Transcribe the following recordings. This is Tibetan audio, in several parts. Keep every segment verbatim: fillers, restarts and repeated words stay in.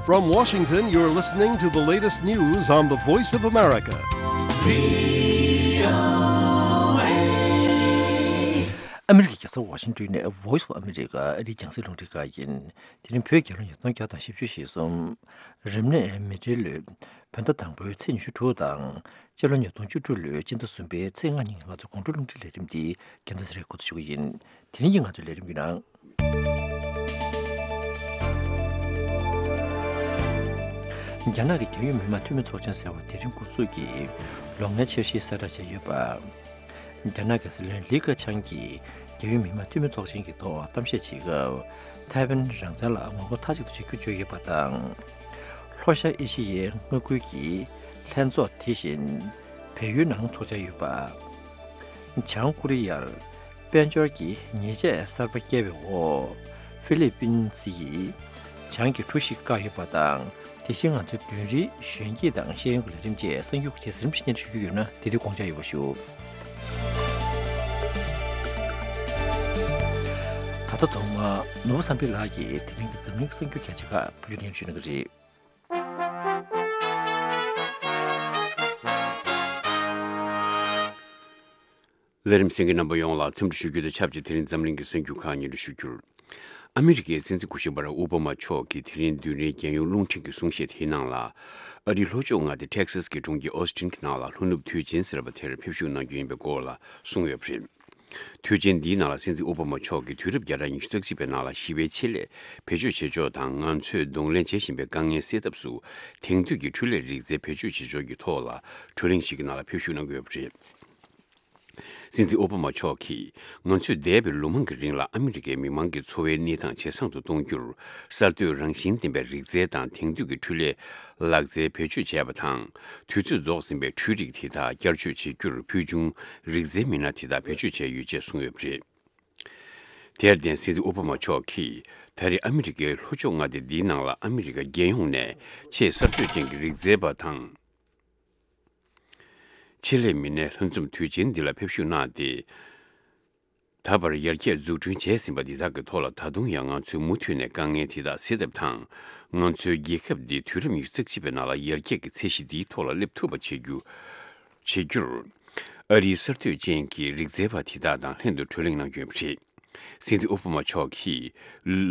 From Washington, you're listening to the latest news on the Voice of America. ཨ་མི་རི་ཀའི་རྒྱལ་ས་ཝ་ཤིང་ཏོན་ནས་Voice of America ཨ་རིའི་རྒྱང་སྲིང་རླུང་འཕྲིན་ཁང་ཡིན། དེ་རིང་བོད་རྒྱལ་ལོ་ཉིས་སྟོང་བརྒྱ་དང་བཞི་བཅུ་ཞེ་གསུམ། རིམས་ནད་མེ་སྤྲེལ་ལོའི་བོད་ཟླ་དང་པོའི་ཚེས་ཉི་ཤུ་དྲུག་དང་། སྤྱི་ལོ་ཉིས་སྟོང་བཅུ་དྲུག་ལོའི་སྤྱི་ཟླ་གསུམ་པའི་ཚེས་ལྔ་ཉིན་གྱི་ང་ཚོའི་དགོང་དྲོ་རླུང་འཕྲིན་ལས་རིམ་འདི་རྒྱལ་མཚན་ཚེ་རིང་འགོ་འཛུགས་ཞུ་གི་ཡིན། དེ་རིང་གི་ང་ཚོའི་ལས་རིམ་གྱི་ནང་། རྒྱ་ནག་གི་རྒྱལ་ཡོངས་མི་དམངས་འཐུས་མི་ཚོགས་ཆེན་ཟེར་བ་དེ་རིང་འགོ་འཛུགས་ཀྱིས་ལོ་ལྔའི་འཆར་གཞི་གསལ་བསྒྲགས་བྱས་ཡོད་པ། རྒྱ་ནག་གི་སྲིད་བློན་ལི་ཁེ་ཆང་གིས་རྒྱལ་ཡོངས་མི་དམངས་འཐུས་མི་ཚོགས་ཆེན་གྱི་ཐོག་གཏམ་བཤད་བྱེད་སྐབས། ཐའེ་ཝན་རང་བཙན་ལ་ངོ་རྒོལ་མཐའ་གཅིག་ཏུ་བྱེད་རྒྱུ་བརྗོད་ཡོད་པ་དང་། ལྷོ་ཤར་ཨེ་ཤི་ཡའི་མངའ་ཁུལ་གྱི་ལྷན་ཚོགས་དེ་བཞིན་བལ་ཡུལ་ནང་འཚོགས་འཆར་ཡོད་པ། བྱང་ཀོ་རི་ཡར་དཔལ་འབྱོར་གྱི་ཉེས་ཆད་གསར་པ་བཀལ་བའི་འོག་ཧྥི་ལི་པིན་སི་ཡིས་བྱང་གི་གྲུ་ཞིག་བཀག་ཡོད་པ་དང་། དེ་བཞིན་ང་ཚོའི་བདུན་རིའི་གཞོན་སྐྱེས་དང་ཤེས་ཡོན་གྱི་ལས་རིམ་བཅས་གསར་འགྱུར་ཁག་ཅིག་རིམ་བཞིན་སྙན་སྒྲོན་ཞུ་རྒྱུ་ཡོད་ན། དེ་དུས་དགོངས་འཇགས་ཡོད་པ་ཞུ། ད་ལྟ་ཐོག་མར་ནོར་བུ་བསམ་འཕེལ་ལགས་ཀྱིས་དེ་རིང་གི་འཛམ་གླིང་གི་གསར་འགྱུར་ཁག་ཅིག་ཕུལ་བརྗོད་ཞུ་གནང་གི་རེད། ལས་རིམ་གསན་མཁན་རྣམ་པ་ཡོངས་ལ་འཚམས་འདྲི་ཞུ་རྒྱུ་དང་ཆབས་ཅིག་དེ་རིང་འཛམ་གླིང་གི་གསར་འགྱུར་ཁག་སྙན་སྒྲོན་ཞུ་རྒྱུར། ཨ་མི་རི་ཀའི་སྲིད་འཛིན་སྐུ་ཞབས་བྷ་རག་ཨོ་བྷ་མ་མཆོག་གིས་དེ་རིང་བདུན་རིའི་རྒྱལ་ཡོངས་རླུང་འཕྲིན་གྱི་གསུང་བཤད་དེའི་ནང་ལ། ཨ་རིའི་ལྷོ་ཕྱོགས་མངའ་སྡེ་ཊེག་སཱས་ཀྱི་གྲོང་ཁྱེར་ཨོ་སི་ཊིན་གྱི་ནང་ལ་ལྷོ་ནུབ་དུས་ཆེན་ཟེར་བ་དེར་ཕེབས་བཞུགས་གནང་རྒྱུ་ཡིན་པའི་སྐོར་ལ་གསུངས་ཡོད་པ་རེད། དུས་ཆེན་འདིའི་ནང་ལ་སྲིད་འཛིན་ཨོ་བྷ་མ་མཆོག་གིས་དུས་རབས་བརྒྱ་ཕྲག་ཉི་ཤུ་རྩ་གཅིག་པའི་ནང་ལ་ཞི་བའི་ཆེད་ལས་བེད་སྤྱོད་བྱེད་ཕྱོགས་དང་། ང་ཚོས་གདོང་ལེན་བྱེད་བཞིན་པའི་དཀའ་ངལ་སེལ་ཐབས་སུ་དེང་དུས་ཀྱི་འཕྲུལ་ལས་རིག་རྩལ་བེད་སྤྱོད་བྱེད་ཕྱོགས་ཀྱི་ཐོག་ལ་གྲོས་གླེང་ཞིག་གི་ནང་ལ་ཕེབས་བཞུགས་གནང་གི་ཡོད་པ་རེད། སྲིད་འཛིན་ཨོ་བྷ་མ་མཆོག་གིས། ང་ཚོས་འདས་པའི་ལོ་མང་གི་རིང་ལ་ཨ་མི་རི་ཀའི་མི་མང་གི་འཚོ་བའི་གནས་སྟངས་ཇེ་བཟང་དུ་གཏོང་རྒྱུར། གསར་གཏོད་རང་བཞིན་ལྡན་པའི་རིག་རྩལ་དང་དེང་དུས་ཀྱི་འཕྲུལ་ལས་ལག་རྩལ་བེད་སྤྱོད་བྱས་པ་དང་། དུས་ཚོད་རྫོགས་ཟིན་པའི་འཕྲུལ་རིག་དེ་དག་བསྐྱར་བཅོས་བྱེད་རྒྱུར་ཕུལ་བྱུང་རིག་རྩལ་མི་སྣ་དེ་དག་བེད་སྤྱོད་བྱས་ཡོད་ཅེས་གསུངས་ཡོད་པ་རེད། དེར་བརྟེན་སྲིད་འཛིན་ཨོ་བྷ་མ་མཆོག་གིས་ད་རེས་ཨ་མི་རི་ཀའི་ལྷོ་ཕྱོགས་མངའ་སྡེ་འདིའི་ནང་ལ་ཨ་མི་རི་ཀ་རྒྱལ་ཡོངས་ནས་ཆེས་གསར་གཏོད་ཅན་གྱི་རིག་རྩལ་པ་དང་། ཆེད་ལས་མི་སྣའི་ལྷན་འཛོམས་དུས་ཆེན་འདི་ལ་ཕེབས་བཞུགས་གནང་སྟེ། ད་བར་ཡར་རྒྱས་འཛུགས་སྐྲུན་བྱས་ཟིན་པ་འདི་དག་གི་ཐོག་ལ་ད་དུང་ཡང་ང་ཚོས་མུ་མཐུད་ནས་དཀའ་ངལ་དེ་དག་སེལ་ཐབས་དང་། ང་ཚོའི་རྒྱལ་ཁབ་འདི་དུས་རབས་ཉི་ཤུ་རྩ་གཅིག་པའི་ནང་ལ་ཡར་རྒྱས་ཀྱི་ཚད་གཞི་འདིའི་ཐོག་ལ་སླེབས་ཐུབ་པ་བྱེད་རྒྱུ། བྱེད་རྒྱུར། ཨ་རིའི་གསར་གཏོད་ཅན་གྱི་རིག་རྩལ་པ་དེ་དག་དང་ལྷན་དུ་གྲོས་གླེང་གནང་རྒྱུ་ཡིན་པ་རེད། སྲིད་འཛིན་ཨོ་བྷ་མ་མཆོག་གིས།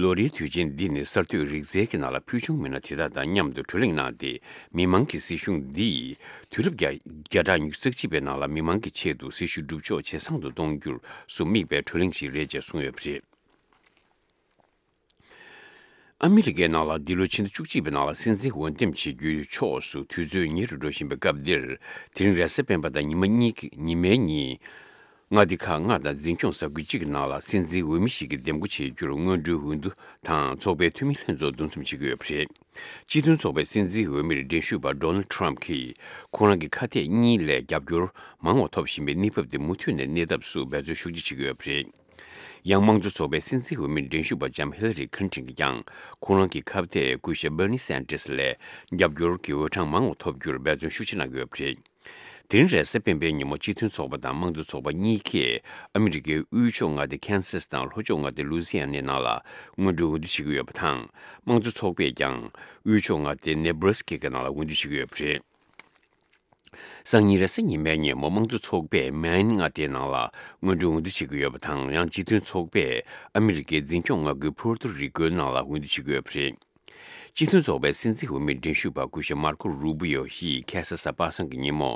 ལོ་རེའི་དུས་ཆེན་འདི་ནི་གསར་གཏོད་རིག་རྩལ་གྱི་ནང་ལ་ཕུལ་བྱུང་མི་སྣ་དེ་དག་དང་མཉམ་དུ་གྲོས་གླེང་གནང་སྟེ། མི་མང་གི་སྲིད་གཞུང་འདིས་དུས་རབས་བརྒྱ་བརྒྱ་ཕྲག་ཉི་ཤུ་རྩ་གཅིག་པའི་ནང་ལ་མི་མང་གི་ཆེད་དུ་སྲིད་ཇུས་སྒྲུབ་ཕྱོགས་ཇེ་བཟང་དུ་གཏོང་རྒྱུར་སུ་དམིགས་པའི་གྲོས་གླེང་ཞིག་རེད་ཅེས་གསུངས་ཡོད་པ་རེད། ཨ་མི་རི་ཀའི་ནང་ལ་འདི་ལོའི་ཕྱི་ཟླ་བཅུ་གཅིག་པའི་ནང་ལ་སྲིད་འཛིན་འོས་འདེམས་བྱེད་རྒྱུའི་ཕྱོགས་སུ་དུས་ཚོད་ཉེ་རུ་འགྲོ་བཞིན་པའི་སྐབས་འདིར། དེ་རིང་རེས་གཟའ་སྤེན་པ་དང་ཉི་མ་གཉིས་ཀྱི་ཉི་མའི་ཉིན། མངའ་སྡེ་ཁག་ལྔ་དང་འཛིན་སྐྱོང་ས་ཁུལ་གཅིག་གི་ནང་ལ་སྲིད་འཛིན་འོས་མི་ཞིག་གི་འདེམས་བསྐོ་བྱེད་རྒྱུར་སྔོན་འགྲོའི་འོས་བསྡུ་དང་ཚོགས་པའི་འཐུས་མི་ལྷན་ཚོགས་འདུ་འཛོམས་བྱེད་ཀྱི་ཡོད་པ་རེད། སྤྱི་མཐུན་ཚོགས་པའི་སྲིད་འཛིན་འོས་མིར་འགྲན་ཞུགས་པ་ཌོ་ནལ་ཌི་ཊརམ་ཕ་གྱིས་ཁོང་རང་གི་ཁ་གཏད་གཉིས་ལས་རྒྱབ་སྐྱོར་མང་བ་ཐོབ་བཞིན་པའི་གནས་བབ་དེ་མུ་མཐུད་ནས་གནས་ཐབས་སུ་འབད་བརྩོན་ཤུགས་ཆེ་བྱེད་ཀྱི་ཡོད་པ་རེད། ཡང་དམངས་གཙོ་ཚོགས་པའི་སྲིད་འཛིན་འོས་མིར་འགྲན་ཞུགས་པ་ལྕམ་ཧི་ལ་རི་ཁི་ལིན་ཊོན་གྱིས་ཀྱང་ཁོང་རང་གི་ཁ་གཏད་སྐུ་ཞབས་བྷར་ནི་སན་ཏྲེས་ལས་རྒྱབ་སྐྱོར་གྱི་འོས་གྲངས་མང་བ་ཐོབ་རྒྱུར་འབད་བརྩོན་ཤུགས་ཆེ་གནང་གི་ཡོད་པ་རེད། དེ་རིང་རེས་གཟའ་སྤེན་པའི་ཉིན་མོ་སྤྱི་མཐུན་ཚོགས་པ་དང་དམངས་གཙོ་ཚོགས་པ་གཉིས་ཀས་ཨ་མི་རི་ཀའི་དབུས་ཕྱོགས་མངའ་སྡེ་ཁན་སཱས་དང་ལྷོ་ཕྱོགས་མངའ་སྡེ་ལུའི་ཛི་ཡ་ནའི་ནང་ལ་སྔོན་འགྲོའི་འོས་བསྡུ་བྱེད་ཀྱི་ཡོད་པ་དང་། དམངས་གཙོ་ཚོགས་པས་ཀྱང་དབུས་ཕྱོགས་མངའ་སྡེ་ནེ་བྷ་ར་སི་ཀའི་ནང་ལ་འོས་བསྡུ་བྱེད་ཀྱི་ཡོད་པ་རེད། སང་ཉིན་རེས་གཟའ་ཉི་མའི་ཉིན་མོ་དམངས་གཙོ་ཚོགས་པས་མེན་མངའ་སྡེའི་ནང་ལ་སྔོན་འགྲོའི་འོས་བསྡུ་བྱེད་ཀྱི་ཡོད་པ་དང་། ཡང་སྤྱི་མཐུན་ཚོགས་པས་ཨ་མི་རི་ཀའི་འཛིན་སྐྱོང་མངའ་ཁུལ་ཕུར་ཏུ་རི་ཀོའི་ནང་ལ་འོས་བསྡུ་བྱེད་ཀྱི་ཡོད་པ་རེད། སྤྱི་མཐུན་ཚོགས་པའི་སྲིད་འཛིན་འོས་མིར་འགྲན་ཞུགས་པ་སྐུ་ཞབས་མར་ཀོ་རུ་བི་ཡོ་ཡིས་ཁ་སང་གཟའ་པ་སངས་ཀྱི་ཉིན་མོ་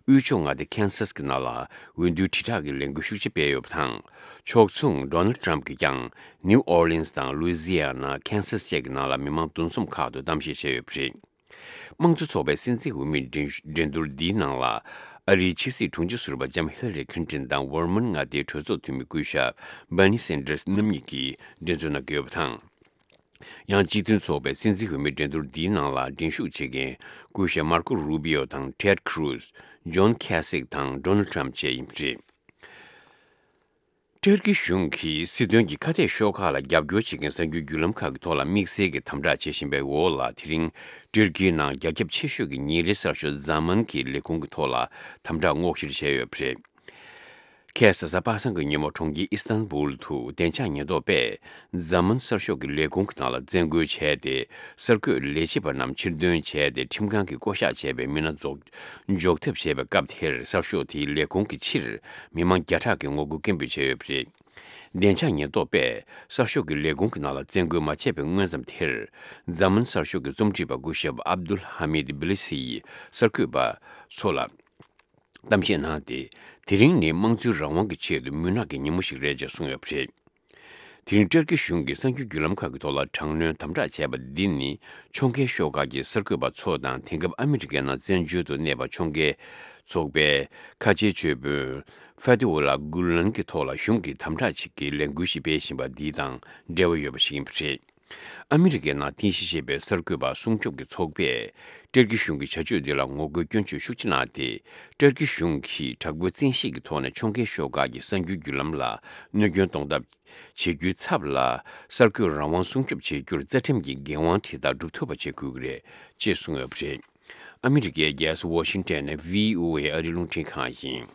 དབུས་ཕྱོགས་མངའ་སྡེ་ཁན་སཱས་ཀྱི་ནང་ལ་འོས་བསྡུའི་དྲིལ་བསྒྲགས་ཀྱི་ལས་འགུལ་ཤུགས་ཆེ་སྤེལ་ཡོད་པ་དང་། ཕྱོགས་མཚུངས་ཌོ་ནལ་ཌི་ཊརམ་ཕ་གྱིས་ཀྱང་ནིའུ་ཨོར་ལིན་སི་དང་ལུའི་ཛི་ཡ་ན། ཁན་སཱས་བཅས་ཀྱི་ནང་ལ་མི་མང་འདུ་འཛོམས་ཁག་ཏུ་གཏམ་བཤད་བྱས་ཡོད་པ་རེད། དམངས་གཙོ་ཚོགས་པའི་སྲིད་འཛིན་འོས་མིའི་འགྲན་འགྲན་བསྡུར་འདིའི་ནང་ལ། ཨ་རིའི་ཕྱི་སྲིད་དྲུང་ཆེ་ཟུར་པ་ལྕམ་ཧི་ལ་རི་ཁི་ལིན་ཊོན་དང་ཝར་མན་མངའ་སྡེའི་གྲོས་ཚོགས་འཐུས་མི་སྐུ་ཞབས་བྷར་ནི་སན་ཏྲེས་རྣམ་གཉིས་ཀྱིས་འགྲན་རྩོད་གནང་གི་ཡོད་པ་དང་། ཡང་སྤྱི་མཐུན་ཚོགས་པའི་སྲིད་འཛིན་འོས་མིའི་འགྲན་བསྡུར་འདིའི་ནང་ལ་འགྲན་ཞུགས་བྱེད་མཁན་སྐུ་ཞབས་མར་ཀོ་རུ་བི་ཡོ་དང་ཊེཌ་ཁུ་རུ་ཛི། ཇོན་ཁེ་སིག་དང་ཌོ་ནལ་ཌི་ཊརམ་ཕ་བཅས་ཡིན་པ་རེད། ཏུར་ཀི་གཞུང་གིས་སྲིད་དོན་གྱི་ཁ་གཏད་ཤོག་ཁག་ལ་རྒྱབ་སྐྱོར་བྱེད་མཁན་གསར་འགྱུར་བརྒྱུད་ལམ་ཁག་གི་ཐོག་ལ་དམིགས་བསལ་གྱི་དམ་དྲག་བྱེད་བཞིན་པའི་འོག་ལ། དེ་རིང་ཏུར་ཀིའི་ནང་རྒྱ་ཁྱབ་ཆེ་ཤོས་ཀྱི་ཉིན་རེའི་གསར་ཤོག་ཛ་མཱན་གྱི་ལས་ཁུངས་ཀྱི་ཐོག་ལ་དམ་དྲག་སྔོག་བཤེར་བྱས་ཡོད་པ་རེད། ཁ་སང་གཟའ་པ་སངས་ཀྱི་ཉིན་མོ་གྲོང་ཁྱེར་ཨི་སི་ཐན་བུལ་དུ་བདེ་འཇགས་ཉེན་རྟོག་པས་འཛམ་གླིང་གསར་ཤོག་གི་ལས་ཁུངས་ཀྱི་ནང་ལ་བཙན་རྒོལ་བྱས་ཏེ། གསར་འགོད་ལས་བྱེད་པ་རྣམས་ཕྱིར་འདོན་བྱས་ཏེ། ཁྲིམས་ཁང་གིས་བསྐོ་གཞག་བྱས་པའི་མི་སྣ་འཛོག་འཇོག་ཐབས་བྱས་པའི་སྐབས་དེར། གསར་ཤོག་དེའི་ལས་ཁུངས་ཀྱི་ཕྱིར་མི་མང་བརྒྱ་ཕྲག་གིས་ངོ་རྒོལ་སྐད་འབོད་བྱས་ཡོད་པ་རེད། བདེ་འཇགས་ཉེན་རྟོག་པས་གསར་ཤོག་གི་ལས་ཁུངས་ཀྱི་ནང་ལ་བཙན་རྒོལ་མ་བྱས་པའི་སྔོན་ཙམ་དེར། འཛམ་གླིང་གསར་ཤོག་གི་རྩོམ་སྒྲིག་པ་སྐུ་ཞབས་ཨབ་དུལ་ཧ་མིད་བི་ལི་སི་ཡིས་གསར་འགོད་པ་ཚོ་ལ་གཏམ་བཤད་གནང་སྟེ། དེ་རིང་ནི་དམངས་གཙོའི་རང་དབང་གི་ཆེད་དུ་མུན་ནག་གི་ཉིན་མོ་ཞིག་རེད་ཅེས་གསུངས་ཡོད་པ་རེད། དེ་རིང་ཏུར་ཀི་གཞུང་གིས་གསར་འགྱུར་བརྒྱུད་ལམ་ཁག་གི་ཐོག་ལ་དྲག་གནོན་དམ་དྲག་བྱས་པ་འདི་ནི། ཕྱོགས་འགལ་ཤོག་ཁག་གི་གསར་འགོད་པ་ཚོ་དང་། དེང་སྐབས་ཨ་མི་རི་ཀའི་ནང་བཙན་བྱོལ་དུ་གནས་པ་ཕྱོགས་འགལ་ཚོགས་པའི་ཁ་ཆེའི་ཇུས་འབོན་ཕེ་ཐི་ཨུ་ལ་གུ་ལན་གྱི་ཐོག་ལ་གཞུང་གིས་དམ་དྲག་ཅིག་གི་ལས་འགུལ་ཞིག་སྤེལ་བཞིན་པ་འདི་དང་འབྲེལ་བ་ཡོད་པ་ཞིག་ཡིན་པ་རེད། ཨ་མི་རི་ཀའི་ནང་རྟེན་གཞི་བྱས་པའི་གསར་འགོད་པ་སྲུང་སྐྱོབ་ཀྱི་ཚོགས་པས་ཏུར་ཀི་གཞུང་གི་བྱ་སྤྱོད་འདི་ལ་ངོ་རྒོལ་སྐྱོན་བརྗོད་ཤུགས་ཆེ་གནང་སྟེ། ཏུར་ཀི་གཞུང་གིས་དྲག་པོའི་བཙན་ཤེད་ཀྱི་ཐོག་ནས་ཕྱོགས་འགལ་ཤོག་ཁག་གི་གསར་འགྱུར་བརྒྱུད་ལམ་ལ་གནོད་སྐྱོན་གཏོང་ཐབས་བྱེད་རྒྱུའི་ཚབ་ལ། གསར་འགོད་རང་དབང་སྲུང་སྐྱོབ་བྱེད་རྒྱུར་རྩ་ཁྲིམས་ཀྱི་འགན་དབང་དེ་དག་སྒྲུབ་ཐུབ་པ་བྱེད་དགོས་ཀྱི་རེད་ཅེས་གསུངས་ཡོད་པ་རེད། ཨ་མི་རི་ཀའི་རྒྱལ་ས་ཝ་ཤིང་ཊོན་ནས་བྷི་ཨོ་ཨེ་ཨ་རིའི་རླུང་འཕྲིན་ཁང་ཡིན།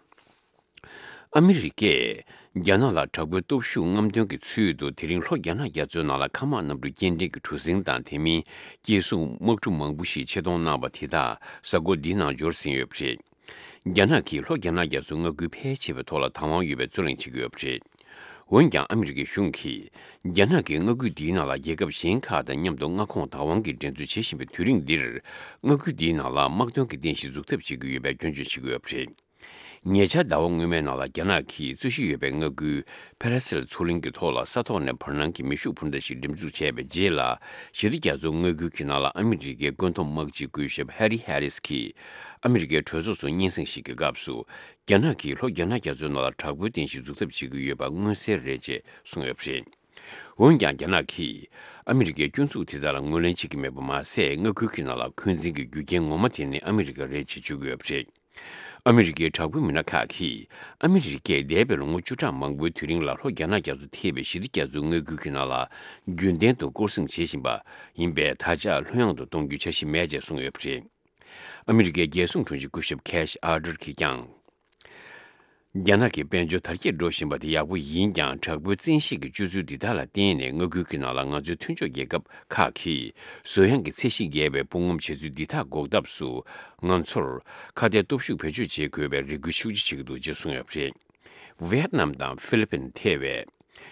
ཨ་མི་རི་ཀས་རྒྱ་ནག་ལ་དྲག་པོའི་སྟོབས་ཤུགས་རྔམ་སྟོན་གྱི་ཚུལ་དུ། དེ་རིང་ལྷོ་རྒྱ་ནག་རྒྱ་མཚོའི་ནང་ལ་མཁའ་དམག་གནམ་གྲུ་སྐྱེལ་འདྲེན་གྱི་གྲུ་གཟིངས་དང་། དེ་མིན་སྐྱེད་སྲུང་དམག་གྲུ་མང་པོ་ཞིག་ཆེད་གཏོང་གནང་བ་དེ་དག་གཟའ་འཁོར་འདིའི་ནང་འབྱོར་ཟིན་ཡོད་པ་རེད། རྒྱ་ནག་གིས་ལྷོ་རྒྱ་ནག་རྒྱ་མཚོའི་མངའ་ཁུལ་ཕལ་ཆེ་བའི་ཐོག་ལ་བདག་དབང་ཡོད་པའི་རྩོད་གླེང་བྱེད་ཀྱི་ཡོད་པ་རེད། འོན་ཀྱང་ཨ་མི་རི་ཀའི་གཞུང་གིས། རྒྱ་ནག་གིས་མངའ་ཁུལ་འདིའི་ནང་ལ་རྒྱལ་ཁབ་གཞན་ཁག་དང་མཉམ་དུ་མངའ་ཁོངས་བདག་དབང་གི་འགྲན་རྩོད་བྱེད་བཞིན་པའི་དུས་རིང་འདིར། མངའ་ཁུལ་འདིའི་ནང་ལ་དམག་དོན་གྱི་རྟེན་གཞི་འཛུགས་ཐབས་བྱེད་ཀྱི་ཡོད་པའི་སྐྱོན་བརྗོད་བྱེད་ཀྱི་ཡོད་པ་རེད། ཉེ་ཆར་ཟླ་བ་སྔོན་མའི་ནང་ལ། རྒྱ་ནག་གིས་རྩོད་གཞི་ཡོད་པའི་མངའ་ཁུལ་ཕེ་ར་སིལ་མཚོ་གླིང་གི་ཐོག་ལ་ས་ཐོག་ནས་བར་སྣང་གི་མེ་ཤུགས་འཕུར་མདའ་ཞིག་འགྲེམས་འཛུགས་བྱས་པའི་རྗེས་ལ། ཞི་བདེ་རྒྱ་མཚོའི་མངའ་ཁུལ་གྱི་ནང་ལ་ཨ་མི་རི་ཀའི་བཀོད་འདོམས་དམག་སྤྱི་སྐུ་ཞབས་ཧེ་རི་ཧེ་རིས་ཀྱིས་ཨ་མི་རི་ཀའི་གྲོས་ཚོགས་སུ་སྙན་སེང་ཞིག་གི་སྐབས་སུ། རྒྱ་ནག་གིས་ལྷོ་རྒྱ་ནག་རྒྱ་མཚོའི་ནང་ལ་དྲག་པོའི་རྟེན་གཞི་འཛུགས་ཐབས་བྱེད་ཀྱི་ཡོད་པ་མངོན་གསལ་རེད་ཅེས་གསུངས་ཡོད་པ་རེད། འོན་ཀྱང་། རྒྱ་ནག་གིས་ཨ་མི་རི་ཀའི་སྐྱོན་འཛུགས་དེ་དག་ལ་ངོས་ལེན་བྱེད་ཀྱི་མེད་པ་མ་ཟད། མངའ་ཁུལ་གྱི་ནང་ལ་འཁོན་འཛིན་གྱི་རྒྱུ་རྐྱེན་ངོ་མ་དེ་ནི་ཨ་མི་རི་ཀ་རེད་ཅེས་བརྗོད་ཀྱི་ཡོད་པ་རེད། ཨ་མི་རི་ཀའི་དྲག་པོའི་མི་སྣ་ཁག་གིས། ཨ་མི་རི་ཀས་འདས་པའི་ལོ་ངོ་བཅུ་ཕྲག་མང་པོའི་དུས་རིང་ལ་ལྷོ་རྒྱ་ནག་རྒྱ་མཚོ་ཐེ་བའི་ཞི་བདེ་རྒྱ་མཚོའི་མངའ་ཁུལ་གྱི་ནང་ལ་རྒྱུན་ལྡན་དུ་སྐོར་སྲུང་བྱེད་བཞིན་པ་ཡིན་པས། ད་ཆ་ལྷོད་ཡངས་དུ་གཏོང་རྒྱུའི་འཆར་གཞི་མེད་ཅེས་གསུངས་ཡོད་པ་རེད། ཨ་མི་རི་ཀའི་རྒྱལ་སྲུང་དྲུང་ཆེ་སྐུ་ཞབས་ཁེ་ཤི་ཨར་ཏར་གྱིས་ཀྱང་། རྒྱ་ནག་གི་དཔལ་འབྱོར་དར་རྒྱས་འགྲོ་བཞིན་པ་དེ་ཡག་པོ་ཡིན་ཀྱང་། དྲག་པོའི་བཙན་ཤེད་ཀྱི་སྤྱོད་ཚུལ་འདི་དག་ལ་བརྟེན་ནས། མངའ་ཁུལ་གྱི་ནང་ལ་ང་ཚོའི་མཐུན་ཕྱོགས་རྒྱལ་ཁབ་ཁག་གིས་གསོ་ཡང་གི་ཚད་གཞི་བརྒལ་བའི་དཔུང་ངོམ་བྱེད་ཚུལ་འདི་དག་འགོག་ཐབས་སུ། ང་ཚོར་ཁ་གཏད་སྟོབས་ཤུགས་བེད་སྤྱོད་བྱེད་དགོས་པའི་རེ་སྐུལ་ཤུགས་ཆེ་བྱེད་ཀྱི་འདུག་ཅེས་གསུངས་ཡོད་པ་རེད། ཝེ་ཏི་ནམ་དང་ཧྥི་ལི་པིན་ཐེ་བའི་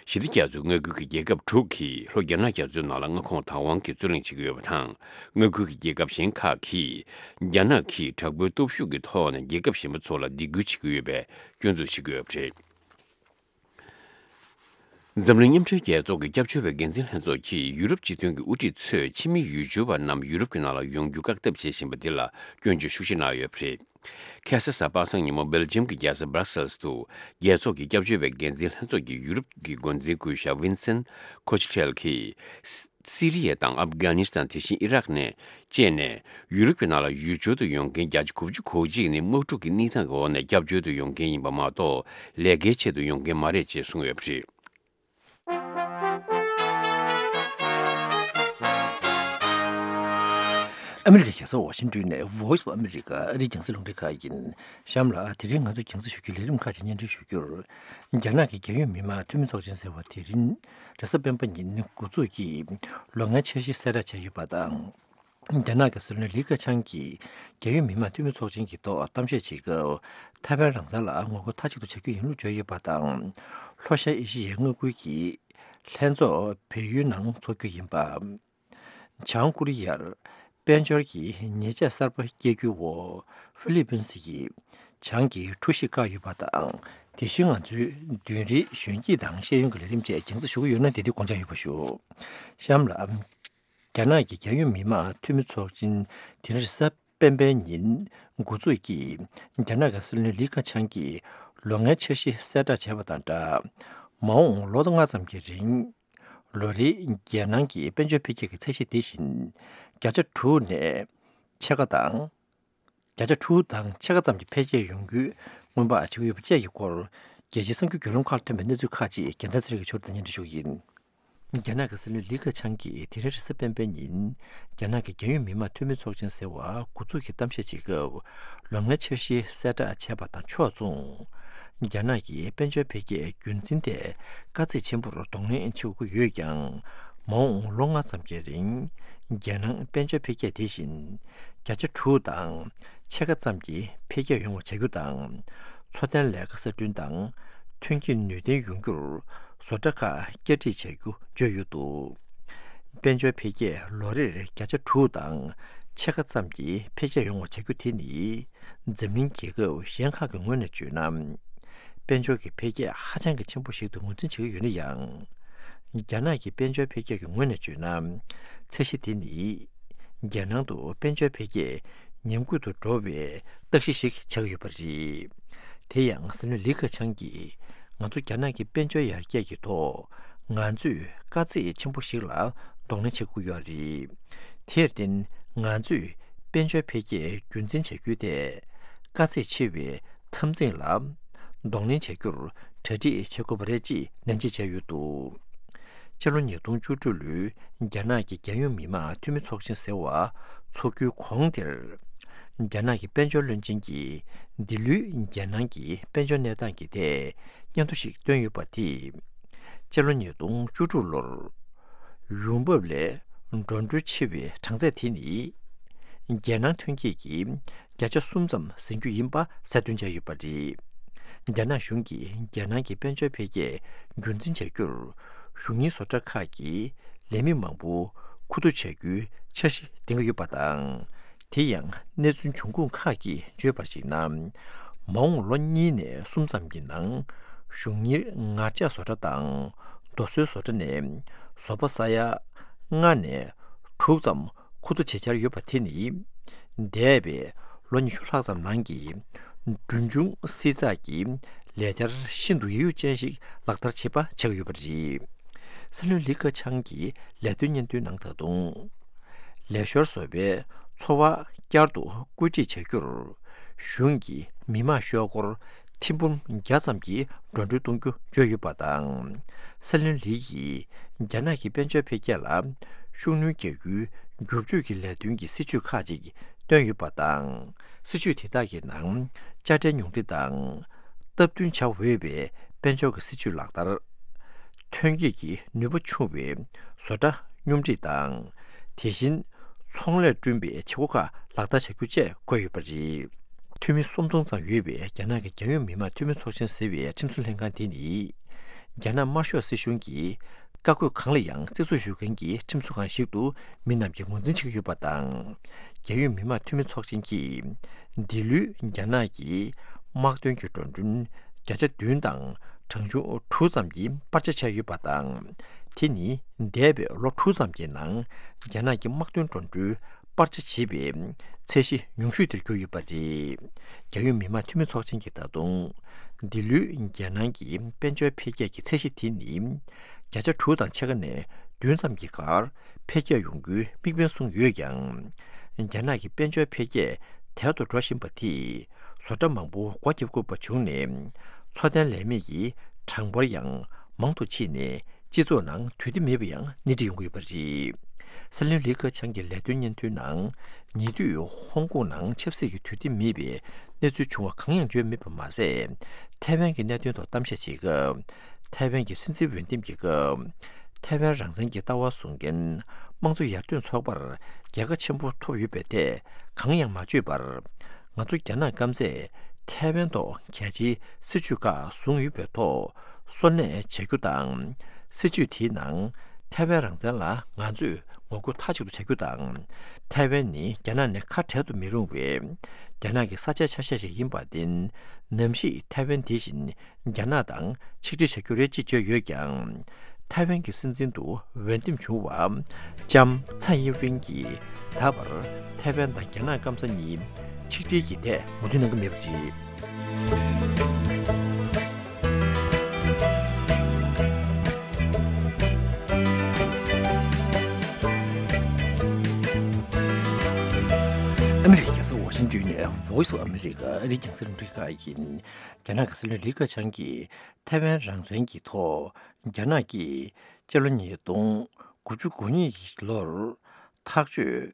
ཞི་བདེ་རྒྱ་མཚོའི་མངའ་ཁུལ་གྱི་རྒྱལ་ཁབ་དྲུག་གིས་ལྷོ་རྒྱ་ནག་རྒྱ་མཚོའི་ནང་ལ་མངའ་ཁོངས་བདག་དབང་གི་རྩོད་གླེང་བྱེད་ཀྱི་ཡོད་པ་དང་། མངའ་ཁུལ་གྱི་རྒྱལ་ཁབ་གཞན་ཁག་གིས་རྒྱ་ནག་གིས་དྲག་པོའི་སྟོབས་ཤུགས་ཀྱི་ཐོག་ནས་རྒྱལ་ཁབ་གཞན་པ་ཚོ་ལ་སྡིགས་སྐུལ་བྱེད་ཀྱི་ཡོད་པའི་སྐྱོན་འཛུགས་བྱེད་ཀྱི་ཡོད་པ་རེད། འཛམ་གླིང་མཉམ་འབྲེལ་རྒྱལ་ཚོགས་ཀྱི་སྐྱབས་བཅོལ་བའི་འགན་འཛིན་ལྷན་ཚོགས་ཀྱིས་ཡུ་རོབ་སྤྱི་མཐུན་གྱི་དབུ་ཁྲིད་ཚོས་ཕྱི་མི་ཡུལ་སྐྱོར་བ་རྣམས་ཡུ་རོབ་ཀྱི་ནང་ལ་ཡོང་རྒྱུ་བཀག་ཐབས་བྱེད་བཞིན་པ་འདི་ལ་སྐྱོན་བརྗོད་ཤུགས་ཆེ་གནང་ཡོད་པ་རེད། ཁ་སང་གཟའ་པ་སངས་ཉིན་མོ་སྦེལ་ཇམ་གྱི་རྒྱལ་ས་སྦྲག་སེལ་དུ། རྒྱལ་ཚོགས་ཀྱི་སྐྱབས་བཅོལ་བའི་འགན་འཛིན་ལྷན་ཚོགས་ཀྱི་ཡུ་རོབ་ཀྱི་འགོ་འཛིན་སྐུ་ཞབས་ཝིན་སན་ཁོ་ཆི་ཁྲེལ་གྱིས། སི་རི་ཡ་དང་ཨབ་གྷ་ནི་སི་ཐན། དེ་བཞིན་ཨི་རག་ནས་བཅས་ནས་ཡུ་རོབ་ཀྱི་ནང་ལ་ཡུལ་སྐྱོར་དུ་ཡོང་མཁན་བརྒྱ་ཆ་དགུ་བཅུ་གོ་གཅིག་ནི་དམག་འཁྲུག་གི་གནས་སྟངས་ཀྱི་འོག་ནས་སྐྱབས་བཅོལ་དུ་ཡོང་མཁན་ཡིན་པ་མ་གཏོགས། ལས་ཀའི་ཆེད་དུ་ཡོང་མཁན་མ་རེད་ཅེས་གསུངས་ཡོད་པ་རེད། ཨ་མི་རི་ཀའི་རྒྱལ་ས་ཝ་ཤིང་ཏོན་ནས་Voice of America ཨ་རིའི་རྒྱང་སྲིང་རླུང་འཕྲིན་ཁང་ཡིན། གཤམ་ལ་དེ་རིང་ང་ཚོས་རྒྱང་སྲིང་ཞུ་རྒྱུའི་ལས་རིམ་ཁག་ཅིག་སྙན་སྒྲོན་ཞུ་རྒྱུར། རྒྱ་ནག་གི་རྒྱལ་ཡོངས་མི་དམངས་འཐུས་མི་ཚོགས་ཆེན་ཟེར་བ་དེ་རིང་རེས་གཟའ་སྤེན་པ་ཉིན་འགོ་འཛུགས་ཀྱིས་ལོ་ལྔའི་འཆར་གཞི་གསལ་བསྒྲགས་བྱས་ཡོད་པ་དང་། རྒྱ་ནག་གི་སྲིད་བློན་ལི་ཁེ་ཆང་གིས་རྒྱལ་ཡོངས་མི་དམངས་འཐུས་མི་ཚོགས་ཆེན་གྱི་ཐོག་གཏམ་བཤད་བྱེད་སྐབས། ཐའེ་ཝན་རང་བཙན་ལ་ངོ་རྒོལ་མཐའ་གཅིག་ཏུ་བྱ་རྒྱུ་ཡིན་ལུགས་བརྗོད་ཡོད་པ་དང་། ལྷོ་ཤར་ཨེ་ཤི་ཡའི་མངའ་ཁུལ་གྱི་ལྷན་ཚོགས་བལ་ཡུལ་ནང་འཚོགས་རྒྱུ་ཡིན་པ། བྱང་ཀོ་རི་ཡར་དཔལ་འབྱོར་གྱི་ཉེས་ཆད་གསར་པ་བཀལ་རྒྱུའི་འོག་ཧྥི་ལི་པིན་སི་ཡིས་བྱང་གི་གྲུ་ཞིག་བཀག་ཡོད་པ་དང་། དེ་བཞིན་ང་ཚོའི་མདུན་རིའི་གཞོན་སྐྱེས་དང་ཤེས་ཡོན་གྱི་ལས་རིམ་བཅས་རྒྱང་སྲིང་ཞུ་གི་ཡོད་ན། དེ་དུས་དགོངས་འཇགས་ཡོད་པ་ཞུ། གཤམ་ལ། རྒྱ་ནག་གི་རྒྱལ་ཡོངས་མི་དམངས་འཐུས་མི་ཚོགས་ཆེན་དེ་རིང་རེས་གཟའ་སྤེན་པའི་ཉིན་འགོ་འཛུགས་ཀྱིས། རྒྱ་ནག་གི་སྲིད་བློན་ལི་ཁེ་ཆང་གིས་ལོ་ལྔའི་འཆར་གཞི་གསལ་བསྒྲགས་བྱས་པ་དང་སྦྲགས། མ་འོངས་ལོ་ལྔ་ཙམ་གྱི་རིང་ལོ་རེའི་རྒྱལ་ནང་གི་དཔལ་འབྱོར་འཕེལ་རྒྱས་ཀྱི་ཚད་གཞི་དེ་བཞིན་བརྒྱ་ཆ་དྲུག་ནས་ཕྱེད་ཀ་དང་། བརྒྱ་ཆ་དྲུག་དང་ཕྱེད་ཀ་ཙམ་གྱི་འཕེལ་རྒྱས་ཡོང་རྒྱུའི་སྔོན་དཔག་བྱེད་ཀྱི་ཡོད་པ་བཅས་ཀྱི་སྐོར། རྒྱལ་སྤྱིའི་གསར་འགྱུར་བརྒྱུད་ལམ་ཁག་ལ་ཐོན་པའི་གནས་ཚུལ་ཁག་ཅིག་རྒྱལ་མཚན་ཚེ་རིང་གིས་ཕྱོགས་སྒྲིག་ནས་སྙན་སྒྲོན་ཞུ་གི་ཡིན། རྒྱ་ནག་གི་སྲིད་བློན་ལི་ཁེ་ཆང་གིས་དེ་རིང་རེས་གཟའ་སྤེན་པའི་ཉིན། རྒྱ་ནག་གི་རྒྱལ་ཡོངས་མི་དམངས་འཐུས་མི་ཚོགས་ཆེན་ཟེར་བ་འགོ་འཛུགས་ཀྱིས་གཏམ་བཤད་བྱེད་སྐབས། ལོ་ལྔའི་འཆར་གཞི་གསལ་བསྒྲགས་བྱས་པ་དང་ཕྱོགས་མཚུངས། རྒྱ་ནག་གི་དཔལ་འབྱོར་འཕེལ་རྒྱས་རྒྱུན་འཛིན་ཐད་དཀའ་ཚེགས་ཆེན་པོར་གདོང་ལེན་བྱེད་དགོས་ཀྱི་ཡོད་ཀྱང་། མ་འོངས་ལོ་ལྔ་ཙམ་གྱི་རིང་རྒྱལ་ནང་དཔལ་འབྱོར་འཕེལ་རྒྱས་དེ་བཞིན་བརྒྱ་ཆ་དྲུག་དང་ཕྱེད་ཀ་ཙམ་གྱི་འཕེལ་རྒྱས་ཡོང་བ་བྱ་རྒྱུ་དང་། འཚོ་རྟེན་ལས་ཀ་གསར་སྐྲུན་དང་ཐོན་སྐྱེད་ནུས་ལྡན་ཡོང་རྒྱུར་བཟོ་གྲྭ་ཁག་བསྐྱར་སྒྲིག་བྱ་རྒྱུ་བརྗོད་ཡོད་འདུག་དཔལ་འབྱོར་འཕེལ་རྒྱས་ལོ་རེར་བརྒྱ་ཆ་དྲུག་དང་ཕྱེད་ཀ་ཙམ་གྱི་འཕེལ་རྒྱས་ཡོང་བ་བྱ་རྒྱུ་དེ་ནི། འཛམ་གླིང་རྒྱལ་ཁབ་གཞན་ཁག་གི་ངོས་ནས་བརྗོད་ན། དཔལ་འབྱོར་གྱི་འཕེལ་རྒྱས་ཧ་ཅང་གི་ཆེན་པོ་ཞིག་ཏུ་ངོས་འཛིན་བྱེད་ཀྱི་ཡོད་ན་ཡང་། རྒྱ་ནག་གི་དཔལ་འབྱོར་འཕེལ་རྒྱས་ཀྱི་ངོས་ནས་བརྗོད་ན། ཚད་གཞི་དེ་ནི། རྒྱལ་ནང་དུ་དཔལ་འབྱོར་འཕེལ་རྒྱས་ཉམས་རྒུད་དུ་འགྲོ་བའི་རྟགས་གཞི་ཞིག་ཆགས་ཀྱི་ཡོད་པ་རེད། དེ་ཡང་སྲིད་བློན་ལི་ཁེ་ཆང་གིས། ང་ཚོ་རྒྱ་ནག་གི་དཔལ་འབྱོར་ཡར་རྒྱས་ཀྱི་ཐོག་ང་ཚོས་དཀའ་ཚེགས་ཆེན་པོ་ཞིག་ལ་གདོང་ལེན་བྱེད་དགོས་ཀྱི་ཡོད་རེད། དེར་བརྟེན་ང་ཚོས་དཔལ་འབྱོར་འཕེལ་རྒྱས་རྒྱུན་འཛིན་བྱ་རྒྱུའི་ཐད་དཀའ་ཚེགས་ཆེ་བའི་འཐབ་འཛིང་ལ་གདོང་ལེན་བྱ་རྒྱུར་གྲ་སྒྲིག་བྱེད་དགོས་པ་རེད་ཅེས་ནན་བརྗོད་བྱས་ཡོད་འདུག་སྤྱི་ལོ་ཉིས་སྟོང་བཅུ་དྲུག་ལོའི་རྒྱ་ནག་གི་རྒྱལ་ཡོངས་མི་དམངས་འཐུས་མི་ཚོགས་ཆེན་ཟེར་བ་འཚོགས་རྒྱུའི་གོང་དེར། རྒྱ་ནག་གི་དཔལ་འབྱོར་བློན་ཆེན་གྱིས་འདི་ལོའི་རྒྱལ་ནང་གི་དཔལ་འབྱོར་གནས་སྟངས་ཀྱི་ཐད་སྙན་ཐོ་ཞིག་བཏོན་ཡོད་པ་དེས། སྤྱི་ལོ་ཉིས་སྟོང་བཅུ་དྲུག་ལོར་ཡོང་འབབ་ལས་འགྲོ་གྲོན་ཆེ་བའི་གྲངས་ཚད་དེ་ནི། རྒྱལ་ནང་ཐོན་སྐྱེད་ཀྱི་བརྒྱ་ཆ་གསུམ་ཙམ་ཟིན་རྒྱུ་ཡིན་པ་གསལ་སྟོན་བྱས་ཡོད་པ་རེད། རྒྱ་ནག་གཞུང་གིས་རྒྱལ་ནང་གི་དཔལ་འབྱོར་འཕེལ་རྒྱས་རྒྱུན་འཛིན་བྱ་རྒྱུར། གཞུང་གཉེར་བཟོ་གྲྭ་ཁག་གི་ལས་མི་མང་པོ་མཁོ་བསྡུ་བྱ་རྒྱུའི་འཆར་གཞི་འདིང་གི་ཡོད་པ་དང་། དེ་ཡང་གནས་ཚུལ་འབྱུང་ཁུངས་ཁག་གིས་བརྗོད་པར་གཞིགས་ན། མ་འོངས་ལོ་གཉིས་ནས་གསུམ་ཙམ་གྱི་ནང་གཞུང་གཉེར་ངར་ལྕགས་བཟོ་གྲྭ་དང་རྡོ་སོལ་བཟོ་གྲྭ་ནས་བཟོ་པ་ས་ཡ་ལྔ་ནས་དྲུག་ཙམ་མཁོ་བསྡུ་བྱེད་འཆར་ཡོད་པ་དེ་ནི། འདས་པའི་ལོ་ཉི་ཤུ་ལྷག་ཙམ་ནང་གི་གྲོན་ཆུང་བསྲི་ཚགས་ཀྱི་ལས་འཆར་ཤིན་ཏུ་ཡིད་གཡོ་ཅན་ཞིག་ལག་བསྟར་བྱེད་པ་ཆགས་ཡོད་པ་རེད། སྲིད་བློན་ལི་ཁེ་ཆང་གིས་ལས་དོན་སྙན་ཐོའི་ནང་ད་དུང་། ལས་ཤོར་བཟོ་པའི་འཚོ་བ་བསྐྱར་དུ་བཀོད་སྒྲིག་བྱ་རྒྱུར། གཞུང་གིས་མི་དམངས་ཤོག་སྒོར་ཐེར་འབུམ་བརྒྱ་ཙམ་གྱི་འགྲོ་གྲོན་གཏོང་རྒྱུ་བརྗོད་ཡོད་པ་དང་། སྲིད་བློན་ལི་ཡིས་རྒྱ་ནག་གི་དཔལ་འབྱོར་འཕེལ་རྒྱས་ལ་ཤུགས་སྣོན་རྒྱག་རྒྱུའི་བསྒྱུར་བཅོས་ཀྱི་ལས་དོན་གྱི་སྲིད་ཇུས་ཁག་ཅིག་བཏོན་ཡོད་པ་དང་། སྲིད་ཇུས་དེ་དག་གི་ནང་དཔྱ་ཁྲལ་ཉུང་འཕྲི་དང་། སྟབས་བསྟུན་བྱ་འོས་པའི་དཔལ་འབྱོར་གྱི་སྲིད་ཇུས་ལག་བསྟར། ཐོན་སྐྱེད་ཀྱི་ནུས་པ་ཆུང་བའི་བཟོ་གྲྭ་སྙོམས་སྒྲིག་དང་། དེ་བཞིན་ཚོང་ལས་བསྐྲུན་པའི་བྱེད་སྒོ་ཁག་ལག་བསྟར་བྱ་རྒྱུ་བཅས་འཁོད་ཡོད་པ་རེད། འཐུས་མི་སུམ་སྟོང་ཙམ་ཡོད་པའི་རྒྱ་ནག་གི་རྒྱལ་ཡོངས་མི་དམངས་འཐུས་མི་ཚོགས་ཆེན་ཟེར་བའི་ཁྲིམས་བཟོ་ལྷན་ཁང་དེ་ནི། རྒྱ་ནག་དམར་ཤོག་སྲིད་གཞུང་གིས་བཀའ་བཀོད་གང་ལ་ཡང་བརྩི་སྲུང་ཞུ་མཁན་གྱི་ཁྲིམས་བཟོ་ཁང་ཞིག་ཏུ་མི་རྣམས་ཀྱིས་ངོས་འཛིན་བྱེད་ཀྱི་ཡོད་པ་དང་། རྒྱལ་ཡོངས་མི་དམངས་འཐུས་མི་ཚོགས་ཆེན་གྱིས་འདི་ལོའི་རྒྱ་ནག་གི་དམག་དོན་གྱི་འགྲོ་གྲོན་བརྒྱ་ཆ་བདུན་དང་གྲངས་ཆུང་དྲུག་ཙམ་གྱི་སྤར་ཆ་བྱས་ཡོད་པ་དང་། དེ་ནི་འདས་པའི་ལོ་དྲུག་ཙམ་གྱི་ནང་རྒྱ་ནག་གི་དམག་དོན་འགྲོ་གྲོན་སྤར་ཆ་བྱས་པའི་ཚད་གཞི་ཉུང་ཤོས་དེར་གྱུར་ཡོད་པ་རེད། རྒྱལ་ཡོངས་མི་དམངས་འཐུས་མི་ཚོགས་ཆེན་གྱིས་ད་དུང་། འདི་ལོའི་རྒྱལ་ནང་གི་དཔལ་འབྱོར་འཕེལ་རྒྱས་ཀྱི་ཚད་གཞི་དེ་ནི། བརྒྱ་ཆ་དྲུག་དང་ཕྱེད་ཀ་ནས་བདུན་ཙམ་གྱི་བར་འཕེལ་རྒྱས་ཡོང་རྒྱུའི་དམིགས་འབེན་བཟུང་ཡོད་ཀྱང་། རྒྱ་ནག་གི་དཔལ་འབྱོར་འཕེལ་རྒྱས་དལ་དུ་འགྲོ་བཞིན་པ་དེས་བཟོ་གྲྭ་མང་པོ་སྒོ་བརྒྱབ་དགོས་པ་བྱུང་ནས། འཚོ་རྟེན་ལས་མེད་ཀྱི་གྲངས་འབོར་ཡང་མང་དུ་ཕྱིན་ནས། སྤྱི་ཚོགས་ནང་དུས་བདེ་མེད་པ་ཡང་སྣེ་ཁྲིད་ཡོང་གི་ཡོད་པ་རེད། སྲིད་བློན་ལི་ཁེ་ཆང་གི་ལས་དོན་སྙན་ཐོའི་ནང་། ཉེ་དུས་ཧོང་ཀོང་ནང་ཆབ་སྲིད་ཀྱི་དུས་བདེ་མེད་པའི་གནས་ཚུལ་བྱུང་བ་གང་ཡང་བརྗོད་མེད་པ་མ་ཟད། ཐའེ་ཝན་གྱི་གནད་དོན་ཐོག་གཏམ་བཤད་བྱེད་སྐབས། ཐའེ་ཝན་གྱི་སྲིད་འཛིན་འོས་འདེམས་ཀྱི་སྐབས། ཐའེ་ཝན་རང་བཙན་གྱི་ལྟ་བ་བཟུང་མཁན་དམངས་གཙོ་ཡར་ཐོན་ཚོགས་པར་རྒྱལ་ཁ་ཆེན་པོ་ཐོབ་ཡོད་པའི་ཐད་གང་ཡང་མ་བརྗོད་པར། ང་ཚོ་རྒྱ་ནག་སྐམ་སས་ཐའེ་ཝན་ཐོག་གལ་ཆེའི་སྲིད་ཇུས་ཁག་བཟུང་ཡོད་པའི་ཐོག་སོར་གནས་བྱ་རྒྱུ་དང་། སྲིད་ཇུས་དེའི་ནང་ཐའེ་ཝན་རང་བཙན་ལ་ང་ཚོས་ངོ་རྒོལ་མཐའ་གཅིག་ཏུ་བྱ་རྒྱུ་དང་། ཐའེ་ཝན་ནི་རྒྱ་ནག་ནས་ཁ་བྲལ་དུ་མི་རུང་བའི་རྒྱ་ནག་གི་ས་ཆའི་ཆ་ཤས་ཤིག་ཡིན་པར་བརྟེན། ནམ་ཞིག་ཐའེ་ཝན་དེ་བཞིན་རྒྱ་ནག་དང་ཆིག་སྒྲིལ་བྱ་རྒྱུ་རེད་ཅེས་བརྗོད་ཡོད་ཀྱང་། ཐའེ་ཝན་གྱི་སྲིད་འཛིན་དུ་འོས་འདེམས་བྱུང་བ་ལྕམ་ཚའེ་ཡིན་ཝིན་གྱིས་ད་བར་ཐའེ་ཝན་དང་རྒྱ་ནག་སྐམ་ས་གཉིས་ཆིག་སྒྲིལ་གྱི་ཐད་ངོ་སྤྲོད་གནང་གི་མེད་པ་རེད། ཨ་མི་རི་ཀའི་རྒྱལ་ས་ཝ་ཤིང་ཏོན་ནས་Voice of America ཨ་རིའི་རྒྱང་སྲིང་རླུང་འཕྲིན་ཁང་ཡིན། རྒྱ་ནག་གི་སྲིད་བློན་ལི་ཁེ་ཆང་གིས་ཐའེ་ཝན་རང་བཙན་གྱི་ཐོག་རྒྱ་ནག་གིས་སྤྱི་ལོ་ཉིས་སྟོང་དགུ་བཅུ་གོ་གཉིས་ཀྱི་ལོར་ཐག་གཅོད་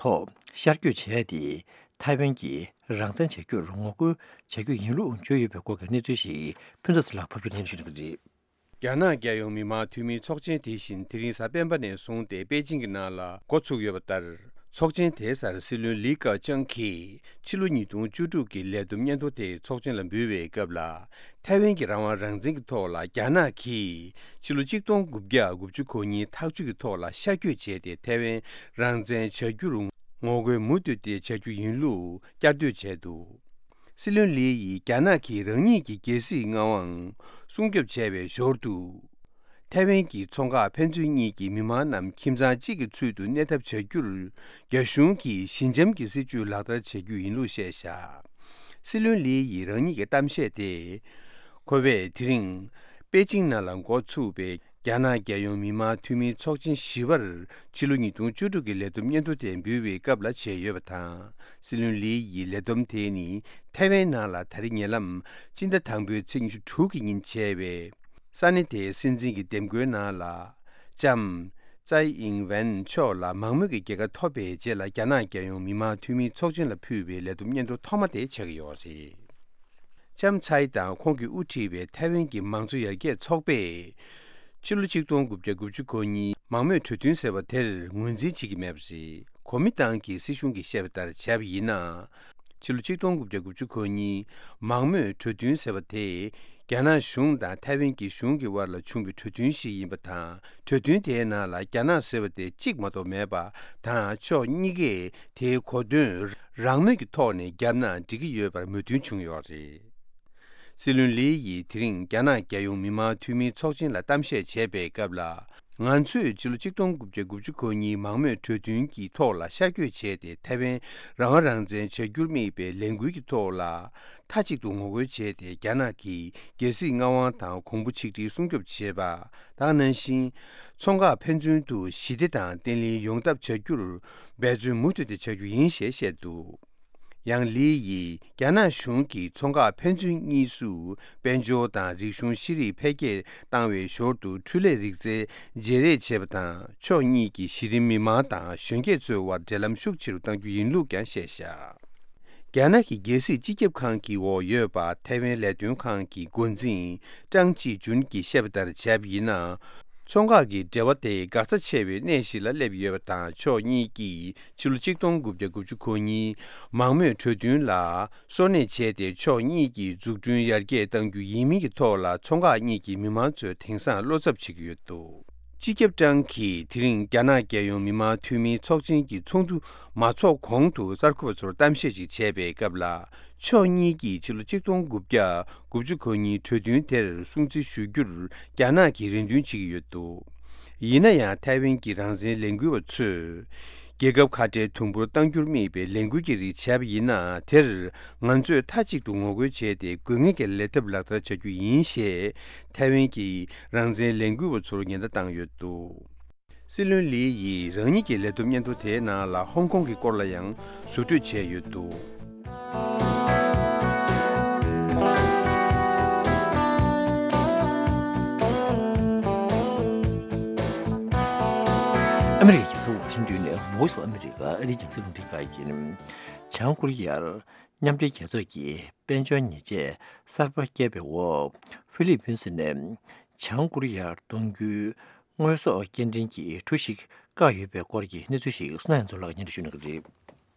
ཐོག་ཤར་བསྐྱོད་བྱས་ཏེ། ཐའེ་ཝན་གྱིས་རང་བཙན་བྱ་རྒྱུར་ངོ་རྒོལ་བྱ་རྒྱུ་ཡིན་ལུགས་བརྗོད་ཡོད་པའི་སྐོར་གྱི་གནས་ཚུལ་ཞིག་ཕུན་ཚོགས་ལགས་ཕབ་སྒྱུར་སྙན་ཞུ་གནང་གི་རེད། རྒྱ་ནག་རྒྱལ་ཡོངས་མི་དམངས་འཐུས་མིའི་ཚོགས་ཆེན་དེ་བཞིན་དེ་རིང་གཟའ་སྤེན་པ་ནས་བཟུང་སྟེ་པེ་ཅིང་གི་ནང་ལ་འགོ་ཚུགས་ཡོད་པ་ལྟར། ཚོགས་ཆེན་དེའི་སར་སྲིད་བློན་ལི་ཀ་ཅང་གིས་ཕྱི་ལོ་ཉིས་སྟོང་བཅུ་དྲུག་གི་ལས་བསྡོམས་སྙན་ཐོ་དེ་ཚོགས་ཆེན་ལ་འབུལ་བའི་སྐབས་ལ། ཐའེ་ཝན་གྱི་རང་དབང་རང་བཙན་གྱི་ཐོག་ལ་རྒྱ་ནག་གིས་ཕྱི་ལོ་གཅིག་སྟོང་དགུ་བརྒྱ་དགུ་བཅུ་གོ་གཉིས་ཐག་གཅོད་ཀྱི་ཐོག་ལ་ཤར་བསྐྱོད་བྱས་ཏེ། ཐའེ་ཝན་རང་བཙན་བྱ་རྒྱུར་ངོ་རྒོལ་མུ་མཐུད་དེ་བྱ་རྒྱུ་ཡིན་ལུགས་བསྐྱར་ཟློས་བྱས་འདུག། སྲིད་བློན་ལི་ཡིས་རྒྱ་ནག་གིས་རང་ཉིད་ཀྱི་རྒྱལ་སྲིད་མངའ་དབང་སྲུང་སྐྱོབ་བྱས་པའི་ཞོར་དུ། ཐའེ་ཝན་གྱི་མཚོ་འགག་ཕན་ཚུན་གཉིས་ཀྱི་མི་མང་རྣམས་ཁྱིམ་ཚང་གཅིག་གི་ཚུལ་དུ་གནས་ཐབས་བྱ་རྒྱུར། རྒྱ་གཞུང་གིས་ཞི་འཇམ་གྱི་སྲིད་བྱུས་ལག་བསྟར་བྱ་རྒྱུ་ཡིན་ལུགས་བཤད་བཞག། སྲིད་བློན་ལི་ཡིས་རང་ཉིད་ཀྱི་གཏམ་བཤད་དེ། ཁོ་བས་དེ་རིང་པེ་ཅིང་ནང་ལ་འགོ་ཚུགས་པའི་རྒྱ་ནག་རྒྱལ་ཡོངས་མི་དམངས་འཐུས་མིའི་ཚོགས་ཆེན་བཞི་པར་ཕྱི་ལོ་ཉིས་སྟོང་བཅུ་དྲུག་གི་ལས་བསྡོམས་སྙན་ཐོ་དེ་འབུལ་བའི་སྐབས་ལ་བྱས་ཡོད་པ་དང་། སྲིད་བློན་ལི་ཡི་ལས་བསྡོམས་དེ་ནི་ཐའེ་ཝན་ནང་ལ་ད་རེས་ཉེ་ལམ་སྤྱི་ཟླ་དང་པོའི་ཚེས་ཉི་ཤུ་དྲུག་གི་ཉིན་བྱས་པའི་ས་གནས་དེའི་སྲིད་འཛིན་གྱི་འདེམས་བསྐོའི་ནང་ལ་ལྕམ་ཙའེ་ཨིང་ཝེན་མཆོག་ལ་མང་མོས་ཀྱི་རྒྱལ་ཁ་ཐོབ་པའི་རྗེས་ལ། རྒྱ་ནག་རྒྱལ་ཡོངས་མི་དམངས་འཐུས་མིའི་ཚོགས་ཆེན་ལ་ཕུལ་བའི་ལས་བསྡོམས་སྙན་ཐོ་ཐོག་མ་དེ་ཆགས་ཀྱི་ཡོད་རེད། ལྕམ་ཚའེ་དང་ཁོང་གིས་དབུ་ཁྲིད་པའི་ཐའེ་ཝན་གྱི་མང་གཙོ་ཡར་རྒྱས་ཚོགས་པས། ཕྱི་ལོ་ཆིག་སྟོང་དགུ་བརྒྱ་དགུ་བཅུ་གོ་གཉིས་མང་མོས་གྲོས་མཐུན་ཟེར་བ་དེར་ངོས་འཛིན་བྱེད་ཀྱི་མེད་པ་རེད། གོ་མིན་ཏང་གི་སྲིད་གཞུང་གིས་བཤད་པ་ལྟར་བྱས་པ་ཡིན་ན། ཕྱི་ལོ་ཆིག་སྟོང་དགུ་བརྒྱ་དགུ་བཅུ་གོ་གཉིས་མང་མོས་གྲོས་མཐུན་ཟེར་བ་དེ། རྒྱ་ནག་གཞུང་དང་ཐའེ་ཝན་གྱི་གཞུང་གི་དབར་ལ་བྱུང་བའི་གྲོས་མཐུན་ཞིག་ཡིན་པ་དང་། གྲོས་མཐུན་དེའི་ནང་ལ་རྒྱ་ནག་ཟེར་བ་དེ་གཅིག་མ་གཏོགས་མེད་པ་དང་། ཕྱོགས་གཉིས་ཀས་དེའི་གོ་དོན་རང་མོས་ཀྱི་ཐོག་ནས་བརྒྱབ་ན་འགྲིག་གི་ཡོད་པར་མོས་མཐུན་བྱུང་ཡོད་རེད། སྲིད་བློན་ལི་ཡིས་དེ་རིང་རྒྱ་ནག་རྒྱལ་ཡོངས་མི་དམངས་འཐུས་མིའི་ཚོགས་ཆེན་ལ་གཏམ་བཤད་བྱས་པའི་སྐབས་ལ། ང་ཚོས་ཕྱི་ལོ་ཆིག་སྟོང་དགུ་བརྒྱ་དགུ་བཅུ་གོ་གཉིས་མང་མོས་གྲོས་མཐུན་གྱི་ཐོག་ལ་ཤར་བསྐྱོད་བྱས་ཏེ། ཐའེ་ཝན་རང་དབང་རང་བཙན་བྱ་རྒྱུར་དམིགས་པའི་ལས་འགུལ་གྱི་ཐོག་ལ་མཐའ་གཅིག་ཏུ་ངོ་རྒོལ་བྱས་ཏེ། རྒྱ་ནག་གི་རྒྱལ་སྲིད་མངའ་དབང་དང་གོང་བུ་ཆིག་སྒྲིལ་སྲུང་སྐྱོབ་བྱེད་པ་དང་། ནང་བཞིན་མཚོ་འགག་ཕན་ཚུན་དུ་ཞི་བདེ་དང་བརྟན་ལྷིང་ཡོང་ཐབས་བྱ་རྒྱུར་འབད་བརྩོན་མུ་མཐུད་དེ་བྱ་རྒྱུ་ཡིན་ཞེས་བཤད་འདུག། ཡང་ལི་ཡིས་རྒྱ་ནག་གཞུང་གིས་མཚོ་འགག་ཕན་ཚུན་གཉིས་སུ་དཔལ་འབྱོར་དང་རིག་གཞུང་ཤེས་རིག་འཕེལ་རྒྱས་བཏང་བའི་ཞོར་དུ། འཕྲུལ་ལས་རིག་རྩལ་བརྗེ་རེས་བྱེད་པ་དང་། ཕྱོགས་གཉིས་ཀྱི་གཞི་རིམ་མི་མང་དང་གཞོན་སྐྱེས་ཚོའི་དབར་འབྲེལ་ལམ་ཤུགས་ཆེ་རུ་གཏང་རྒྱུ་ཡིན་ལུགས་ཀྱང་བཤད་བཞག། རྒྱ་ནག་གི་རྒྱལ་སྲིད་སྤྱི་ཁྱབ་ཁང་གི་འོག་ཡོད་པ། ཐའེ་ཝན་ལས་དོན་ཁང་གི་འགོ་འཛིན་ཀྲང་ཅི་ཅུན་གྱིས་བཤད་པ་ལྟར་བྱས་པ་ཡིན་ན། མཚོ་འགག་གི་འབྲེལ་བ་དེ་འགག་རྩ་ཆེ་བའི་གནས་ཤིག་ལ་སླེབས་ཡོད་པ་དང་། ཕྱོགས་གཉིས་ཀྱིས་ཕྱི་ལོ་ཆིག་སྟོང་དགུ་བརྒྱ་དགུ་བཅུ་གོ་གཉིས་མང་མོས་གྲོས་མཐུན་ལ་སོར་གནས་བྱས་ཏེ། ཕྱོགས་གཉིས་ཀྱི་འཛུགས་སྐྲུན་ཡར་རྒྱས་གཏང་རྒྱུ་ཡིན་མིན་གྱི་ཐོག་ལ། མཚོ་འགག་གཉིས་ཀྱི་མི་མང་ཚོས་དེང་སང་བློ་འཚབ་བྱེད་ཀྱི་ཡོད་འདུག། སྤྱི་ཁྱབ་ཀྲང་གིས་དེ་རིང་རྒྱ་ནག་རྒྱལ་ཡོངས་མི་དམངས་འཐུས་མིའི་ཚོགས་ཆེན་གྱི་ཚོགས་འདུ་མ་ཚོགས་གོང་དུ། གསར་འགོད་པ་ཚོར་གཏམ་བཤད་ཅིག་བྱས་པའི་སྐབས་ལ། ཕྱོགས་གཉིས་ཀྱིས་ཕྱི་ལོ་ཆིག་སྟོང་དགུ་བརྒྱ་དགུ་བཅུ་གོ་གཉིས་གྲོས་མཐུན་དེར་སྲུང་བརྩི་ཞུ་རྒྱུར་རྒྱ་ནག་གིས་རེ་འདུན་བྱེད་ཀྱི་ཡོད་འདུག། ཡིན་ན་ཡང་། ཐའེ་ཝན་གྱི་རང་བཙན་ལས་འགུལ་བ་ཚོས་རྒྱལ་ཁབ་ཁ་བྲལ་དུམ་བུར་གཏང་རྒྱུར་དམིགས་པའི་ལས་འགུལ་གྱི་རིགས་བྱས་པ་ཡིན་ན། དེར་ང་ཚོས་མཐའ་གཅིག་ཏུ་ངོ་རྒོལ་བྱས་ཏེ། དགོས་ངེས་ཀྱི་ལས་ཐབས་ལག་བསྟར་བྱ་རྒྱུ་ཡིན་ཞེས་ཐའེ་ཝན་གྱི་རང་བཙན་ལས་འགུལ་བ་ཚོར་ཉེན་བརྡ་བཏང་ཡོད་འདུག། སྲིད་བློན་ལི་ཡིས་རང་ཉིད་ཀྱི་ལས་བསྡོམས་སྙན་ཐོ་དེའི་ནང་ལ་ཧོང་ཀོང་གི་སྐོར་ལ་ཡང་ཟུར་འཕྲོས་བྱས་ཡོད་འདུག། ཨ་མི་རི་ཀའི་རྒྱལ་ས་ཝ་ཤིང་ཏོན་ནས་Voice of America ཨ་རིའི་རྒྱང་སྲིང་རླུང་འཕྲིན་ཁང་ཡིན། བྱང་ཀོ་རི་ཡར་མཉམ་འབྲེལ་རྒྱལ་ཚོགས་ཀྱིས་དཔལ་འབྱོར་ཉེས་ཆད་གསར་པ་བཀལ་བའི་འོག་ཧྥི་ལི་པིན་སི་ནས་བྱང་ཀོ་རི་ཡར་གཏོང་རྒྱུའི་དངོས་ཟོག་སྐྱེལ་འདྲེན་གྱི་གྲུ་ཞིག་བཀག་ཡོད་པའི་སྐོར་གྱི་གནས་ཚུལ་ཞིག་བསོད་ནམས་ཚོ་ལགས་སྙན་སྒྲོན་ཞུ་གནང་གི་རེད།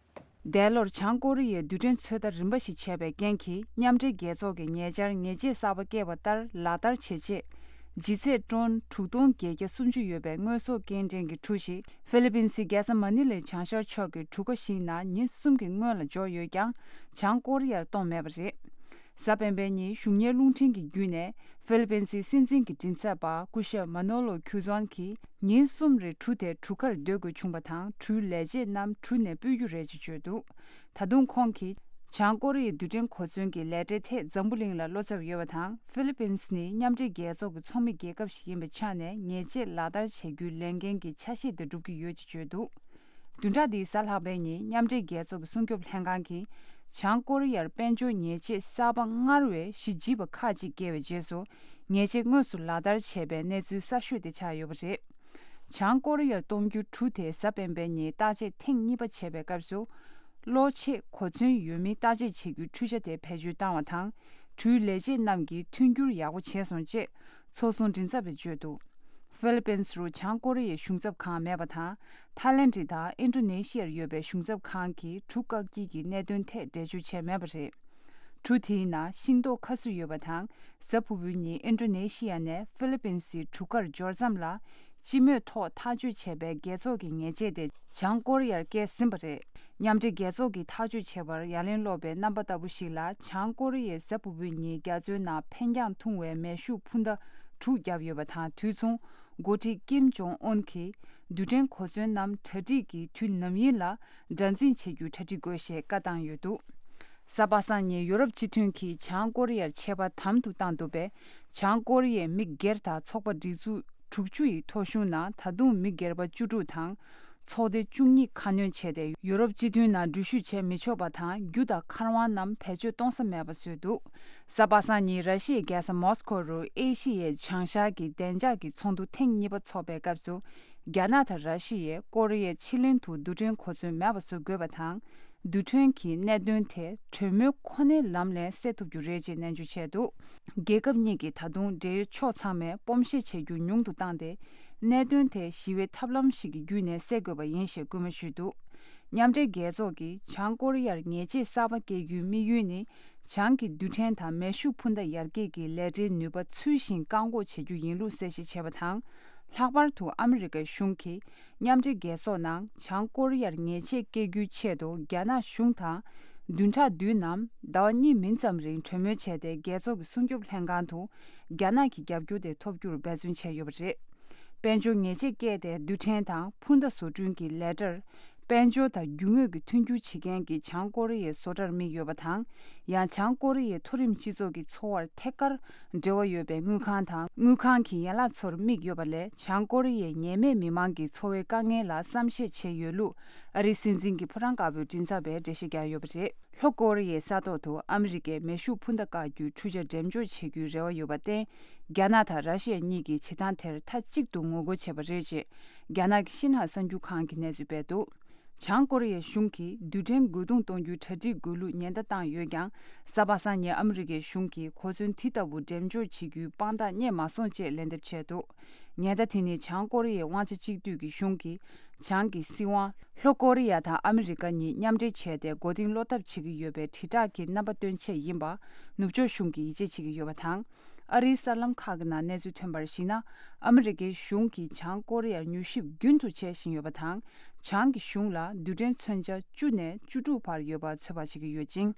འདས་ལོར་བྱང་ཀོ་རི་ཡས་རྡུལ་ཕྲན་ཚོད་ལྟ་རིམ་པ་ཞིག་བྱས་པའི་རྐྱེན་གྱིས། མཉམ་འབྲེལ་རྒྱལ་ཚོགས་ཀྱིས་ཉེ་ཆར་ཉེས་ཆད་གསར་པ་བཀལ་བ་ལྟར་ལག་བསྟར་བྱེད་ཆེད། ལྗིད་ཚད་ཊོན་དྲུག་སྟོང་བརྒྱད་བརྒྱ་སུམ་ཅུ་ཡོད་པའི་དངོས་ཟོག་སྐྱེལ་འདྲེན་གྱི་གྲུ་ཞིག་ཧྥི་ལི་པིན་སི་རྒྱལ་ས་མ་ནི་ལའི་བྱང་ཤར་ཕྱོགས་ཀྱི་གྲུ་ཁ་ཞིག་ནང་ཉིན་གསུམ་གྱི་སྔོན་ལ་འབྱོར་ཡོད་ཀྱང་། བྱང་ཀོ་རི་ཡར་གཏོང་མེད་པ་རེད། གཟའ་སྤེན་པའི་ཉིན་གཞུང་གཉེར་རླུང་འཕྲིན་གྱི་བརྒྱུད་ནས། ཧྥི་ལི་པིན་སི་སྲིད་འཛིན་གྱི་མགྲིན་ཚབ་པ་སྐུ་ཞབས་མ་ནོ་ལོ་ཁྱུ་ཛོན་གྱིས། ཉིན་གསུམ་རིང་གྲུ་དེ་གྲུ་ཁར་སྡོད་དགོས་བྱུང་བ་དང་། གྲུའི་ལས་བྱེད་རྣམས་གྲུ་ནས་སྤོས་རྒྱུ་རེད་ཅེས་བརྗོད་འདུག། ད་དུང་ཁོང་གིས། བྱང་ཀོ་རི་ཡའི་རྡུལ་ཕྲན་གོ་མཚོན་གྱི་ལས་གྲྭའི་ཐད་འཛམ་བུ་གླིང་ལ་བློ་འཚབ་ཡོད་པ་དང་། ཧྥི་ལི་པིན་སི་ནི་མཉམ་འབྲེལ་རྒྱལ་ཚོགས་ཀྱི་ཚོགས་མི་རྒྱལ་ཁབ་ཞིག་ཡིན་པའི་ཆ་ནས། ཉེས་ཆད་ལག་བསྟར་བྱ་རྒྱུའི་ལས་འགན་གྱི་ཆ་ཤས་དེ་སྒྲུབ་ཀྱི་ཡོད་ཅེས་བརྗོད་འདུག། བདུན་ཕྲག་འདིའི་གཟའ་ལྷག་པའི་ཉིན། མཉམ་འབྲེལ་རྒྱལ་ཚོགས་ཀྱི་སྲུང་སྐྱོབ་ལྷན་ཁང་གིས། བྱང་ཀོ་རི་ཡར་དཔལ་འབྱོར་ཉེས་ཆད་གསར་པ་སྔར་བས་གཞི་ལྗིད་པ་ཁག་ཅིག་བཀལ་བའི་རྗེས་སུ། ཉེས་ཆད་དངོས་སུ་ལག་བསྟར་བྱས་པའི་གནས་ཚུལ་གསར་ཤོས་དེ་ཆགས་ཡོད་པ་རེད། བྱང་ཀོ་རི་ཡར་གཏོང་རྒྱུའི་གྲུ་དེ་གཟའ་སྤེན་པའི་ཉིན་བརྟག་དཔྱད་ཐེངས་གཉིས་པ་བྱས་པའི་སྐབས་སུ། གློག་ཆས་གོ་མཚོན་ཡོད་མིན་བརྟག་དཔྱད་བྱེད་རྒྱུའི་འཕྲུལ་ཆ་དེ་བེད་སྤྱོད་བཏང་བ་དང་། འཕྲུལ་ལས་བྱེད་རྣམས་ཀྱིས་མཐུན་འགྱུར་ཡག་པོ་བྱས་སོང་ཅེས་ཚོགས་ཟུར་མགྲིན་ཚབ་པས་བརྗོད་འདུག་ཧྥི་ལི་པིན་རུ་བྱང་ཀོ་རི་ཡའི་གཞུང་ཚབ་ཁང་མེད་པ་དང་། ཐའི་ལེན་ཌི་དང་ཨིན་ཌོ་ནེ་ཤི་ཡར་ཡོད་པའི་གཞུང་ཚབ་ཁང་གིས་གྲུ་བཀག་དཀྱིལ་གྱི་གནད་དོན་ཐད་འགྲེལ་བརྗོད་བྱས་མེད་པ་རེད། གྲུ་དེའི་ནང་ཤིང་ཏོག་ཁ་སུ་ཡོད་པ་དང་། གཟའ་ཕུར་བུའི་ཉིན་ཨིན་ཌོ་ནེ་ཤི་ཡ་ནས་ཧྥི་ལི་པིན་སི་གྲུ་ཁར་འབྱོར་ཙམ་ལ། སྤྱི་མོས་ཐོག་ཐག་གཅོད་བྱས་པའི་རྒྱལ་ཚོགས་ཀྱི་ཉེས་ཆད་དེ་བྱང་ཀོ་རི་ཡར་བཀལ་ཟིན་པ་རེད། མཉམ་འབྲེལ་རྒྱལ་ཚོགས་ཀྱིས་ཐག་གཅོད་བྱས་པར་ཡ་ལན་སློག་པའི་རྣམ་པ་ལྟ་བུ་ཞིག་ལ། བྱང་ཀོ་རི་ཡས་གཟའ་ཕུར་བུའི་ཉིན་རྒྱ་མཚོའི་ནང་འཕེན་རྒྱང་ཐུང་བའི་མེ་ཤུགས་འཕུར་མདའ་དྲུག་བརྒྱབ་ཡོད་པ་དང་། དུས་མཚུངས་འགོ་ཁྲིད་ཀིམ་ཇོང་ཨུན་གྱིས་རྡུལ་ཕྲན་གོ་མཚོན་ནམ་གྲ་སྒྲིག་གི་དུས་ནམ་ཡིན་ལ་དགྲར་འཛིན་བྱེད་རྒྱུའི་གྲ་སྒྲིག་དགོས་ཞེས་བཀའ་བཏང་ཡོད་འདུག་གཟའ་པ་སངས་ཉིན་ཡོ་རོབ་སྤྱི་མཐུན་གྱིས་བྱང་ཀོ་རི་ཡར་ཆད་པ་དམ་དུ་བཏང་འདུག་པས། བྱང་ཀོ་རི་ཡའི་མི་སྒེར་དང་ཚོགས་པ་སྒྲིག་འཛུགས་དྲུག་ཅུ་ཡི་ཐོ་གཞུང་ནང་ད་དུང་མི་སྒེར་པ་བཅུ་དྲུག་དང་། ཚོགས་སྡེ་བཅུ་གཉིས་ཁ་སྣོན་བྱས་ཏེ། ཡོ་རོབ་སྤྱི་མཐུན་ནང་འགྲུལ་བཞུད་བྱེད་མི་ཆོག་པ་དང་། རྒྱུ་དང་མཁར་དབང་རྣམས་བེད་སྤྱོད་གཏོང་ས་མེད་པ་བཟོས་འདུག་གཟའ་པ་སངས་ཉིན་ར་ཤི་ཡའི་རྒྱལ་ས་མོ་སི་ཁོ་རུ་ཨེ་ཤི་ཡའི་བྱང་ཤར་གྱི་བདེ་འཇགས་ཀྱི་ཚོགས་འདུ་ཐེངས་གཉིས་པ་འཚོགས་པའི་སྐབས་སུ། རྒྱ་ནག་དང་ར་ཤི་ཡས་ཀོ་རི་ཡའི་ཕྱེད་གླིང་དུ་རྡུལ་ཕྲན་གོ་མཚོན་མེད་པ་བཟོ་དགོས་པ་དང་། རྡུལ་ཕྲན་གྱི་གནད་དོན་དེ་གྲོས་མོལ་ཁོ་ནའི་ལམ་ལས་སེལ་ཐུབ་རྒྱུ་རེད་ཅེས་ནན་བརྗོད་བྱས་འདུག་རྒྱལ་ཁབ་གཉིས་ཀྱིས་ད་དུང་འབྲེལ་ཡོད་ཕྱོགས་ཚང་མས་སྤོམ་བཤད་བྱེད་རྒྱུ་ཉུང་དུ་བཏང་སྟེ། གནད་དོན་དེ་ཞི་བའི་ཐབས་ལམ་ཞིག་གི་བརྒྱུད་ནས་སེལ་དགོས་པ་ཡིན་ཞེས་སྐུལ་མ་ཞུས་འདུག་མཉམ་འབྲེལ་རྒྱལ་ཚོགས་ཀྱིས་བྱང་ཀོ་རི་ཡར་ཉེས་ཆད་གསར་པ་བཀལ་རྒྱུའི་དམིགས་ཡུལ་ནི། བྱང་གི་རྡུལ་ཕྲན་དང་མེ་ཤུགས་འཕུར་མདའ་ཡར་རྒྱས་ཀྱི་ལས་གྲྭའི་ནུས་པ་ཚུལ་བཞིན་བཀག་འགོག་བྱེད་རྒྱུ་ཡིན་ལུགས་གསལ་བཤད་བྱས་པ་དང་། ལྷག་པར་དུ་ཨ་མི་རི་ཀའི་གཞུང་གིས་མཉམ་འབྲེལ་རྒྱལ་ཚོགས་ནང་བྱང་ཀོ་རི་ཡར་ཉེས་ཆད་བཀལ་རྒྱུའི་ཆེད་དུ་རྒྱ་ནག་གཞུང་དང་བདུན་ཕྲག་བདུན་ནམ་ཟླ་བ་གཉིས་མིན་ཙམ་རིང་གྲོས་མོལ་བྱས་ཏེ། རྒྱལ་ཚོགས་ཀྱི་སྲུང་སྐྱོབ་ལྷན་ཁང་དུ་རྒྱ་ནག་གི་རྒྱབ་སྐྱོར་དེ་ཐོབ་རྒྱུར་འབད་བརྩོན་བྱས་ཡོད་པ་རེད། དཔལ་འབྱོར་ཉེས་ཆད་བཀལ་ཏེ་རྡུལ་ཕྲན་དང་འཕུར་མདའ་བཟོ་སྐྲུན་གྱི་ལས་གྲྭར། དཔལ་འབྱོར་དང་རྒྱུ་དངོས་ཀྱི་མཐུན་འགྱུར་བྱེད་མཁན་གྱི་བྱང་ཀོ་རི་ཡའི་བཟོ་གྲྭར་དམིགས་ཡོད་པ་དང་། ཡང་། བྱང་ཀོ་རི་ཡའི་མཐོ་རིམ་སྤྱི་ཚོགས་ཀྱི་འཚོ་བར་ཐད་ཀར་འབྲེལ་བ་ཡོད་པའི་དངུལ་ཁང་དང་། དངུལ་ཁང་གི་ཡན་ལག་ཚོར་དམིགས་ཡོད་པ་ལས། བྱང་ཀོ་རི་ཡའི་ཉེས་མེད་མི་མང་གི་འཚོ་བའི་དཀའ་ངལ་ལ་བསམ་ཤེས་བྱས་ཡོད་ལུགས། ཨ་རིའི་སྲིད་འཛིན་གྱི་ཕོ་བྲང་དཀར་པོའི་མགྲིན་ཚབ་པས་འགྲེལ་བཤད་བརྒྱབ་ཡོད་པ་རེད། ལྷོ་ཀོ་རི་ཡའི་ས་ཐོག་ཏུ་ཨ་མི་རི་ཀས་མེ་ཤུགས་འཕུར་མདའ་བཀག་རྒྱུའི་འཕྲུལ་ཆ་འགྲེམས་འཇོག་བྱེད་རྒྱུའི་རེ་བ་ཡོད་པར་བརྟེན། རྒྱ་ནག་དང་ར་ཤི་ཡ་གཉིས་ཀྱིས་བྱེད་སྟངས་དེར་མཐའ་གཅིག་ཏུ་ངོ་རྒོལ་བྱས་པ་རེད་ཅེས། རྒྱ་ནག་གི་ཤིན་ཧྭ་གསར་འགྱུར་ཁང་གིས་གནས་ཚུལ་སྤེལ་འདུག་བྱང་ཀོ་རི་ཡའི་གཞུང་གིས་རྡུལ་ཕྲན་རྒོལ་རྡུང་གཏོང་རྒྱུའི་གྲ་སྒྲིག་དགོས་ལུགས་ཉེན་བརྡ་བཏང་ཡོད་ཀྱང་། གཟའ་པ་སངས་ཉིན་ཨ་མི་རི་ཀའི་གཞུང་གིས་གོ་མཚོན་དེ་ལྟ་བུ་འགྲེམས་འཇོག་བྱེད་རྒྱུའི་དཔང་རྟགས་རྙེད་མ་སོང་ཅེས་ལན་འདེབས་བྱས་འདུག་ཉེན་བརྡ་དེ་ནི་བྱང་ཀོ་རི་ཡའི་དབང་ཆ་གཅིག་སྡུད་ཀྱི་གཞུང་གིས། བྱང་གི་སྲིད་དབང་ལྷོ་ཀོ་རི་ཡ་དང་ཨ་མི་རི་ཀ་གཉིས་མཉམ་འབྲེལ་བྱས་ཏེ། མགོ་རྟིང་སློག་ཐབས་བྱེད་ཀྱི་ཡོད་པའི་དྲིལ་བསྒྲགས་ཀྱི་རྣམ་པ་སྟོན་ཆེད་ཡིན་པ། ནུབ་ཕྱོགས་གཞུང་གིས་ཡིད་ཆེས་བྱེད་ཀྱི་ཡོད་པ་དང་། ཨ་རིའི་གསར་ལམ་ཁག་གི་ནང་གནས་ཚུལ་ཐོན་པར་གཞིགས་ན། ཨ་མི་རི་ཀའི་གཞུང་གིས་བྱང་ཀོ་རི་ཡར་མྱུལ་ཞིབ་རྒྱུན་དུ་བྱེད་བཞིན་ཡོད་པ་དང་། བྱང་གི་གཞུང་ལ་རྡུལ་ཕྲན་མཚོན་ཆ་བཅུ་ནས་བཅུ་དྲུག་བར་ཡོད་པ་ཚོད་དཔག་བྱེད་ཀྱི་ཡོད་ཅིང་།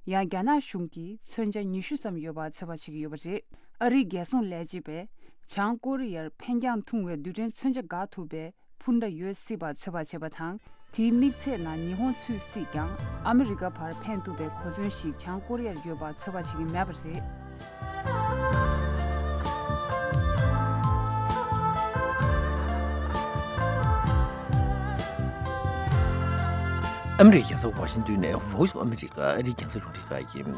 ཡང་། རྒྱ་ནག་གཞུང་གིས་མཚོན་ཆ་ཉི་ཤུ་ཙམ་ཡོད་པ་ཚོད་དཔག་བྱེད་ཀྱི་ཡོད་པ་རེད། ཨ་རིའི་རྒྱལ་སྲུང་ལས་བྱེད་པས། བྱང་ཀོ་རི་ཡར་འཕེན་རྒྱང་ཐུང་བའི་རྡུལ་ཕྲན་མཚོན་ཆ་འགག་ཐུབ་པའི་འཕུར་མདའ་ཡོད་སྲིད་པ་ཚོད་དཔག་བྱས་པ་དང་། དེའི་དམིགས་ཚད་ནང་ཉི་ཧོང་ཚུད་སྲིད་ཀྱང་། ཨ་མི་རི་ཀ་བར་འཕེན་ཐུབ་པའི་གོ་མཚོན་ཞིག་བྱང་ཀོ་རི་ཡར་ཡོད་པ་ཚོད་དཔག་བྱེད་ཀྱི་མེད་པ་རེད། ཨ་མི་རི་ཀའི་རྒྱལ་ས་ཝ་ཤིང་ཏོན་ནས་Voice of America ཨ་རིའི་རྒྱང་སྲིང་རླུང་འཕྲིན་ཁང་ཡིན།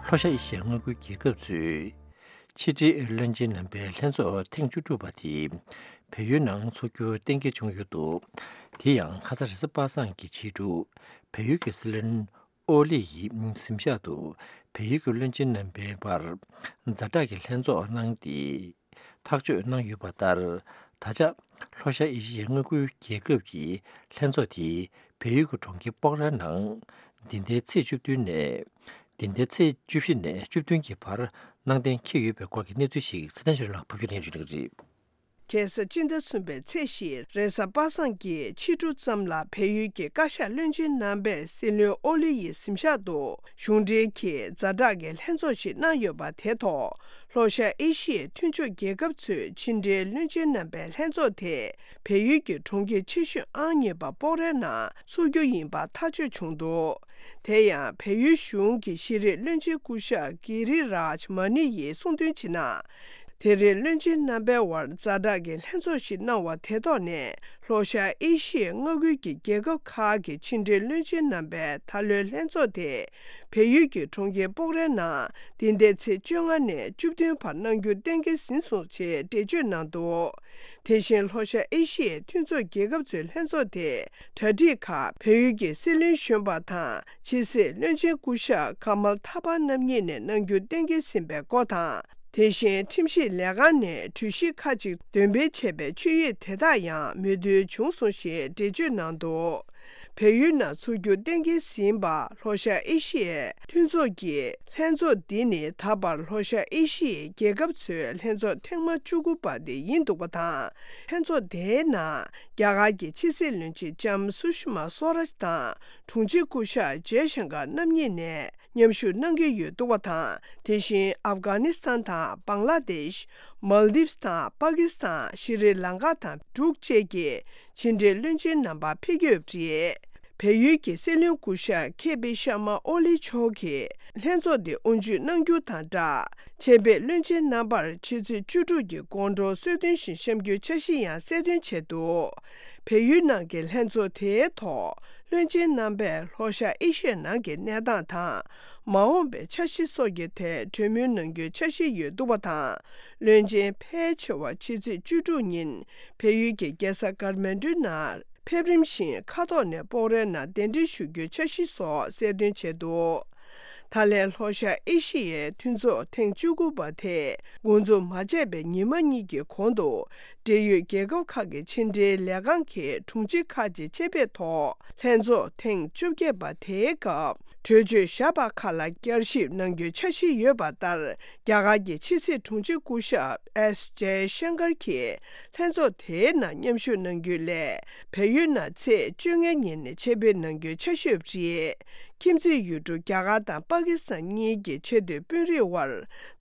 ལྷོ་ཤར་ཨེ་ཤི་ཡའི་མངའ་ཁུལ་རྒྱལ་ཁབ་ཚོས། ཕྱི་དྲིལ་བློན་ཆེན་རྣམ་པའི་ལྷན་ཚོགས་ཐེངས་བཅུ་དྲུག་པ་དེ་བལ་ཡུལ་ནང་འཚོགས་རྒྱུ་གཏན་འཁེལ་བྱུང་ཡོད་འདུག་དེ་ཡང་ཁ་སང་རེས་གཟའ་པ་སངས་ཀྱི་ཕྱི་དྲོ་བལ་ཡུལ་གྱི་སྲིད་བློན་ཨོ་ལི་ཡི་གཟིམ་ཤག་ཏུ་བལ་ཡུལ་གྱི་བློན་ཆེན་རྣམ་པའི་བར་ཛ་དྲག་གི་ལྷན་ཚོགས་གནང་སྟེ་ཐག་གཅོད་གནང་ཡོད་པ་ལྟར། ད་ཆ་ལྷོ་ཤར་ཨེ་ཤི་ཡའི་མངའ་ཁུལ་རྒྱལ་ཁབ་ཀྱི་ལྷན་ཚོགས་དེ་བལ་ཡུལ་གྱི་གྲོང་ཁྱེར་སྤོག་ར་ནང་འདི་ཟླའི་ཚེས་བཅུ་བདུན་ནས། འདི་ཟླའི་ཚེས་བཅུ་བཞི་ནས་བཅུ་བདུན་གྱི་བར་གནང་གཏན་འཁེལ་ཡོད་པའི་སྐོར་གྱི་གནས་ཚུལ་ཞིག་ཚེ་བརྟན་ཆོས་སྒྲོན་ལགས་ཕབ་སྒྱུར་གནང་བཞིན་ཡོད་པ་རེད། ཁ་སང་སྤྱི་ཟླ་གསུམ་པའི་ཚེས་བཞིར་རེས་གཟའ་པ་སངས་ཀྱི་ཕྱི་དྲོ་ཙམ་ལ་བལ་ཡུལ་གྱི་བཀའ་ཤག་བློན་ཆེན་རྣམ་པས་སྲིད་བློན་ཨོ་ལི་ཡི་གཟིམ་ཤག་ཏུ་གཞུང་འབྲེལ་གྱི་ཛ་དྲག་གི་ལྷན་ཚོགས་ཤིག་གནང་ཡོད་པ་དེ་ཐོག་ལྷོ་ཤར་ཨེ་ཤི་ཡའི་མཐུན་ཕྱོགས་རྒྱལ་ཁབ་ཚོའི་ཕྱི་འབྲེལ་བློན་ཆེན་རྣམ་པའི་ལྷན་ཚོགས་དེ་བལ་ཡུལ་གྱི་གྲོང་ཁྱེར་ཆེ་ཤོས་ཨང་གཉིས་པ་སྤོག་རའི་ནང་འཚོགས་རྒྱུ་ཡིན་པ་ཐག་གཅོད་བྱུང་འདུག་དེ་ཡང་བལ་ཡུལ་གཞུང་གི་ཤེས་རིག་བློན་ཆེན་སྐུ་ཞབས་གྷི་རི་རཱཇ་མ་ནི་ཡིས་གསུངས་དོན་བྱས་ན། དེ་རིང་བློན་ཆེན་རྣམ་པའི་དབར་ཛ་དྲག་གི་ལྷན་ཚོགས་ཤིག་གནང་བ་དེ་ཐོག་ནས། ལྷོ་ཤར་ཨེ་ཤི་ཡའི་མངའ་ཁུལ་གྱི་རྒྱལ་ཁབ་ཁག་གི་ཕྱི་འབྲེལ་བློན་ཆེན་རྣམ་པའི་ད་ལོའི་ལྷན་ཚོགས་དེ་བལ་ཡུལ་གྱི་གྲོང་ཁྱེར་སྤོག་རའི་ནང་འདི་ཟླའི་ཚེས་བཅོ་ལྔ་ནས་བཅུ་བདུན་བར་གནང་རྒྱུ་གཏན་འཁེལ་ཟིན་སོང་ཞེས་འགྲེལ་བརྗོད་གནང་འདུག་དེ་བཞིན་ལྷོ་ཤར་ཨེ་ཤི་ཡའི་མཐུན་ཚོགས་རྒྱལ་ཁབ་ཚོའི་ལྷན་ཚོགས་དེ་གྲ་སྒྲིག་ཁག་བལ་ཡུལ་གྱི་སྲིད་བློན་གཞོན་པ་དང་ཕྱི་སྲིད་བློན་ཆེན་སྐུ་ཞབས་ཀ་མལ་ཐ་པར་རྣམ་གཉིས་ནས་གནང་རྒྱུ་གཏན་འཁེལ་ཟིན་པའི་སྐོར་དང་། དེ་བཞིན་ཁྲིམས་ཞིབ་ལས་ཁང་ནས་གྲོས་གཞི་ཁག་ཅིག་འདོན་སྤེལ་བྱས་པའི་ཆོད་ཡིག་དེ་དག་ཡང་མོས་མཐུན་བྱུང་སོང་ཞེས་འགྲེལ་བརྗོད་གནང་འདུག་བལ་ཡུལ་ནང་འཚོགས་རྒྱུ་གཏན་འཁེལ་ཟིན་པ་ལྷོ་ཤར་ཨེ་ཤི་ཡའི་མཐུན་ཚོགས་ཀྱི་ལྷན་ཚོགས་འདི་ནི་ད་བར་ལྷོ་ཤར་ཨེ་ཤི་ཡའི་རྒྱལ་ཁབ་ཚོའི་ལྷན་ཚོགས་ཐེངས་མ་བཅུ་དགུ་པ་དེ་ཡིན་འདུག་པ་དང་། ལྷན་ཚོགས་དེའི་ནང་རྒྱ་གར་གྱི་ཕྱི་སྲིད་བློན་ཆེན་ལྕམ་སུ་ཤི་མ་སོ་རཱཇ་དང་དྲུང་ཆེ་སྐུ་ཞབས་ཇེ་ཤང་ཀར་རྣམ་གཉིས་ནས་མཉམ་ཞུགས་གནང་གི་ཡོད་འདུག་པ་དང་། དེ་བཞིན་ཨབ་གྷ་ནི་སི་ཐན་དང་བང་ལ་དེཤ། མལ་དིབ་སི་དང་པ་ཀི་སི་ཐན། ཤྲི་ལང་ཀ་དང་འབྲུག་བཅས་ཀྱི་ཕྱི་འབྲེལ་བློན་ཆེན་རྣམ་པ་ཕེབས་ཀྱི་ཡོད་པ་རེད། བལ་ཡུལ་གྱི་སྲིད་བློན་སྐུ་ཞབས་ཁེ་པི་ཤར་མ་ཨོ་ལི་མཆོག་གིས་ལྷན་ཚོགས་འདི་དབུ་འབྱེད་གནང་རྒྱུ་དང་སྦྲགས། ཆེད་ཕེབས་བློན་ཆེན་རྣམ་པར་ཕྱི་ཚེས་བཅུ་དྲུག་གི་དགོང་དྲོ་གསོལ་སྟོན་ཞིག་བཤམས་རྒྱུའི་འཆར་གཞི་ཡང་གསལ་སྟོན་བྱས་འདུག་བལ་ཡུལ་ནང་གི་ལྷན་ཚོགས་དེའི་ཐོག་བློན་ཆེན་རྣམ་པས་ལྷོ་ཤར་ཨེ་ཤི་ཡའི་ནང་གི་གནས་སྟངས་དང་། མ་འོངས་པའི་འཆར་གཞི་སོགས་ཀྱི་ཐད་གྲོས་མོལ་གནང་རྒྱུའི་འཆར་གཞི་ཡོད་འདུག་པ་དང་། བློན་ཆེན་ཕལ་ཆེ་བ་ཕྱི་ཚེས་བཅུ་དྲུག་ཉིན་བལ་ཡུལ་གྱི་རྒྱལ་ས་ཀ་ཐ་མན་ཌུ་ནང་ཕེབས་རིམ་བཞིན་མཁའ་ཐོག་ནས་སྤོག་རའི་ནང་གདན་འདྲེན་ཞུ་རྒྱུའི་འཆར་གཞི་སོགས་གསལ་སྟོན་བྱས་འདུག་ད་ལན་ལྷོ་ཤར་ཨེ་ཤི་ཡའི་མཐུན་ཚོགས་ཐེངས་བཅུ་དགུ་པ་དེ་འགོ་འཛུགས་མ་བྱས་པའི་ཉི་མ་གཉིས་ཀྱི་གོང་དུ། འབྲེལ་ཡོད་རྒྱལ་ཁབ་ཁག་གི་ཕྱི་འབྲེལ་ལས་ཁང་གི་དྲུང་ཆེ་ཁག་ཅིག་ཆེད་ཕེབས་ཐོག་ལྷན་ཚོགས་ཐེངས་བཅོ་བརྒྱད་པ་དེའི་སྐབས་གྲོས་ཆོད་བཞག་པ་ཁག་ལ་བསྐྱར་ཞིབ་གནང་རྒྱུའི་འཆར་གཞི་ཡོད་པ་ལྟར། རྒྱ་གར་གྱི་ཕྱི་སྲིད་དྲུང་ཆེ་སྐུ་ཞབས་ཨེས་ཇེ་ཤང་ཀར་གྱིས་ལྷན་ཚོགས་དེའི་ནང་མཉམ་ཞུགས་གནང་རྒྱུ་ལས། བལ་ཡུལ་ནང་ཚེས་བཅོ་ལྔ་ཉིན་ཆེད་ཕེབས་གནང་རྒྱུའི་འཆར་གཞི་ཡོད་པ་རེད། ཁྱིམ་མཚེས་ཡུལ་གྲུ་རྒྱ་གར་དང་པ་ཀི་སི་ཐན་གཉིས་ཀྱི་ཆེས་མཐོའི་དཔོན་རིགས་དབར་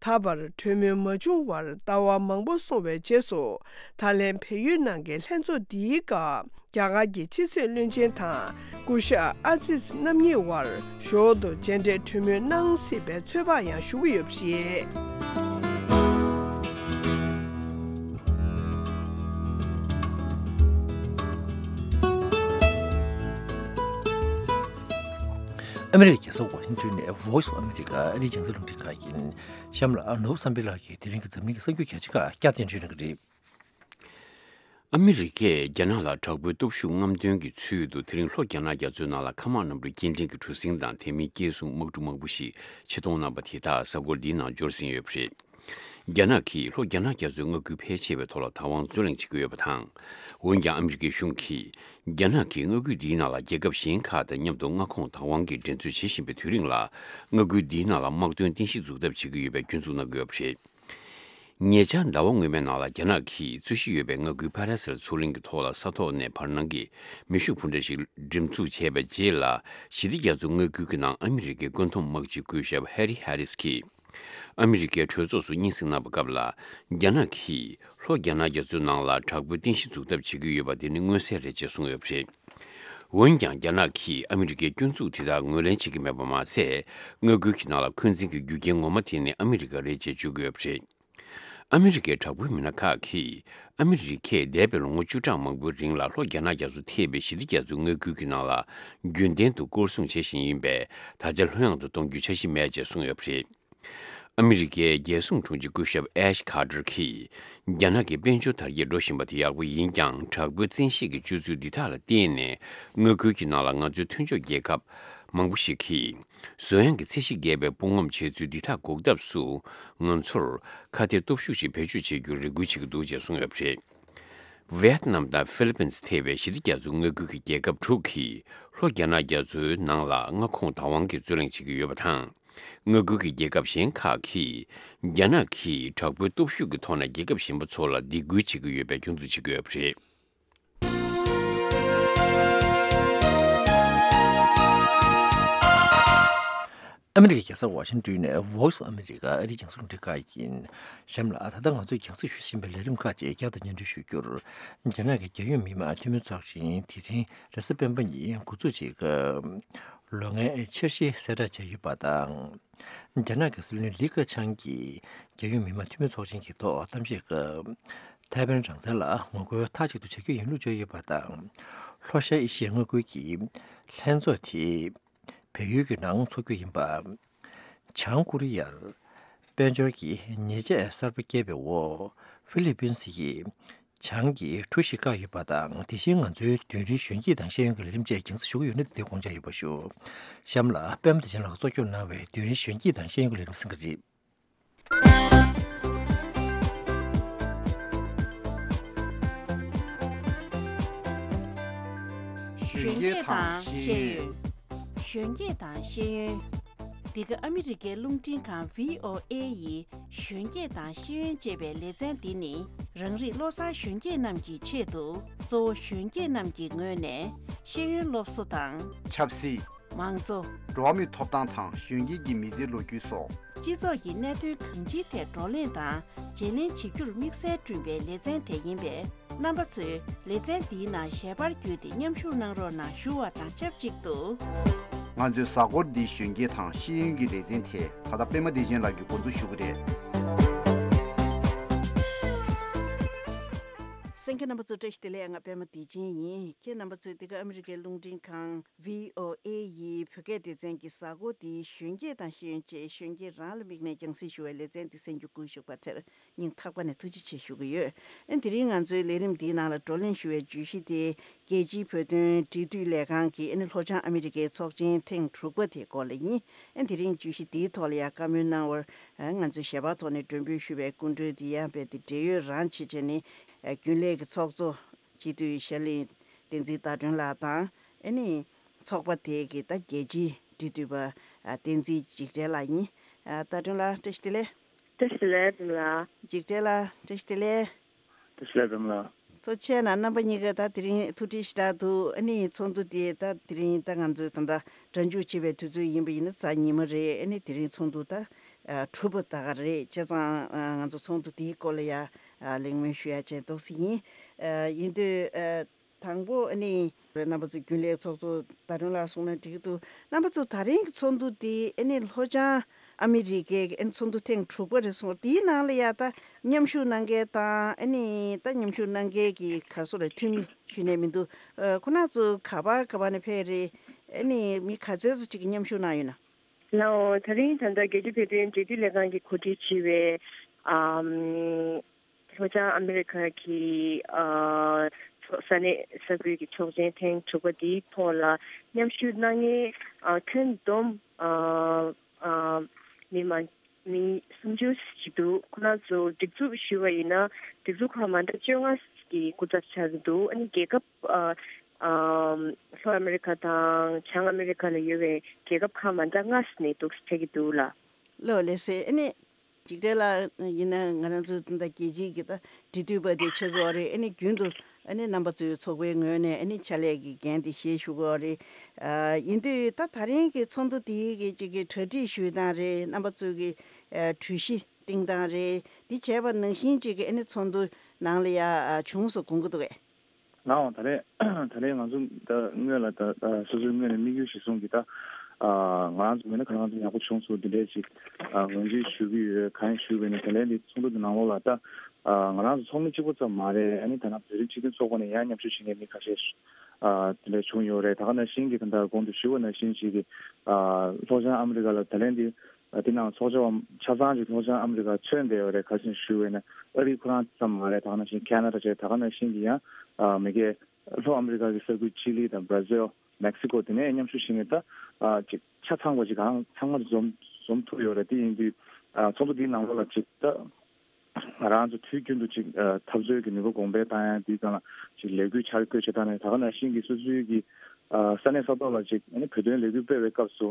ད་བར་གྲོས་མོལ་མ་བྱུང་བར་ཟླ་བ་མང་པོ་སོང་བའི་རྗེས་སུ། ད་ལན་བལ་ཡུལ་ནང་གི་ལྷན་ཚོགས་འདིའི་སྐབས། རྒྱ་གར་གྱི་ཕྱི་སྲིད་བློན་ཆེན་དང་སྐུ་ཞབས་ཨ་ཛིཛ་རྣམ་གཉིས་དབར་ཞོར་དུ་མཇལ་འཕྲད་གྲོས་མོལ་གནང་སྲིད་པའི་ཚོད་དཔག་ཡང་ཞུ་གི་ཡོད་པ་རེད། ཨ་མི་རི་ཀའི་རྒྱལ་ས་ཝ་ཤིང་ཊོན་ནས་Voice of America ཨ་རིའི་རྒྱང་སྲིང་རླུང་འཕྲིན་ཁང་ཡིན། གཤམ་ལ་ནོར་བུ་བསམ་འཕེལ་ལགས་ཀྱིས་དེ་རིང་གི་འཛམ་གླིང་གི་གསར་འགྱུར་གལ་ཆེ་ཁག་བསྐྱར་དུ་འགྲེལ་བརྗོད་གནང་གི་རེད། ཨ་མི་རི་ཀས་རྒྱ་ནག་ལ་དྲག་པོའི་སྟོབས་ཤུགས་རྔམ་སྟོན་གྱི་ཚུལ་དུ་དེ་རིང་ལྷོ་རྒྱ་ནག་རྒྱ་མཚོའི་ནང་ལ་མཁའ་དམག་གནམ་གྲུ་སྐྱེལ་འདྲེན་གྱི་གྲུ་གཟིངས་དང་དེ་མིན་སྐྱེལ་གཟུངས་དམག་གྲུ་མང་པོ་ཞིག་ཕྱིར་གཏོང་གནང་པ་དེ་དག་གཟའ་འཁོར་འདིའི་ནང་འབྱོར་ཟིན་ཡོད་པ་རེད། རྒྱ་ནག་གིས་ལྷོ་རྒྱ་ནག་རྒྱ་མཚོའི་མངའ་ཁུལ་ཕལ་ཆེ་བའི་ཐོག་ལ་བདག་དབང་རྩོད་ལེན་བྱེད་ཀྱི་ཡོད་པ་དང་། འོན་ཀྱང་ཨ་མི་རི་ཀའི་གཞུང་གིས་རྒྱ་ནག་གིས་མངའ་ཁུལ་འདིའི་ནང་ལ་རྒྱལ་ཁབ་གཞན་ཁག་དང་མཉམ་དུ་མངའ་ཁོངས་བདག་དབང་གི་འགྲན་རྩོད་བྱེད་བཞིན་པའི་དུས་རིང་ལ། མངའ་ཁུལ་འདིའི་ནང་ལ་དམག་དོན་རྟེན་གཞི་འཛུགས་ཐབས་བྱེད་ཀྱི་ཡོད་པའི་སྐྱོན་འཛུགས་གནང་གི་ཡོད་པ་རེད། ཉེ་ཆར་ཟླ་བ་སྔོན་མའི་ནང་ལ་རྒྱ་ནག་གིས་རྩོད་གཞི་ཡོད་པའི་མངའ་ཁུལ་ཕ་ར་སེལ་མཚོ་གླིང་གི་ཐོག་ལ་ས་ཐོག་ནས་བར་སྣང་གི་མེ་ཤུགས་འཕུར་མདའ་ཞིག་འགྲེམས་འཛུགས་བྱས་པའི་རྗེས་ལ། ཞི་བདེ་རྒྱ་མཚོ་མངའ་ཁུལ་གྱི་ནང་ཨ་མི་རི་ཀའི་བཀོད་འདོམས་དམག་སྤྱི་སྐུ་ཞབས་ཧེ་རི་ཧེ་རིས་ཀྱིས། ཨ་མི་རི་ཀའི་གྲོས་ཚོགས་སུ་སྙན་སེང་གནང་བའི་སྐབས་ལ། རྒྱ་ནག་གིས་ལྷོ་རྒྱ་ནག་རྒྱ་མཚོའི་ནང་ལ་དྲག་པོའི་རྟེན་གཞི་འཛུགས་ཐབས་བྱེད་ཀྱི་ཡོད་པ་དེ་ནི་མངོན་གསལ་རེད་ཅེས་གསུངས་ཡོད་པ་རེད། འོན་ཀྱང་། རྒྱ་ནག་གིས་ཨ་མི་རི་ཀའི་སྐྱོན་འཛུགས་དེ་དག་ངོས་ལེན་བྱེད་ཀྱི་མེད་པ་མ་ཟད། མངའ་ཁུལ་གྱི་ནང་ལ་འཁོན་འཛིན་གྱི་རྒྱུ་རྐྱེན་ངོ་མ་དེ་ནི་ཨ་མི་རི་ཀ་རེད་ཅེས་བརྗོད་ཀྱི་ཡོད་པ་རེད། ཨ་མི་རི་ཀའི་དྲག་པོའི་མི་སྣ་ཁག་གིས། ཨ་མི་རི་ཀས་འདས་པའི་ལོ་ངོ་བཅུ་ཕྲག་མང་པོའི་རིང་ལ་ལྷོ་རྒྱ་ནག་རྒྱ་མཚོ་ཐེ་བའི་ཞི་བདེ་རྒྱ་མཚོའི་མངའ་ཁུལ་གྱི་ནང་ལ། རྒྱུན་ལྡན་དུ་སྐོར་སྲུང་བྱེད་བཞིན་ཡིན་པས། ད་ཆ་ལྷོད་ཡངས་དུ་གཏོང་རྒྱུའི་འཆར་གཞི་མེད་ཅེས་གསུངས་ཡོད་པ་རེད། ཨ་མི་རི་ཀའི་རྒྱལ་སྲུང་དྲུང་ཆེ་སྐུ་ཞབས་ཨེཤ་ཁ་ཏར་གྱིས། རྒྱ་ནག་གི་དཔལ་འབྱོར་དར་རྒྱས་འགྲོ་བཞིན་པ་དེ་ཡག་པོ་ཡིན་ཀྱང་། དྲག་པོའི་བཙན་ཤེད་ཀྱི་སྤྱོད་ཚུལ་འདི་དག་ལ་བརྟེན་ནས། མངའ་ཁུལ་གྱི་ནང་ལ་ང་ཚོའི་མཐུན་ཕྱོགས་རྒྱལ་ཁབ་མང་པོ་ཞིག་གིས། གསོན་ཡང་གི་ཚད་གཞི་བརྒལ་བའི་དཔུང་ངོམ་བྱེད་ཚུལ་འདི་དག་འགོག་ཐབས་སུ། ང་ཚོར་ཁ་གཏད་སྟོབས་ཤུགས་ཤིག་བེད་སྤྱོད་བྱེད་རྒྱུར་རེ་སྐུལ་བྱེད་ཀྱི་འདུག་ཅེས་གསུངས་ཡོད་པ་རེད། ཝེ་ཏི་ནམ་དང་ཧྥི་ལི་པིན་ཐེ་བའི་ཞི་བདེ་རྒྱ་མཚོ་མངའ་ཁུལ་གྱི་རྒྱལ་ཁབ་དྲུག་གིས་ལྷོ་རྒྱ་ནག་རྒྱ་མཚོའི་ནང་ལ་མངའ་ཁོངས་བདག་དབང་གི་རྩོད་གླེང་བྱེད་ཀྱི་ཡོད་པ་དང་། མངའ་ཁུལ་གྱི་རྒྱལ་ཁབ་གཞན་ཁག་གིས་རྒྱ་ནག་གིས་དྲག་པོའི་སྟོབས་ཤུགས་ཀྱི་ཐོག་ནས་རྒྱལ་ཁབ་གཞན་པ་ཚོ་ལ་སྡིགས་སྐུལ་བྱེད་ཀྱི་ཡོད་པའི་སྐྱོན་འཛུགས་བྱེད་ཀྱི་ཡོད་པ་རེད། ཨ་མི་རི་ཀའི་རྒྱལ་ས་ཝ་ཤིང་ཏོན་ནས་Voice of America ཨ་རིའི་རྒྱང་སྲིང་རླུང་འཕྲིན་ཁང་ཡིན། གཤམ་ལ་ད་ལྟ་ང་ཚོས་རྒྱང་སྲིང་ཞུ་བཞིན་པའི་ལས་རིམ་ཁག་ཅིག་བསྐྱར་དུ་སྙན་སྒྲོན་ཞུ་རྒྱུར། རྒྱ་ནག་གི་རྒྱལ་ཡོངས་མི་དམངས་འཐུས་མི་ཚོགས་ཆེན་དེ་རིང་རེས་གཟའ་སྤེན་པ་ཉིན་འགོ་འཛུགས་བྱེད་སྐབས། ལོ་ལྔའི་འཆར་གཞི་གསལ་བསྒྲགས་བྱས་ཡོད་པ་དང་། རྒྱ་ནག་གི་སྲིད་བློན་ལི་ཁེ་ཆང་གིས་རྒྱལ་ཡོངས་མི་དམངས་འཐུས་མི་ཚོགས་ཆེན་གྱི་ཐོག་གཏམ་བཤད་སྐབས། ཐའེ་ཝན་རང་བཙན་ལ་ངོ་རྒོལ་མཐའ་གཅིག་ཏུ་བྱ་རྒྱུ་ཡིན་ལུགས་བརྗོད་ཡོད་པ་དང་། ལྷོ་ཤར་ཨེ་ཤི་ཡའི་མངའ་ཁུལ་གྱི་ལྷན་ཚོགས་དེ་བལ་ཡུལ་གྱི་ནང་འཚོགས་རྒྱུ་ཡིན་པ། བྱང་ཀོ་རི་ཡར་དཔལ་འབྱོར་གྱི་ཉེས་ཆད་གསར་པ་བཀལ་བའི་འོག་ཧྥི་ལི་པིན་སི་ཡིས་བྱང་གི་གྲུ་ཞིག་བཀག་ཡོད་པ་དང་། དེ་བཞིན་ང་ཚོའི་རྡུལ་རིང་གཞོན་སྐྱེས་དང་ཤེས་ཡོན་གྱི་ལས་རིམ་བཅས་རྒྱང་སྲིང་ཞུ་གི་ཡོད་ན། དེ་དགོངས་འཇགས་ཡོད་པ་ཞུ། གཤམ་ལ་པད་མ་བདེ་ཆེན་ལགས་གཙོ་སྐྱོང་གནང་བའི་རྡུལ་རིང་གཞོན་སྐྱེས་དང་ཤེས་ཡོན་གྱི་ལས་རིམ་གསན་གྱི་རེད། གཞོན་སྐྱེས་དང་ཤེས་ཡོན། གཞོན་སྐྱེས་དང་ཤེས་ཡོན། འདི་ག་ཨ་མི་རི་ཀའི་རླུང་འཕྲིན་ཁང་V O A ཡི་གཞོན་སྐྱེས་དང་ཤེས་ཡོན་ཅེས་པའི་ལེ་ཚན་འདི་ནི། རང་རིགས་བློ་བཟང་གཞོན་སྐྱེས་རྣམས་ཀྱི་ཆེད་དུ། གཙོ་བོ་གཞོན་སྐྱེས་རྣམས་ཀྱི་ངོས་ནས་ཤེས་ཡོན་སློབ་གསོ་དང་། ཆབ་སྲིད། མང་གཙོ། འགྲོ་བ་མིའི་ཐོབ་ཐང་དང་གཞོན་སྐྱེས་ཀྱི་མི་ཚེའི་ལོ་རྒྱུས་སོགས། སྤྱི་ཚོགས་ཀྱི་གནད་དོན་གང་ཅིའི་ཐད་བགྲོ་གླེང་དང་བརྗེ་ལེན་བྱེད་རྒྱུར་དམིགས་བསལ་བསྐྲུན་པའི་ལེ་ཚན་དེ་ཡིན་པས། རྣམ་པ་ཚོས་ལེ་ཚན་འདིའི་ནང་ཞལ་པར་བརྒྱུད་དེ་མཉམ་ཞུགས་གནང་རོགས་གནང་ཞུ་བ་དང་ཆབས་ཅིག་ཏུ། ང་ཚོའི་གཟའ་འཁོར་འདིའི་གཞོན་སྐྱེས་དང་ཤེས་ཡོན་གྱི་ལེ་ཚན་དེ་ད་ལྟ་པད་མ་བདེ་ཆེན་ལགས་ཀྱིས་འགོ་འཛུགས་ཞུ་གི་རེད། གསན་མཁན་རྣམ་པ་ཚོ་བཀྲ་ཤིས་བདེ་ལེགས། ང་པད་མ་བདེ་ཆེན་ཡིན། ཁྱེད་རྣམ་པ་ཚོས་འདི་ག་ཨ་མི་རི་ཀའི་རླུང་འཕྲིན་ཁང་V O A ཡི་བོད་སྐད་སྡེ་ཚན་གྱི་གཟའ་འཁོར་འདིའི་གཞོན་སྐྱེས་དང་ཤེས་ཡོན་ཅེས་གཞོན་སྐྱེས་རང་ལ་དམིགས་ནས་རྒྱང་སྲིང་ཞུ་བའི་ལེ་ཚན་འདི་གསན་རྒྱུ་བསྐུལ་ཞུས་པ་དེར་སྙིང་ཐག་པ་ནས་ཐུགས་རྗེ་ཆེ་ཞུ་གི་ཡོད། ཨ་ནི་དེ་རིང་ང་ཚོའི་ལས་རིམ་འདིའི་ནང་ལ་བགྲོ་གླེང་ཞུ་བའི་བརྗོད་གཞི་དེ། རྒྱལ་སྤྱིའི་བོད་དོན་འབྲེལ་མཐུད་ལས་ཁང་གི་ཨ་ནི་ལྷོ་བྱང་ཨ་མི་རི་ཀའི་ཚོགས་ཆེན་ཐེངས་དྲུག་པ་དེའི་སྐོར་ལ་ཡིན། ཨ་ནི་དེ་རིང་བརྗོད་གཞི་འདིའི་ཐོག་ལ་ཡང་བཀའ་མོལ་གནང་བར། ཨ་ང་ཚོས་ཞལ་པར་ཐོག་ནས་མགྲོན་འབོད་ཞུ་བའི་སྐུ་མགྲོན་དེ་ཡང་རྦད་དེ་འབྲེལ་ཡོད་རང་བྱེད་བྱས་ནས། ཨ་རྒྱུན་ལས་ཀྱི་ཚོགས་གཙོ་སྤྱི་འཐུས་ཤར་གླིང་བསྟན་འཛིན་ཟླ་སྒྲོན་ལགས་དང་། ཨ་ནི་ཚོགས་པ་དེ་གི་ད་རྒྱལ་སྤྱིའི་འབྲེལ་མཐུད་པ་ཨ་བསྟན་འཛིན་འཇིགས་བྲལ་ལགས་ཡིན། ཨ་ཟླ་སྒྲོན་ལགས་བཀྲ་ཤིས་བདེ་ལེགས། བཀྲ་ཤིས་བདེ་ལེགས་འཛོམས་ལགས། འཇིགས་བྲལ་ལགས་བཀྲ་ཤིས་བདེ་ལེགས། བཀྲ་ཤིས་བདེ་ལེགས་འཛོམས་ལགས། ཐུགས་རྗེ་ཆེ་གནང་། རྣམ་པ་གཉིས་ཀ་ད་དེ་རིང་ཐུགས་འཕྲད་ཞེ་དྲག་འདུག་ཨ་ནི་ཚོགས་འདུ་དེ་ད་དེ་རིང་ད་ང་ཚོས་ད་ལྟ་སྒྲ་འཇུག་བྱེད་པའི་དུས་ཚོད་ཡིན་པ་ཡིན་ན་གཟའ་ཉི་མ་རེད། ཨ་ནི་དེ་རིང་ཚོགས་འདུ་ད་ཨ་དྲུག་པ་ད་ག་རེད། བྱས་ཙང་ཨ་ང་ཚོ་ཚོགས་འདུ་དེའི་སྐོར་ལ་ཡ་ཨ་གླེང་མོལ་ཞུ་ཡ་བྱས་འདུག་སེ་ཡིན། ཨ་ཡིན་དུས་ཨ་དང་པོ་ཨ་ནི་རྣམ་པ་ཚོ་རྒྱུན་ལས་ཚོགས་གཙོ་ཟླ་སྒྲོན་ལགས་གསུངས་ན་འགྲིག་གི་འདུག་རྣམ་པ་ཚོ་ད་རིང་གི་ཚོགས་འདུ་དེ་ཨ་ནི་ལྷོ་བྱང་ཨ་མི་རི་ཀའི་ཨ་ནི་ཚོགས་འདུ་ཐེངས་དྲུག་པ་རེད་གསུངས། དེའི་ནང་ལ་ཡ་ད་མཉམ་ཞུགས་གནང་མཁན་དང་ཨ་ནི་ད་མཉམ་ཞུགས་གནང་མཁན་གྱི་ག་སོ་རེད། འཐུས་མི་ཞུས་ནས་མི་འདུག་ཨ་ཁོ་ན་ཚོ་ག་པ་ག་པ་ནས་ཕེབས་རེད། ཨ་ནི་མི་ག་ཚད་ཙམ་ཅིག་གིས་མཉམ་ཞུགས་གནང་ཡོད་ན། ལགས་འོང་། ད་རིང་ད་ལྟ་རྒྱལ་སྤྱིའི་བོད་དོན་འབྲེལ་མཐུད་ལས་ཁང་གིས་གོ་སྒྲིག་བྱས་པའི་ཨམ་ལྷོ་བྱང་ཨ་མི་རི་ཁ་གི་ཨ་ཚོགས་ས་གནས་ས་ཁུལ་གྱི་ཚོགས་ཆེན་ཐེངས་དྲུག་པ་འདིའི་ཐོག་ལ་མཉམ་ཞུགས་གནང་མཁན་ཨ་ཁྱོན་བསྡོམས་ཨ་ཨ་མི་མང་མི་སུམ་ཅུ་ཞིག་འདུག་ཁོ་རང་ཚོ་སྒྲིག་འཛུགས་ཞུས་པ་ཡིན་ན་སྒྲིག་འཛུགས་ཁག་མ་འདྲ་བཅོ་ལྔ་གི་སྐུ་ཚབ་ཆགས་ཀྱི་འདུག་ཨ་ནི་རྒྱལ་ཁབ་ཨ་ཨམ་ལྷོ་ཨ་མི་རི་ཁ་དང་བྱང་ཨ་མི་རི་ཁ་ལ་ཡོད་པའི་རྒྱལ་ཁབ་ཁག་མ་འདྲ་ལྔ་ནས་འདུག་ཕེབས་ཀྱི་འདུག་ལགས། ལགས་ལགས་སེ། ཨ་ནི་འཇིགས་བྲལ་ལགས་ཡིན་ན་ང་རང་ཚོ་ད་རྒྱལ་སྤྱིའི་གི་ད་འབྲེལ་མཐུད་པ་དེ་ཆགས་ཀྱི་ཡོད་རེད། ཨ་ནི་རྒྱུན་དུ་ཨ་ནི་རྣམ་པ་ཚོའི་ཚོགས་པའི་ངོས་ནས་ཨ་ནི་ཕྱག་ལས་ཀྱི་འགན་དེ་བཞེས་བཞུགས་ཀྱི་ཡོད་རེད། ཨ་ཡིན་དུས་ད་ད་རིང་གི་ཚོགས་འདུ་དེའི་གི་ཅིག་གི་གྲ་སྒྲིག་ཞུས་སྟངས་རེད། རྣམ་པ་ཚོའི་གི་ཨ་གྲོས་གཞི་བཏིང་སྟངས་རེད། འདི་བྱས་པ་ནང་བཞིན་ཅིག་གི་ཨ་ནི་ཚོགས་འདུ་ནང་ལ་ཡ་ཨ་བྱུང་སོང་དགོངས་ཀྱི་འདུག་གས། ལགས་འོང་། ད་རེས་ད་རེས་ང་ཚོ་ད་སྔོན་ལ་ད་ད་སོ་སོའི་ངོས་ནས་དམིགས་ཡུལ་གཞིར་བཟུང་གིས་ད་ཨ་ང་རང་ཚོ་ངོས་ནས་གང་ལྟར་ཡག་པོ་བྱུང་སོང་། འདི་འདྲའི་ཅིག་ཨ་ངོས་འཛིན་ཞུ་གི་ཡོད། གང་ཡིན་ཞུས་པ་ཡིན་ན་ད་ལན་འདི་ཚོགས་འདུ་འདི་ནང་ལོགས་ལ་ད་ཨ་ང་རང་ཚོ་ཚོགས་མི་གཅིག་པོ་ཙམ་མ་རེད། ཨ་ནི་ད་ནང་བོད་རིགས་སྤྱི་མཐུན་ཚོགས་པ་ནས་ཡང་མཉམ་ཞུགས་བྱེད་མཁན་མི་ཁ་ཤས་ཨ་དེ་འདྲ་བྱུང་ཡོད་རེད། ད་ག་ནང་བཞིན་གྱི་ད་ལྟ་གོང་དུ་ཞུས་པ་ནང་བཞིན་ཅིག་གི་ཨ་ལྷོ་བྱང་ཨ་མི་རི་ཀ་ལ་ད་ལན་འདི་ཨ་དེ་ནང་ཚོགས་བཅར་བ་ཆ་ཚང་ཅིག་ལྷོ་བྱང་ཨ་མི་རི་ཀ་ཐོན་བསྡད་ཡོད་རེད། ག་རེ་ཞུས་པ་ཡིན་ན་ཨ་རི་ཁོ་རང་ཙམ་མ་རེད། ད་ག་ནང་བཞིན་ཁེ་ན་ཌ་བྱས། ད་ག་ནང་བཞིན་གྱི་ཡང་ཨ་མི་རྒྱལ་ལྷོ་ཨ་མི་རི་ཀ་གི་ས་ཁུལ་ཅི་ལི་དང་བྷ་ར་ཟིལ། མེག་སི་ཀོ་དེ་ནས་མཉམ་ཞུགས་བྱེད་མཁན་ད་ཨ་ཅིག་ཆ་ཚང་བ་ཅིག་གང་ཚང་མ་འཛོམས་འཛོམས་ཐུབ་ཡོད་རེད། དེ་ཡིན་དུས་ཨ་ཚོགས་འདུ་འདིའི་ནང་ལོགས་ལ་ཅིག་ད་ང་རང་ཚོ་དུས་རྒྱུན་དུ་ཅིག་ཨ་འཐབ་རྩོད་ཀྱི་ནུས་པ་གོང་འཕེལ་བཏང་ཡ་དེའི་སྒང་ལ་ཅིག་ལས་འགུལ་འཆར་འགོད་བྱེད་སྟངས་ནས། ད་ག་ནང་བཞིན་གྱི་སོ་སོའི་གི་ཨ་ས་གནས་ས་ཐོག་ལ་ཅིག་ཨ་ནི་བོད་དོན་ལས་འགུལ་སྤེལ་བའི་སྐབས་སུ་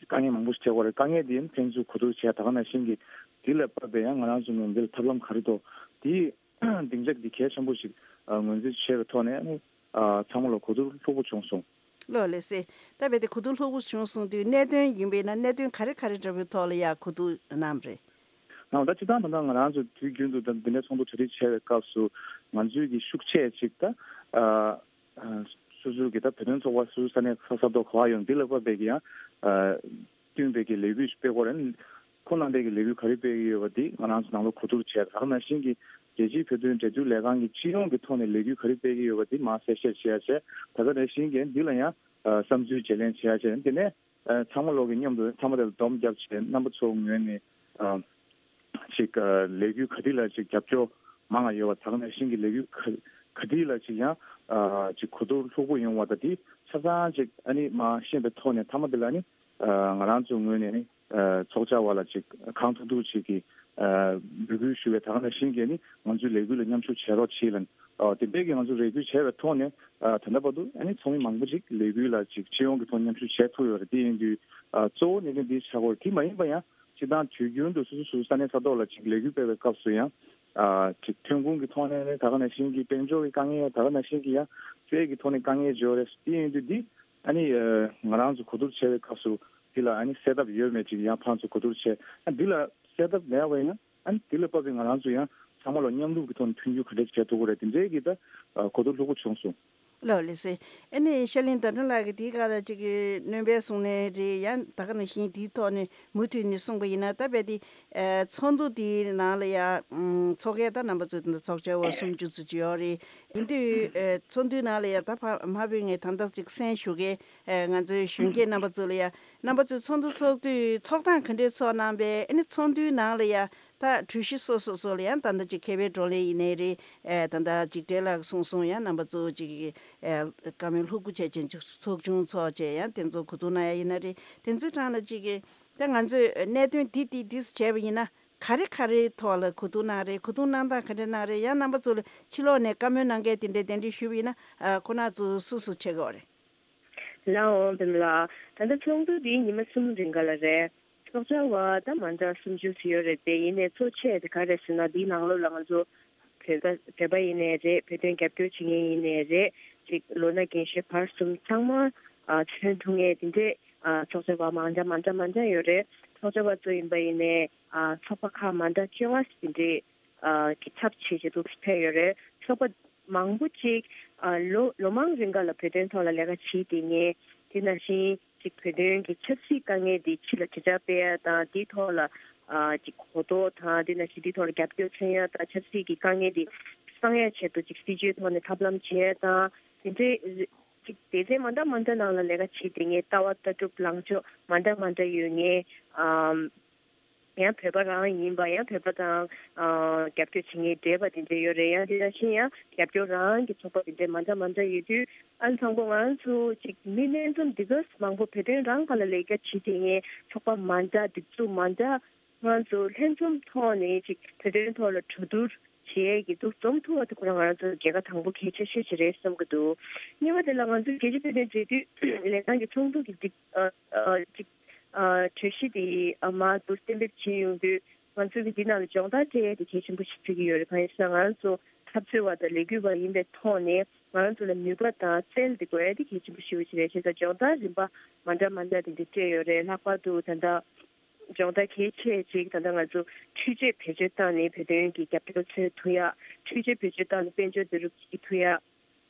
དཀའ་ངལ་མང་པོ་ཞིག་འཕྲད་ཀྱི་ཡོད་རེད། དཀའ་ངལ་དེ་ཡང་ཕན་ཚུན་གོ་བསྡུར་བྱས། ད་ག་ནང་བཞིན་གྱི་དེ་ལ་བབས་པའི་ཡང་ང་རང་ཚོ་ངོས་འདི་ལ་ཐབས་ལམ་ག་རེ་འདུག་དེ་སྡིངས་ཆ་འདི་གལ་ཆེན་པོ་ཞིག་ཨ་ངོས་འཛིན་བྱས་པའི་ཐོག་ནས་ཨ་ནི་ཨ་ཚང་མ་ལ་གོ་བསྡུར་ལྷུག་པོ་བྱུང་སོང་། ལོ་ལེགས་སེ། ད་རྦད་དེ་གོ་བསྡུར་ལྷུག་པོ་བྱུང་སོང་དུས་གནད་དོན་ཡིན་པས་ན་གནད་དོན་ག་རེ་ག་རེ་འདྲ་པོའི་ཐོག་ལ་ཡ་གོ་བསྡུར་གནང་རེད། ཨ་ད་སྤྱིར་བཏང་ད་ལྟ་ང་རང་ཚོ་དུས་རྒྱུན་དུ་ད་འདི་འདྲའི་ཚོགས་འདུ་གྲ་སྒྲིག་བྱས་པའི་སྐབས་སུ་ང་ཚོའི་གི་ཤུགས་ཆེ་ཅིག་ད་ཨ་ཨ་སོ་སོའི་གི་ད་བོད་དོན་ཚོགས་པ་སོ་སོའི་ས་གནས་ས་ས་ཐོག་ག་བ་ཡོང་འདི་ལ་དཔག་པའི་གི་ཡང་ཨ་བསྟུན་པའི་གི་ལས་འགུལ་སྤེལ་དགོས་རེད། ཁོང་རྣམ་པས་ཀྱི་ལས་འགུལ་ག་རེ་སྤེལ་གྱི་ཡོད་པ་འདི་ང་རང་ཚོ་ནང་ལོགས་གོ་བསྡུར་བྱས། ད་ག་ནང་བཞིན་གྱི་རྒྱལ་སྤྱིའི་བོད་དོན་འབྲེལ་མཐུད་ལས་ཁང་གི་སྤྱི་ཡོངས་ཀྱི་ཐོག་ནས་ལས་འགུལ་ག་རེ་སྤེལ་གྱི་ཡོད་པ་འདི་མར་གསལ་བཤད་བྱས་བྱས། ད་ག་ནང་བཞིན་གྱི་འདི་ལ་ཡང་ཨ་བསམ་ཚུལ་བརྗེ་ལེན་བྱས་བྱས། དེ་ནས་ཨ་ཚང་མ་ལོག་གི་མཉམ་དུ་ཚང་མ་དེ་ལ་སྡོམ་བརྒྱབ་བྱས་རྣམ་པ་ཚོ་ངོས་ནས་ཨ་ཅིག་ཨ་ལས་འགུལ་ག་དེ་ལ་ཅིག་རྒྱབ་སྐྱོར་མང་བ་ཡོད་པ། ད་ག་ནང་བཞིན་གྱི་ལས་འགུལ་ག་ག་དེ་ལ་ཅིག་ཡང་ཨ་ཅིག་གོ་བསྡུར་ལྷུག་པོ་ཡོང་བ་དང་དེ་ཆ་ཚང་ཅིག་ཨ་ནི་མར་ཤེས་པའི་ཐོག་ནས་མཐའ་མ་དེ་ལ་ཨ་ནི། ང་རང་ཚོའི་ངོས་ནས་ནི་ཚོགས་བཅར་བ་ལ་ཅིག་གང་ཐུབ་ཐུབ་ཅིག་གི་འབོད་སྐུལ་ཞུ་བའི་ད་ག་ནང་བཞིན་གྱི་ནི་ང་ཚོའི་ལས་འགུལ་ལ་མཉམ་ཞུགས་བྱེད་རོགས་བྱེད་ལ། དེ་འདྲའི་གི་ང་ཚོ་རེ་སྐུལ་བྱས་པའི་ཐོག་ནས་ད་ལྟ་བར་དུ་ཨ་ནི་ཚོགས་མི་མང་པོ་ཅིག་ལས་འགུལ་ལ་ཅིག་སྤྱི་ཡོངས་ཀྱི་ཐོག་མཉམ་ཞུགས་བྱས་ཐུབ་ཡོད་རེད། དེ་ཡིན་དུས་གཙོ་བོ་གནད་དོན་འདི་ཆགས་ཀྱི་ཡོད་རེད། དེ་མ་ཡིན་པ་ཡང་སྤྱིར་བཏང་དུས་རྒྱུན་དུ་སོ་སོ་སོ་སོའི་ས་གནས་ས་ཐོག་ལ་ཅིག་ལས་འགུལ་སྤེལ་བའི་སྐབས་སུ་ཡང་ཅིག་ཐོན་ཁུངས་ཀྱི་ཐོག་ནས་ད་ག་ནང་བཞིན་གྱི་དཔལ་འབྱོར་གྱི་དཀའ་ངལ། ད་ག་ནང་བཞིན་གྱི་ཡང་སྤྱོད་ཡག་གི་ཐོག་ནས་དཀའ་ངལ་ཡོད་རེད། དེ་ཡིན་དུས་འདི་ཨ་ནི་ང་རང་ཚོ་གོ་བསྡུར་བྱས་པའི་སྐབས་སུ་འདི་ལ་ཨ་ནི་གསལ་ཐབས་ཡོད་མེད་ཅིག་ཡང་ཕར་ཚུར་གོ་བསྡུར་བྱས། ཨ་འདི་ལ་གསལ་ཐབས་མེད་པ་ཡིན་ན་ཨ་ནི་འདི་ལ་དཔག་པའི་ང་རང་ཚོ་ཡང་ཚང་མ་ལ་མཉམ་རུབ་ཀྱི་ཐོག་ནས་མཐུན་འགྱུར་ག་འདྲས་བྱེད་ཐུབ་ཀྱི་རེད། དེ་འདྲའི་གི་ད་གོ་བསྡུར་ལྷུག་པོ་བྱུང་སོང་། ལོ་ལེགས་སེ། ཨ་ནི་ཤར་གླིང་ཟླ་སྒྲོན་ལགས་ཀྱིས་དེའི་སྒང་ལ་ཅིག་གི་སྣོན་པ་གསུངས་ནའི་རེད། ཡང་ད་ག་ནང་བཞིན་དེའི་ཐོག་ནས་མུ་མཐུད་ནས་གསུངས་པ་ཡིན་ན་ད་རྦད་དེ་ཚོགས་འདུ་དེའི་ནང་ལ་ཡང་ཚོགས་ཁག་ད་རྣམ་པ་ཚོས་ད་ཚོགས་བཅར་བ་སུམ་ཅུ་ཙམ་ཅིག་ཡོད་རེད། དེ་དུས་ཚོགས་འདུའི་ནང་ལ་ཡང་ད་ཕ་མ་བོད་ངས་ད་ལྟ་ཅིག་གསན་ཞུ་མཁན་ང་ཚོའི་གཞོན་སྐྱེས་རྣམ་པ་ཚོ་ལ་ཡང་རྣམ་པ་ཚོས་ཚོགས་འདུ་ཚོགས་དུས་ཚོགས་སྟངས་ག་འདྲས་ཚོགས་གནང་པས། ཨ་ནི་ཚོགས་འདུའི་ནང་ལ་ཡང་ད་གྲོས་གཞི་སོ་སོ་སོ་ལ་ཡང་ད་ལྟ་ཅིག་མཁས་པའི་བགྲོ་གླེང་ཡིན་ནའི་རེད། ཨེ་ད་ལྟ་ཅིག་འབྲེལ་ལགས་གསུངས་སོང་། ཡང་རྣམ་པ་ཚོ་ཅིག་ཨེ་བཀའ་མོལ་ལྷུག་པོ་བྱས་ཅན་ཅིག་ཚོགས་ཆུང་ཚོགས་བྱས་ཡང་དེ་ཚོ་གོ་བསྡུར་གནང་ཡ་ཡིན་ན་རེད། དེ་ཚོའི་གྲས་ལ་ཅིག་ད་ང་ཚོས་གནད་དོན་འདི་འདི་འདི་བྱས་པ་ཡིན་ན་ག་རེ་ག་རེའི་ཐོག་ལ་གོ་བསྡུར་གནང་རེད། གོ་བསྡུར་གནང་སྟངས་ག་འདྲ་གནང་རེད། ཡང་རྣམ་པ་ཚོ་ལ་ཕྱི་ལོགས་ནས་བཀའ་མོལ་གནང་མཁན་དེ་འདྲས་གདན་འདྲེན་ཞུས་པ་ཡིན་ན་ཁོ་ན་ཚོ་སུ་སུ་བྱེད་དགོས་རེད། ལའོ་འབེམ་ལགས། ད་ལྟ་ཚོགས་འདུ་འདི་ཉི་མ་གསུམ་རིང་ག་ལ་རེད། ཚོགས་བཅར་བ་ད་མ་འདྲ་སུམ་ཅུ་ཙམ་ཡོད་རེད་དེ། ཡིན་ནའི་གཙོ་ཆེ་དེ་ག་རེ་ཟེར་ན་འདིའི་ནང་ལོགས་ལ་ང་ཚོ་བོད་པ་བོད་པ་ཡིན་ནའི་རེད། བོད་དོན་རྒྱབ་སྐྱོར་བྱེད་མཁན་ཡིན་ནའི་རེད། ཅིག་ལོ་ན་རྒན་གཞོན་བར་གསུམ་ཚང་མ་ཨ་མཚོན་ཐུབ་མཁན་དེ་འདྲས་ཨ་ཚོགས་བཅར་བ་མ་འདྲ་མ་འདྲ་མ་འདྲ་ཡོད་རེད། ཚོགས་བཅར་བ་ཚོ་ཡིན་པ་ཡིན་ནའི་ཨ་ཚོགས་པ་ཁག་མ་འདྲ་བཅོ་ལྔ་དེ་འདྲས་ཨ་གི་ཚབ་བྱེད་བྱེད་དུ་ཕེབས་ཡོད་རེད། ཚོགས་པ་མང་པོ་ཅིག་ཨ་ལོ་ལོ་མང་རིང་ག་ལ་བོད་དོན་ཐོག་ལ་ལས་ཀ་བྱེད་བསྡད་མཁན། དེ་ནང་བཞིན་ཅིག་བོད་དོན་གྱི་ཆབ་སྲིད་དཀའ་ངལ་འདི་ཕྱི་ལ་དྲིལ་བསྒྲགས་སྤེལ་ཡ་དང་། དེའི་ཐོག་ལ་ཨ་ཅིག་གོ་རྟོགས་དང་། དེ་ནང་བཞིན་དེའི་ཐོག་ལ་རྒྱབ་སྐྱོར་མཚོན་ཡ་དང་། ཆབ་སྲིད་ཀྱི་དཀའ་ངལ་འདི་སངས་ཡ་ཆེད་དུ་ཅིག་སྲིད་བྱུས་ཐོག་ནས་ཐབས་ལམ་བྱེད་ཡ་དང་། དེ་འདྲའི་ཅིག་སྡེ་ཚན་མ་འདྲ་མ་འདྲ་ནང་ལ་ལས་ཀ་བྱེད་བསྡད་མཁན། ལྟ་བ་ལྟ་གྲུབ་ལངས་ཕྱོགས་མ་འདྲ་མ་འདྲ་ཡོད་མཁན། ཨམ། ཡང་བོད་པ་རང་ཡིན་པ། ཡང་བོད་པ་དང་ཨ་རྒྱབ་སྐྱོར་བྱེད་མཁན་འདྲེས་པ་དེ་འདྲ་ཡོད་རེད། ཡང་དེ་ནང་བཞིན་ཡང་རྒྱབ་སྐྱོར་རང་གི་ཚོགས་པ་དེ་འདྲ་མ་འདྲ་མ་འདྲ་ཡོད་དུས། ཨ་ནི་དང་པོ་ང་རང་ཚོ་ཅིག་མི་སྣ་འཛོམས་འདི་ག་མང་པོ་བོད་དོན་རང་སྒང་ལ་ལས་ཀ་བྱེད་བསྡད་མཁན། ཚོགས་པ་མ་འདྲ། སྒྲིག་འཛུགས་མ་འདྲ། ང་ཚོ་ལྷན་འཛོམས་ཐོག་ནས་ཅིག་བོད་དོན་ཐོག་ལ་གྲོས་བསྡུར་བྱེད་ཡས་ཀྱི་འདུ་འཛོམས་ཐུབ་པ་དེ་ཁོ་རང་ང་རང་ཚོ་རྒྱལ་ཁ་དང་པོ་གལ་ཆེ་ཤོས་ཅིག་རེད་བསམ་གྱི་འདུག་གཉིས་པ་དེ་ལ་ང་ཚོ་རྒྱལ་སྤྱིའི་བོད་དོན་འབྲེལ་མཐུད་ལས་ཁང་གི་ཚོགས་འདུ་གི་སྒྲིག་ཨ་ཨ་ཅིག་ཨ་གྲོས་གཞི་དེ་ཨ་མར་དུ་གཏན་འབེབས་བྱེད་ཡོང་དུས། ང་ཚོ་གི་འདི་ནང་ལ་སྦྱོང་བརྡར་སྤྲད་ཡས་དེ་གལ་ཆེན་པོ་ཞིག་ཆགས་ཀྱི་ཡོད་རེད། གང་ཡིན་ཟེར་ན་ང་རང་ཚོ་འཐབ་རྩོད་པ་དང་ལས་འགུལ་བ་ཡིན་པའི་ཐོག་ནས་ང་རང་ཚོ་ལ་ནུས་པ་དང་རྩལ་དེ་དགོས་ཡ་དེ་གལ་ཆེན་པོ་ཞེ་པོ་ཅིག་རེད། བྱས་ཙང་སྦྱོང་བརྡར་རིམ་པ་མ་འདྲ་མ་འདྲ་དེ་འདྲ་སྤྲད་ཡོད་རེད། ལྷག་པར་དུ་ད་ལྟ་སྦྱོང་བརྡར་གལ་ཆེ་ཅིག་ད་ལྟ་ང་ཚོ་འཕྲུལ་ཆས་བེད་སྤྱོད་བཏང་ནས་བོད་དོན་གྱི་རྒྱབ་སྐྱོར་འཚོལ་ཐུབ་ཡ། འཕྲུལ་ཆས་བེད་སྤྱོད་བཏང་ནས་དཔལ་འབྱོར་བསྡུ་རུབ་བྱེད་ཐུབ་ཡ།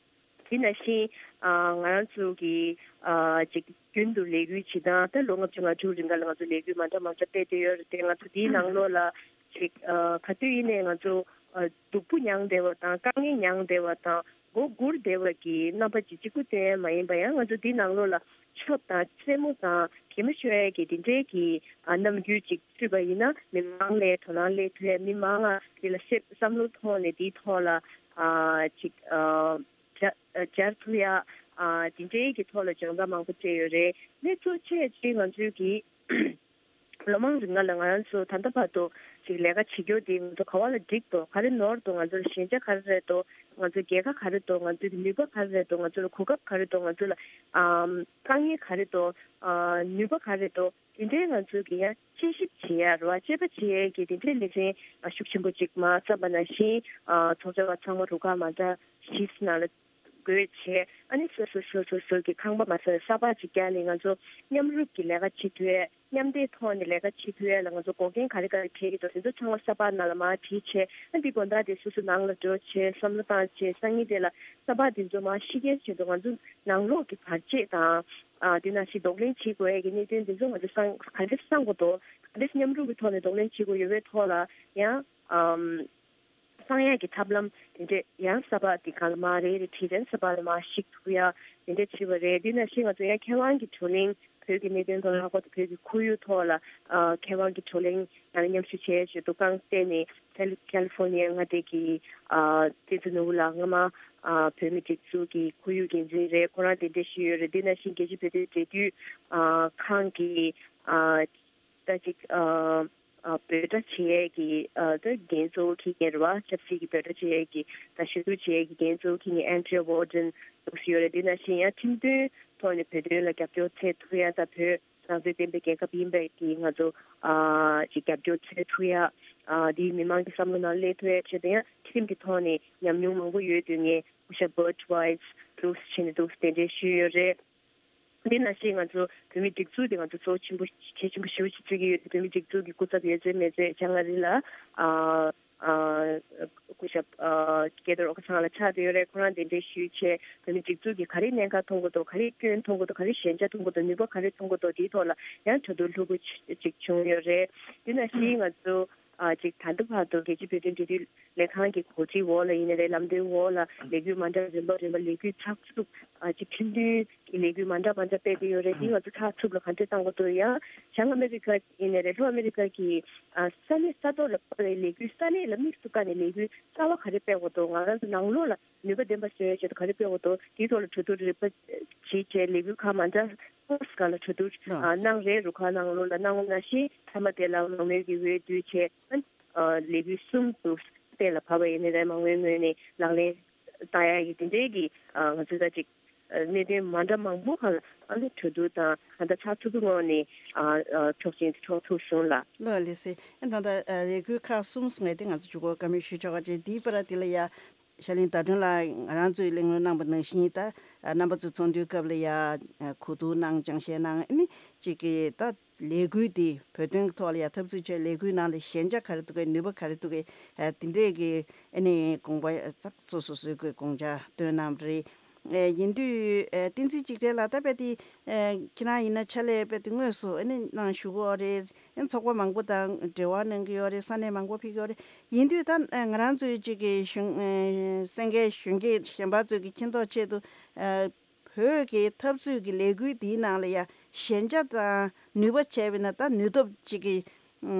དེ་ནང་བཞིན་ཨ་ང་རང་ཚོ་གི་ཨ་ཅིག་རྒྱུན་དུ་ལས་འགུལ་བྱེད་སྟངས། ད་ལོ་ལྔ་བཅུ་ང་དྲུག་རིང་ག་ལ་ང་ཚོ་ལས་འགུལ་མ་འདྲ་མ་འདྲ་སྤེལ་བསྡད་ཡོད་རེད་དེ། ང་ཚོ་དེའི་ནང་ལོགས་ལ་ཅིག་ཨ་ག་དུས་ཡིན་ནའི་ང་ཚོ་ཨ་སྡུག་པོ་མྱངས་བསྡད་པ་དང་། དཀའ་ངལ་མྱངས་བསྡད་པ་དང་། མགོ་སྒུར་བསྡད་པ་གི་རྣམ་པ་ཅིག་གཅིག་པུ་དེ་མ་ཡིན་པ། ཡང་ང་ཚོ་དེའི་ནང་ལོགས་ལ་ཆོབ་དང་རྩེད་མོ་དང་གད་མོ་ཤོར་ཡ་གི་དེ་འདྲའི་གི་ཨ་རྣམ་འགྱུར་ཅིག་ཚུད་པ་ཡིན་ན་མི་མང་ལ་དོ་སྣང་སླེབས་ཐུབ་ཡ། མི་མང་ང་དེ་ལ་ཤེས་བསམ་བློ་ཐོག་ནས་དེའི་ཐོག་ལ་ཨ་ཅིག་ཨ་སྦྱར་སྦྱར་ཐུབ་ཡ། ཨ་དེ་འདྲའི་གི་ཐོག་ལ་སྦྱོང་བརྡར་མང་པོ་སྤྲད་ཡོད་རེད། གནས་ཚུལ་ཆེ་ཆེ་ང་ཚོའི་གི་ལོ་མང་རིང་ལ་ང་རང་ཚོ་ད་ལྟ་བར་དུ་ཅིག་ལས་ཀ་བྱེད་རྒྱུ་དེ་ང་ཚོ་ག་བ་ལ་འགྲིག་འདུག་ག་རེ་ནོར་འདུག་ང་ཚོ་ལ་ཞན་ཆ་ག་རེ་རེད་འདུག་ང་ཚོ་རྒྱལ་ཁ་ག་རེ་འདུག་ང་ཚོའི་ནུས་པ་ག་རེ་རེད་འདུག་ང་ཚོ་ལ་གོ་སྐབས་ག་རེ་འདུག་ང་ཚོ་ལ་ཨམ་དཀའ་ངལ་ག་རེ་འདུག་ཨ་ནུས་པ་ག་རེ་འདུག་དེ་འདྲའི་ང་ཚོ་གི་ཡང་དཔྱད་ཞིབ་བྱེད་ཡ་རེད་བ། དཔྱད་པ་བྱེད་ཡ་གི་དེ་འདྲའི་ལས་འགན་ཤུགས་ཆེན་པོ་ཅིག་མ་བརྩམས་པ་ནང་བཞིན། ཨ་ཚོགས་བཅར་བ་ཚང་མ་རུ་ཁག་མ་འདྲ་བཞི་ནང་ལ་ དགོས་བྱས། ཨ་ནི་སོ་སོ་སོ་སོ་སོ་གི་ཁང་པ་མ་ཟ་ས་པ་ཅིག་བརྒྱབ་ནས་ང་ཚོ་མཉམ་རུབ་ཀྱི་ལས་ཀ་བྱེད་ཐུབ་ཡས། མཉམ་འབྲེལ་ཐོག་ནས་ལས་ཀ་བྱེད་ཐུབ་ཡས་ལ་ང་ཚོ་འགོག་རྐྱེན་ག་རེ་ག་རེ་འཕྲད་ཀྱི་འདུག་དེ་ཚོ་ཚང་མ་ས་པ་ནང་ལ་མར་བྲིས་བྱས། ཨ་འདི་དགོན་བདག་དེ་སོ་སོ་ནང་ལ་འགྲོ་བྱས་བསམ་བློ་བཏང་བྱས། སང་ཉིན་དེ་ལ་ས་པ་དེ་ཚོ་མར་ཤི་རྐྱེན་བྱེད་དུས་ང་ཚོ་ནང་ལོགས་ཀྱི་བར་ཆད་དང་། ཨ་དེ་ནང་བཞིན་གདོང་ལེན་བྱེད་དགོས་ཡས་ཀྱི་གནད་དོན་དེ་ཚོ་ང་ཚོ་སང་ག་འདྲ་སང་དགོས་འདུག་ག་འདྲ་མཉམ་རུབ་ཀྱི་ཐོག་ནས་གདོང་ལེན་བྱེད་དགོས་ཡོད་པའི་ཐོག་ལ་ཡང་། ཨམ། གསང་ཡག་གི་ཐབས་ལམ་དེ་འདྲས་ཡང་ས་པ་དེ་གང་ལ་མ་རེ་རེ་བྲིས་ཏེ་ས་པ་ལ་མར་ཞིག་ཐུག་ཡ་དེ་འདྲས་བྱས་པ་རེད། དེ་ནང་བཞིན་ང་ཚོ་ཡང་མཁས་དབང་གི་བགྲོ་གླེང་། བོད་ཀྱི་གནད་དོན་ཐོག་ལ་ཧ་གོ་བོད་ཀྱི་ཁོར་ཡུག་ཐོག་ལ་ཨ་མཁས་དབང་གི་བགྲོ་གླེང་ཡང་མཉམ་ཞུགས་བྱས་བྱས་འདུག་རྐང་སྟེང་ནས་ཁལ་ཁལ་ལི་ཧྥོར་ནི་ཡ་མངའ་སྡེ་གི་ཨ་བསྟན་འཛིན་ནོར་བུ་ལགས་སྔ་མ་ཨ་བོད་མི་སྒྲིག་འཛུགས་ཀྱི་ཁོར་ཡུག་འགན་འཛིན་རེད། ཁོ་རང་དེ་འདྲས་ཞུས་ཡོད་རེད། དེ་ནང་བཞིན་རྒྱལ་སྤྱིའི་བོད་དོན་འབྲེལ་མཐུད་ཨ་ཁང་གི་ཨ་ད་ཅིག་ཨ་ཨ་འབོད་སྒྲ་བྱེད་ཡས་ཀྱི་ཨ་ད་འགན་གཙོ་བོ་འཁྱེར་མཁན་རེད་བ། ཆབ་སྲིད་ཀྱི་འབོད་སྒྲ་བྱེད་ཡས་ཀྱི་ད་ཞུ་གཏུག་བྱེད་ཡས་ཀྱི་འགན་གཙོ་བོ་འཁྱེར་མཁན་ཨན་ཌི་རི་ཡ་ཝོར་ཌེན་འདུག་སེ་ཡོད་རེད། དེ་ནང་བཞིན་ཡང་ཁྲིམས་མཐུན་ཐོག་ནས་བོད་དོན་ལ་རྒྱབ་སྐྱོར་འཚོལ་ཐུབ་ཡ་ད་བོད་རང་བཙན་ལྡན་པའི་རྒྱལ་ཁབ་ཡིན་པའི་གི་ང་ཚོ་ཨ་ཅིག་རྒྱབ་སྐྱོར་འཚོལ་ཐུབ་ཡ། ཨ་དེའི་མི་མང་གི་བསམ་བློ་ནང་སླེབས་ཐུབ་ཡ་ཆེད་དུ་ཡང་ཁྲིམས་ཀྱི་ཐོག་ནས་ཉམས་མྱོང་མང་པོ་ཡོད་དུས་ངས་སྐུ་ཞབས་བྷར་ཊི་ཝའི་སི་འདུག་སེ་བྱས་ནས་འདུག་སེ་དེ་འདྲའི་ཞུས་ཡོད་རེད། འདི་ནང་བཞིན་ང་ཚོ་བོད་མི་སྒྲིག་འཛུགས་དེ་ང་ཚོ་གཙོ་ཆེན་པོ་གལ་ཆེན་པོ་ཞེ་པོ་ཅིག་བརྩི་གི་ཡོད་དེ། བོད་མི་སྒྲིག་འཛུགས་ཀྱི་སྐུ་ཚབ་ཡོད་ཚད་མེད་ཚད་བྱང་ཨ་རི་ལ་ཨ་ཨ་སྐུ་ཞབས་ཨ་སྐལ་རྡོར་ཨོ་ཁ་ཚང་ལགས་ཆགས་བསྡད་ཡོད་རེད། ཁོ་རང་གདན་འདྲེན་ཞུས་བྱས་བོད་མི་སྒྲིག་འཛུགས་ཀྱིས་ག་རེ་གནད་འགག་མཐོང་གི་འདུག་ག་རེ་སྐྱོན་མཐོང་གི་འདུག་ག་རེ་ཞན་ཆ་མཐོང་གི་འདུག་ནུས་པ་ག་རེ་མཐོང་གི་འདུག་དེའི་ཐོག་ལ་ཡང་གྲོས་བསྡུར་ལྷུག་པོ་ཅིག་བྱུང་ཡོད་རེད། དེ་ནང་བཞིན་ང་ཚོ་ཨ་ཅིག་ད་ལྟ་བར་དུ་རྒྱལ་སྤྱིའི་བོད་དོན་འབྲེལ་མཐུད་ལས་ཁང་གི་གོ་སྒྲིག་འོག་ལ་ཡིན་ནའི་རེད། ལམ་སྟོན་འོག་ལ་ལས་འགུལ་མ་འདྲ་རིམ་པ་རིམ་པ་ལས་འགུལ་ཚགས་ཚུད་ཨ་ཅིག་ཁྲིམས་མཐུན་གྱི་ལས་འགུལ་མ་འདྲ་མ་འདྲ་སྤེལ་གྱི་ཡོད་རེད། དེ་ང་ཚོ་ཚགས་ཚུད་ལ་ག་འདྲས་བཏང་དགོས་འདུག་ཡང་བྱང་ཨ་མེ་རི་ཀ་ཡིན་ནའི་རེད། ལྷོ་ཨ་མེ་རི་ཀ་གི་ཨ་ས་གནས་ས་ཐོག་ལ་སྤེལ་བའི་ལས་འགུལ་ས་གནས་ལ་དམིགས་སུ་བཀར་ནས་ལས་འགུལ་གསར་བ་ག་རེ་སྤེལ་དགོས་འདུག་ང་རང་ཚོ་ནང་ལོགས་ལ་ནུས་པ་ལྡན་པ་བཟོ་ཡའི་ཆེད་དུ་ག་རེ་སྤེལ་དགོས་འདུག་དེའི་ཐོག་ལ་གྲོས་བསྡུར་རིམ་པ་བྱས་བྱས་ལས་འགུལ་ཁག་མ་འདྲ་ཧོ་སི་ཀ་ལ་གྲོས་བསྡུར་ཨ་གནང་རེད། རུ་ཁག་ནང་ལོགས་ལ་གནང་བ་ནང་བཞིན་མཐའ་མ་དེ་ལ་མང་མོས་ཀྱི་འོས་བསྡུ་བྱས་ཨ་ལས་འགུལ་གསུམ་དུ་གཏན་ལ་ཕབ་པ་ཡིན་ནའི་རེད། མང་མོས་ངོས་ནས་ལག་ལེན་བསྟར་ཡ་ཡི་དེ་འདྲའི་གི་ཨ་ང་ཚོས་ད་ཅིག་ཨ་གནད་དོན་མ་འདྲ་མང་པོ་ཁག་ལ་ཨ་ནི་གྲོས་བསྡུར་དང་གང་ལྟར་ཚགས་ཚུད་པོའི་ངང་ནས་ཨ་ཨ་ཆོག་མཆན་དེ་འཕྲོག་ཐུབ་སོང་ལ། ལགས་ལགས་སེ། ཨ་ད་ལྟ་ཨ་ལས་འགུལ་ཁག་གསུམ་གསུངས་པ་དེ་ང་ཚོ་མཇུག་གུ་བཀའ་མོལ་ཞུ་ཆོག་ག་ཅེས། དེའི་བར་དེ་ལ་ཡ་ཤར་གླིང་ཟླ་སྒྲོན་ལགས་ང་རང་ཚོའི་གླེང་སློང་གནང་པ་ནང་བཞིན་ད་ཨ་རྣམ་པ་ཚོའི་ཚོགས་འདུའི་སྐབས་ལ་ཡ་ཨ་གོ་བསྡུར་གནང་སྦྱང་བཤད་གནང་ཨ་ནི་གཅིག་གི་ད་ལས་འགུལ་འདི་བོད་དོན་གྱི་ཐོག་ལ་ཡ་འཐབ་རྩོད་བྱས་ལས་འགུལ་ནང་ལ་ཞན་ཆ་ག་རེ་འདུག་གས། ནུས་པ་ག་རེ་འདུག་གས། ཨ་དེ་འདྲས་ཀྱི་ཨ་ནི་དགོངས་པ་ཚགས་སོ་སོ་སོའི་གི་དགོངས་འཆར་བཏོན་གནང་བ་རེད། ཨ་ཡིན་དུས་ཨ་བསྟན་འཛིན་གཅིག་སྒྲིལ་ལགས་ད་དཔེ་དེ་ཨ་ཁྱེད་རང་ཡིན་ན་ཕྱག་ལས་དཔེ་དེ་དངོས་སུ་ཨ་ནི་གནང་བཞུགས་ཀྱི་ཡོད་རེད། ཨ་ཚོགས་པ་མང་པོ་དང་འབྲེལ་བ་གནང་གི་ཡོད་རེད། ས་གནས་མང་པོ་ཕེབས་ཀྱི་ཡོད་རེད། ཡིན་དུས་ད་ཨ་ང་རང་ཚོའི་གཅིག་གི་གཞོན་ཨ་གསན་མཁན་གཞོན་སྐྱེས་གཞན་པ་ཚོའི་གི་མཁྱེན་རྟོགས་ཆེད་དུ་ཨ་བོད་ཀྱི་འཐབ་རྩོད་ཀྱི་ལས་འགུལ་འདིའི་ནང་ལ་ཡ་ཞན་ཆ་དང་ནུས་པ་བྱས་པས་ན་ད་ནུས་སྟོབས་གཅིག་གི་ཨ་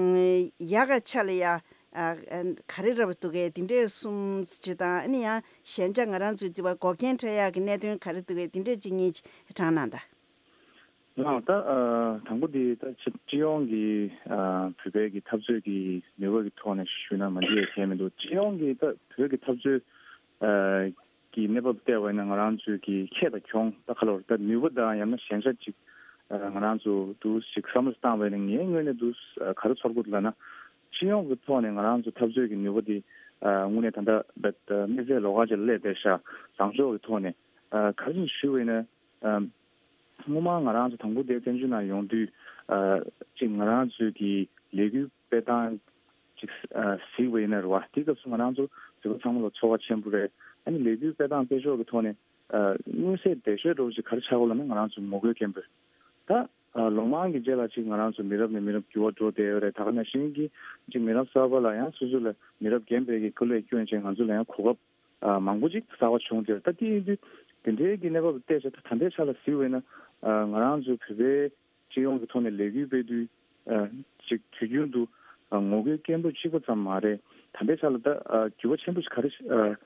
ཡག་ག་ཆ་ལ་ཡ་ཨ་ག་རེ་རབ་འདུག་གས། དེ་འདྲས་གསུམ་ཅིག་དང་ཨ་ནི་ཡང་ཞན་ཆ་ང་རང་ཚོའི་དུ་བ་འགོག་རྐྱེན་འཕྲད་ཡག་གི་གནད་དོན་ག་རེ་འདུག་གས། དེ་འདྲས་ཅིག་གཉིས་ཅིག་དྲངས་གནང་ད། ལགས་ད་ཨ་དང་པོ་དེ་ད་སྤྱི་སྤྱི་ཡོངས་ཀྱི་ཨ་བོད་པའི་གི་འཐབ་རྩོད་ཀྱི་ནུས་པ་གི་ཐོག་ནས་ཞུས་ན་མ་འགྲིག་ཡ་གང་ཡང་མི་འདུག་སྤྱི་ཡོངས་ཀྱི་ད་བོད་ཀྱི་འཐབ་རྩོད་ཨ་ཀྱི་གནས་བབ་བལྟས་པ་ཡིན་ན་ང་རང་ཚོའི་གི་ཁྱད་དང་གྱོང་ད་ག་ལོར་ད་ནུས་པ་དང་ཡང་ན་ཞན་ཆ་ཅིག་ཨ་ང་རང་ཚོ་འདུག་ཞིག་བསམ་བློ་བཏང་བ་ཡིན་ན་ངའི་ངོས་ནས་འདུག་ཨ་ག་རེ་ཚོར་གི་འདུག་ལབ་ན། སྤྱི་ཡོངས་ཀྱི་ཐོག་ནས་ང་རང་ཚོ་འཐབ་རྩོད་ཀྱི་ནུས་པ་དེ་ཨ་དངོས་གནས་ད་ལྟ་ད་ད་དམིགས་བསལ་ལོགས་ཀ་ཅིག་ལ་སླེབས་བསྡད་ཤག་བཟང་ཕྱོགས་ཀྱི་ཐོག་ནས་ཨ་ག་རེ་ཞུ་བ་ཡིན་ན། ཨ་སྔོན་མ་ང་རང་ཚོ་དང་པོ་དེ་བཙན་བྱོལ་ནང་ཡོང་དུས་ཨ་ཅིག་ང་རང་ཚོའི་གི་ལས་འགུལ་སྤེལ་སྟངས་ཅིག་ཨ་གཟིགས་པ་ཡིན་ན་རེད་བ། དེའི་སྐབས་སུ་ང་རང་ཚོ་གཟིགས་པ་ཚང་མ་ལ་ཚོར་བ་ཆེན་པོ་རེད། ཨ་ནི་ལས་འགུལ་སྤེལ་སྟངས་སྤེལ་ཕྱོགས་ཀྱི་ཐོག་ནས་ཨ་མངོན་གསལ་དོད་ཤོས་འདྲ་བོ་ཅིག་ག་རེ་ཆགས་ཀྱི་ཡོད་ལབ་ན་ང་རང་ཚོ་ངོ་རྒོལ་སྐད་འབོད། ད་ཨ་ལོ་མང་གི་རྗེས་ལ་ཅིག་ང་རང་ཚོ་མི་རབས་ནས་མི་རབས་འགྱུར་བ་འགྲོ་བསྡད་ཡོད་རེད། ད་ག་ནང་བཞིན་གྱི་ཅིག་མི་རབས་གསར་པ་ལ་ཡང་སོ་སོ་ལ་མི་རབས་རྒན་པའི་གི་སྐུ་ལས་བསྐྱོན་བྱས་ང་ཚོ་ལ་ཡང་གོ་སྐབས་ཨ་མང་པོ་ཅིག་གསར་པ་བྱུང་སྟེ། ད་དེ་ཡིན་དུས་དེ་འདྲའི་གི་གནས་བབ་བལྟས་བྱས་ད་ད་ལྟའི་ཆ་ལ་གཟིགས་པ་ཡིན་ན་ཨ་ང་རང་ཚོའི་བོད་པའི་སྤྱི་ཡོངས་ཀྱི་ཐོག་ནས་ལས་འགུལ་སྤེལ་དུས་ཨ་ཅིག་དུས་རྒྱུན་དུ་ཨ་ངོ་རྒོལ་སྐད་འབོད་གཅིག་པ་ཙམ་མ་རེད། ད་ལྟའི་ཆ་ལ་ད་ཨ་འགྱུར་བ་ཆེན་པོ་ཞིག་ག་རེ་ཨ་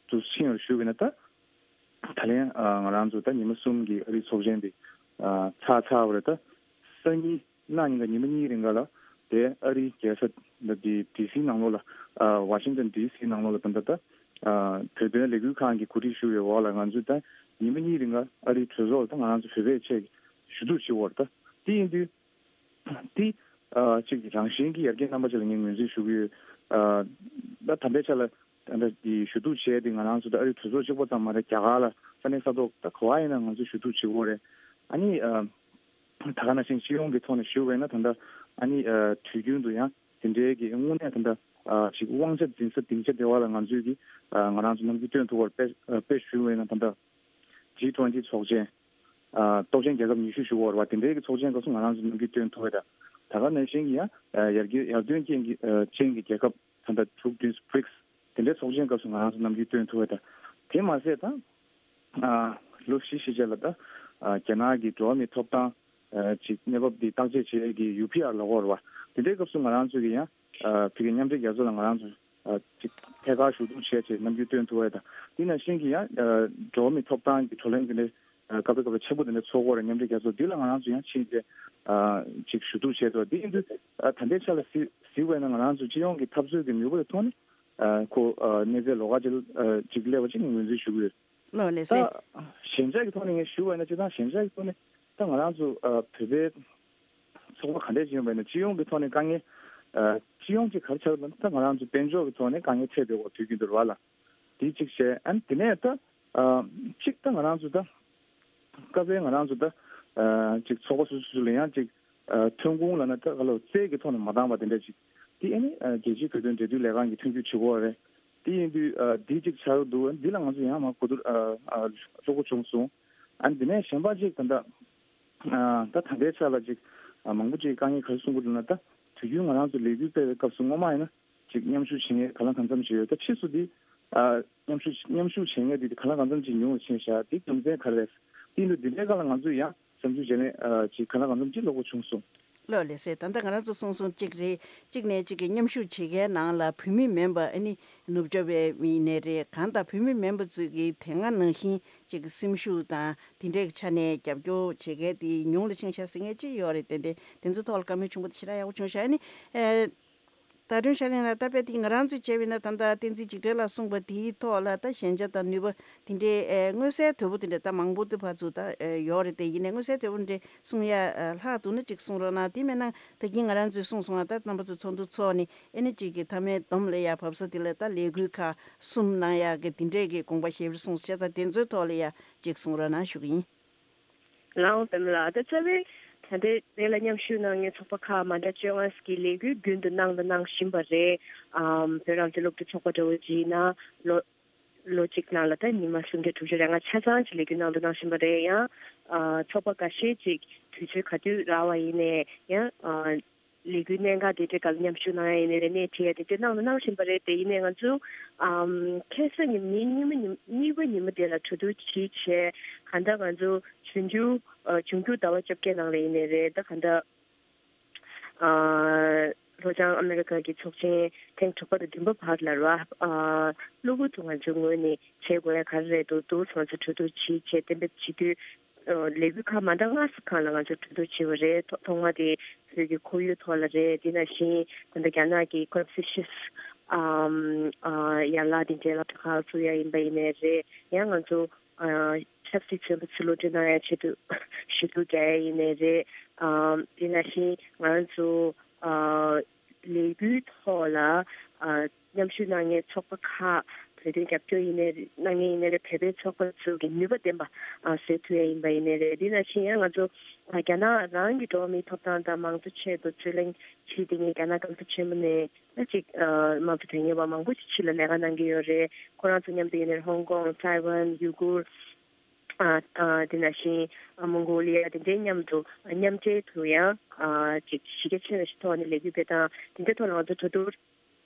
དུ་ཕྱིན་ཡོད་ཞུ་བ་ཡིན་ན། ད་ད་ལན་ཨ་ང་རང་ཚོ་ད་ཉི་མ་གསུམ་གྱི་ཨ་རིའི་ཚོགས་ཆེན་དེ་ཨ་ཚར་ཚར་བ་རེད། ད་སང་ཉིན་གནངས་ཉིན་ག་ཉི་མ་གཉིས་རིང་ག་ལ་དེ་ཨ་རིའི་རྒྱལ་ས་འདི་ཌི་སི་ནང་ལོགས་ལ་ཨ་ཝ་ཤིང་ཊོན་ཌི་སི་ནང་ལོགས་ལ་ད་ལྟ་ད་ཨ་བོད་དོན་ལས་འགུལ་ཁང་གི་གོ་སྒྲིག་ཞུ་བའི་འོག་ལ་ང་ཚོས་ད་ཉི་མ་གཉིས་རིང་ག་ཨ་རིའི་གྲོས་ཚོགས་ལ་ད་ང་རང་ཚོ་བོད་པའི་ཆེད་ཞུ་གཏུག་བྱེད་འོར། ད་དེ་ཡིན་དུས་ཨ་གཅིག་རང་བཞིན་གྱི་ཡར་རྒྱས་རྣམ་པ་ཅིག་ལ་ངས་ངོས་འཛིན་ཞུ་གི་ཡོད། ཨ་ད་ད་ལྟའི་ཆ་ལ་ ད་ལྟ་འདི་ཞུ་གཏུག་བྱས་ཏེ་ང་རང་ཚོ་ད་ཨ་རིའི་གྲོས་ཚོགས་གཅིག་པོ་ཙམ་མ་རེད། རྒྱ་གར་ལ་ས་གནས་ས་ཐོག་ད་ག་བ་ཡིན་ན་ང་ཚོས་ཞུ་གཏུག་བྱེད་ཀྱི་ཡོད་རེད། ཨ་ནི་ཨ་ད་ག་ནང་བཞིན་སྤྱི་ཡོངས་ཀྱི་ཐོག་ནས་ཞུ་བ་ཡིན་ན་ད་ལྟ་ཨ་ནི་ཨ་དུས་རྒྱུན་དུ་ཡང་དེ་འདྲའི་གི་དངོས་གནས་ད་ལྟ་ཨ་ཅིག་དབང་ཆ་འཛིན་ས་སྡིངས་ཆ་དེ་བ་ལ་ང་ཚོས་ཀྱི་ཨ་ང་རང་ཚོ་ནམ་རྒྱུན་སྟོན་ཐུབ་པར་དཔེ་ཨ་དཔེ་ཞུ་བ་ཡིན་ན་ད་ལྟ་ཇི་ཊུ་ཝེན་ཊི་ཚོགས་ཆེན། ཨ་སྟོབས་ཆེན་རྒྱལ་ཁབ་ཉི་ཤུ་ཞུ་བ་རེད་བ། དེ་འདྲའི་གི་ཚོགས་ཆེན་སྐབས་སུ་ང་རང་ཚོ་ནམ་རྒྱུན་སྟོན་ཐུབ་པ་དང་། ད་ག་ནང་བཞིན་གྱི་ཡང་ཨ་ཡར་རྒྱས་ཡར་ཐོན་ཅན་གྱི་ཨ་ཅན་གྱི་རྒྱལ་ཁབ་ད་ལྟ་དྲུག་བདུན་བྷི་རིག་སི་དེ་འདྲའི་ཚོགས་ཆེན་སྐབས་སུ་ང་རང་ཚོ་ནམ་རྒྱུན་སྟོན་ཐུབ་པ་དང་། དེ་མ་ཟད་ད་ཨ་ལོ་བཞི་ཕྱིན་ཆད་ལ་ད་ཨ་རྒྱ་ནག་གི་འགྲོ་བ་མིའི་ཐོབ་ཐང་ཨ་ཅིག་གནས་བབ་འདི་བརྟག་དཔྱད་བྱེད་ཡས་ཀྱི་ཡུ་པི་ཨར་ལབ་ཀྱི་ཡོད་རེད་བ། དེ་འདྲའི་སྐབས་སུ་ང་རང་ཚོ་གི་ཡང་ཨ་བོད་ཀྱི་མཉམ་འབྲེལ་རྒྱལ་ཚོགས་ལ་ང་རང་ཚོ་ཨ་ཅིག་ཐད་ཀར་ཞུ་གཏུག་བྱས་བྱས་ནམ་རྒྱུན་སྟོན་ཐུབ་པ་དང་། དེ་ནང་བཞིན་གྱི་ཡང་ཨ་འགྲོ་བ་མིའི་ཐོབ་ཐང་གི་བགྲོ་གླེང་དེ་འདྲའི་ཨ་སྐབས་རེ་སྐབས་རེ་ཆེན་པོ་དེ་འདྲ་ཚོགས་ཀྱི་ཡོད་རེད། མཉམ་འབྲེལ་རྒྱལ་ཚོགས་འདི་ལ་ང་རང་ཚོ་ཡང་ཕྱིན་བྱས་ཨ་ཅིག་ཞུ་གཏུག་བྱས་འདུག་དེ་ཡིན་དུས་ཨ་ད་ལྟའི་ཆ་ལ་གཟིགས་གཟིགས་པ་ཡིན་ན་ང་རང་ཚོ་སྤྱི་ཡོངས་ཀྱི་འཐབ་རྩོད་ཀྱི་ནུས་པ་དེ་ཐོག་ནས་ཨ་ཁོ་ཨ་གནས་ཚད་ལོགས་ཀ་ཅིག་ཨ་ཅིག་སླེབས་པ་ཅིག་ངོས་འཛིན་ཞུ་གི་ཡོད། ལགས་ལགས་ད་སེ། ཞན་ཆ་གི་ཐོག་ནས་ངས་ཞུ་བ་ཡིན་ན། སྤྱིར་བཏང་ཞན་ཆ་གི་ཐོག་ནས་ད་ང་རང་ཚོ་ཨ་བོད་པའི་ཚོགས་པ་ག་འདྲས་ཅིག་ཡོད་པ་ཡིན་ན་སྤྱི་ཡོངས་ཀྱི་ཐོག་ནས་དཀའ་ངལ་ཨ་སྤྱི་ཡོངས་ཀྱི་ག་རེ་ཆགས་ཡོད་ན། ད་ང་རང་ཚོ་དཔལ་འབྱོར་གྱི་ཐོག་ནས་དཀའ་ངལ་འཕྲད་བསྡད་ཡོད་དུས་རྒྱུན་དུ་རེད་བ་ལ། དེ་གཅིག་བྱས། ཨ་ནི་དེ་ནས་ད་ཨ་གཅིག་ད་ང་རང་ཚོ་ད་སྐབས་རེ་ང་རང་ཚོ་ད་ཨ་ཅིག་ཚོགས་པ་སོ་སོ་སོ་ལ་ཡང་ཅིག་ཨ་ཐོན་ཁུངས་ལབ་ན་ད་ག་ལ་རྩལ་གྱི་ཐོག་ནས་མ་འདང་བ་དེ་འདྲ་ཅིག་དེ་ཨ་ནི་ཨ་རྒྱལ་སྤྱིའི་བོད་དོན་འབྲེལ་མཐུད་ལས་ཁང་གིས་མཐུན་འགྱུར་བྱེད་དགོས་རེད། དེ་ཡིན་དུས་ཨ་དེ་གཅིག་ཆགས་ཀྱི་འདུག་འདི་ལ་ང་ཚོ་ཡང་མ་གོ་བསྡུར་ཨ་ཨ་ལྷོད་པོ་བྱུང་སོང་། ཨ་ནི་དེ་ནས་གཞན་པ་ཅིག་ད་ལྟ་ཨ་ད་ད་ལྟའི་ཆ་ལ་ཅིག་ཨ་མང་པོ་ཅིག་དཀའ་ངལ་ག་རེ་གསུང་གི་འདུག་ན། ད་དུས་རྒྱུན་ང་རང་ཚོ་ལས་འགུལ་སྤེལ་བའི་སྐབས་སུ་སྔོན་མ་ཡིན་ན་ཅིག་མཉམ་ཞུགས་བྱེད་མཁན་གང་ལ་གང་འཚམ་ཅིག་ཡོད། ད་ཕྱིས་སུ་དེ་ཨ་མཉམ་ཞུགས་མཉམ་ཞུགས་བྱེད་མཁན་དེ་གང་ལ་གང་འཚམ་ཅིག་ཉུང་རུ་ཕྱིན་ཤག་དེ་རྒྱུ་མཚན་ག་རེ་རེད། དེ་ཡིན་དུས་འདི་འདྲའི་སྒང་ལ་ང་ཚོས་ཡང་བསམ་ཚུལ་བརྗེ་ལེན་ཨ་ཅིག་གང་ལ་གང་འཚམ་ཅིག་ལྷོད་པོ་བྱུང་སོང་། ལགས་ལགས་སེ། ད་ལྟ་ང་རང་ཚོ་གསུངས་སོང་གཅིག་རེད། གཅིག་ནས་གཅིག་གི་མཉམ་ཞུགས་བྱེད་མཁན་ནང་ལ་བོད་མི་མིན་པ་ཨ་ནི་ནུབ་ཕྱོགས་པའི་མི་ཡིན་ནའི་རེད། གང་ལྟར་བོད་མི་མིན་པ་ཚོས་ཀྱི་དེ་སྔ་ནང་བཞིན་གཅིག་གི་སེམས་ཤུགས་དང་དེ་འདྲའི་ཆ་ནས་རྒྱབ་སྐྱོར་བྱེད་མཁན་དེ་ཉུང་རུ་ཕྱིན་ཤག་ཟེར་མཁན་གཅིག་ཡོད་རེད། ཏན་ཏན་དེ་ཚོའི་ཐོག་ལ་བཀའ་མོལ་ཆེན་པོ་དེ་ཞེ་དྲག་ཡག་པོ་བྱུང་ཤག་ཨ་ནི་ཨེ། ད་དྲུང་ཤར་གླིང་ལགས། ད་དཔེ་དེ་ང་རང་ཚོས་བྱས་པ་ཡིན་ན་ད་ལྟ་བསྟན་འཛིན་འཇིགས་བྲལ་ལགས་གསུངས་པ་དེའི་ཐོག་ལ་ད་ཞན་ཆ་དང་ནུས་པ་དེ་འདྲའི་ཨེ་མངོན་གསལ་དོད་པོ་དེ་འདྲ་ད་མང་པོ་དེ་ཕར་ཚུར་ད་ཨེ་ཡོད་རེད། དེ་ཡིན་ནའི་མངོན་གསལ་དོད་པོ་འདྲ་གསུང་ཡ་ཨེ་ལྷག་འདུག་ན་ཅིག་གསུང་རོགས་གནང་། དེ་མེད་ན་ད་གིན་ང་རང་ཚོས་གསུངས་སོང་ང་། ད་རྣམ་པ་ཚོ་ཚོགས་འདུ་ཚོགས་ནས་ཨེ་ནི་ཅིག་གི་མཐའ་མའི་སྡོམ་ལ་ཡ་བབས་ས་དེ་ལ་ད་ལས་འགུལ་ཁག་གསུམ་གནང་ཡག་གི་དེ་འདྲའི་གི་དགོངས་པ་བཞེས་པར་གསུངས་སོང་། བྱས་ཙང་དེ་ཚོའི་ཐོག་ལ་ཡ་ཅིག་གསུང་རོགས་གནང་ཞུ་གི་ཡིན། ལའོ་པདྨ་ལགས། ད་རྩ་བའི་ད་ལྟའི་དེ་ལ་མཉམ་ཞུགས་གནང་མཁན་ཚོགས་པ་ཁག་མ་འདྲ་བཅོ་ལྔ་ཞིག་གིས་ལས་འགུལ་རྒྱུན་དུ་གནང་དང་གནང་བཞིན་པ་རེད། ཨམ་བོད་རང་བཙན་སློབ་ཕྲུག་ཚོགས་པ་འདྲ་བོ་ཅིག་ཡིན་ན་ལོ་ལོ་གཅིག་ནང་ལ་ད་ཉི་མ་སུམ་བརྒྱ་དྲུག་ཅུ་རེ་ལྔ་ཆ་ཚང་ཅིག་ལས་འགུལ་གནང་དང་གནང་བཞིན་པ་རེད། ཡང་ཨ་ཚོགས་པ་འགའ་ཤས་ཅིག་དུས་ཚོད་ག་དུས་རག་པ་ཡིན་ནའི་ཡང་ཨ་ལས་འགུལ་གནད་འགག་དེ་འདྲའི་སྒང་ལ་མཉམ་ཞུགས་གནང་ཡ་ཡིན་ནའི་རེད། སྣེ་ཁྲིད་ཡ་དེ་འདྲ་གནང་དང་གནང་བཞིན་པ་རེད། དེ་ཡིན་ནའི་ང་ཚོ་ཨམ་ཁ་སང་ཉི་མ་ཉིན་གཉིས་པ་ཉིན་མ་དེ་ལ་གྲོས་བསྡུར་ཅིག་བྱས། གང་ལྟར་ང་ཚོ་འབྱུང་འགྱུར་ཨ་འབྱུང་འགྱུར་ཟླ་བ་བཅོ་བརྒྱད་ནང་ལ་ཡིན་ནའི་རེད། ད་གང་ལྟར་ཨ་ལྷོ་བྱང་ཨ་མེ་རི་ཀ་གི་ཚོགས་ཆེན་ཐེངས་དྲུག་པ་དང་བདུན་པ་བར་ལ་ར་ཨ་གློ་བུར་དུ་ང་ཚོའི་ངོས་ནས་བྱེད་དགོས་ཡ་ག་རེ་རེད་འདུག་འདུག་ང་ཚོ་གྲོས་བསྡུར་ཅིག་བྱས་གཏན་འབེབས་བྱེད་དུས། ལས་འགུལ་ཁག་མ་འདྲ་ལྔ་ཙམ་སྒང་ལ་ང་ཚོས་གྲོས་བསྡུར་བྱས་པ་རེད། ཐོག་ཐོག་མ་དེ་བོད་ཀྱི་ཁོར་ཡུག་ཐོག་ལ་རེད། དེ་ནང་བཞིན་ད་ལྟ་རྒྱ་ནག་གི་ཀོན་ཕུ་ཤིས་ཨམ་ཨ་ཡན་ལག་དེ་འདྲའི་སློབ་གྲྭ་ཁག་བཙུགས་ཡ་ཡིན་པ་ཡིན་ནའི་རེད། ཡང་ང་ཚོ་ཨ་ཆབ་སྲིད་བཙོན་པ་ཚོ་གློད་གྲོལ་གནང་ཡ་ཆེད་དུ་ཞུ་གཏུག་རྒྱག་ཡ་ཡིན་ནའི་རེད། ཨམ་དེ་ནང་བཞིན་ང་ཚོ་ཨ་ལས་འགུལ་ཐོག་ལ་ཨ་མཉམ་ཞུགས་གནང་མཁན་ཚོགས་པ་ཁག་བོད་དོན་རྒྱབ་སྐྱོར་ཡིན་ནའི་གནང་མཁན་ཡིན་ནའི་རེད། བོད་པའི་ཚོགས་པ་ཚོ་གི་ནུས་པ་ལྡན་པ་ཨ་བཟོ་ཐུབ་ཡ་ཡིན་པ་ཡིན་ནའི་རེད། དེ་ནང་བཞིན་ཡང་ང་ཚོ་ཨ་རྒྱ་ནག་རང་གི་འགྲོ་བ་མིའི་ཐོབ་ཐང་དང་མང་གཙོ་ཆེད་དུ་རྩོད་གླེང་བྱེད་བསྡད་མཁན་རྒྱ་ནག་གྲོང་ཁྱེར་ཆེན་མོ་ནས་ད་ཅིག་ཨ་དམངས་གཙོ་དོན་གཉེར་བ་མང་པོ་ཞིག་ཕྱི་ལ་ལས་ཀ་གནང་གི་ཡོད་རེད། ཁོ་རང་ཚོ་མཉམ་དུ་ཡིན་ནའི་ཧོང་ཀོང་། ཐའེ་ཝན། ཡུ་གུར། ཨ་ཨ་དེ་ནང་བཞིན་ཨ་མོང་གོ་ལི་ཡ་དེ་འདྲའི་མཉམ་དུ་མཉམ་འབྲེལ་དུ་ཡང་ཨ་ཅིག་གཞི་རྒྱ་ཆེ་བའི་ཐོག་ནས་ལས་འགུལ་སྤེལ་སྟངས་དེ་འདྲའི་ཐོག་ལ་ང་ཚོ་གྲོས་བསྡུར་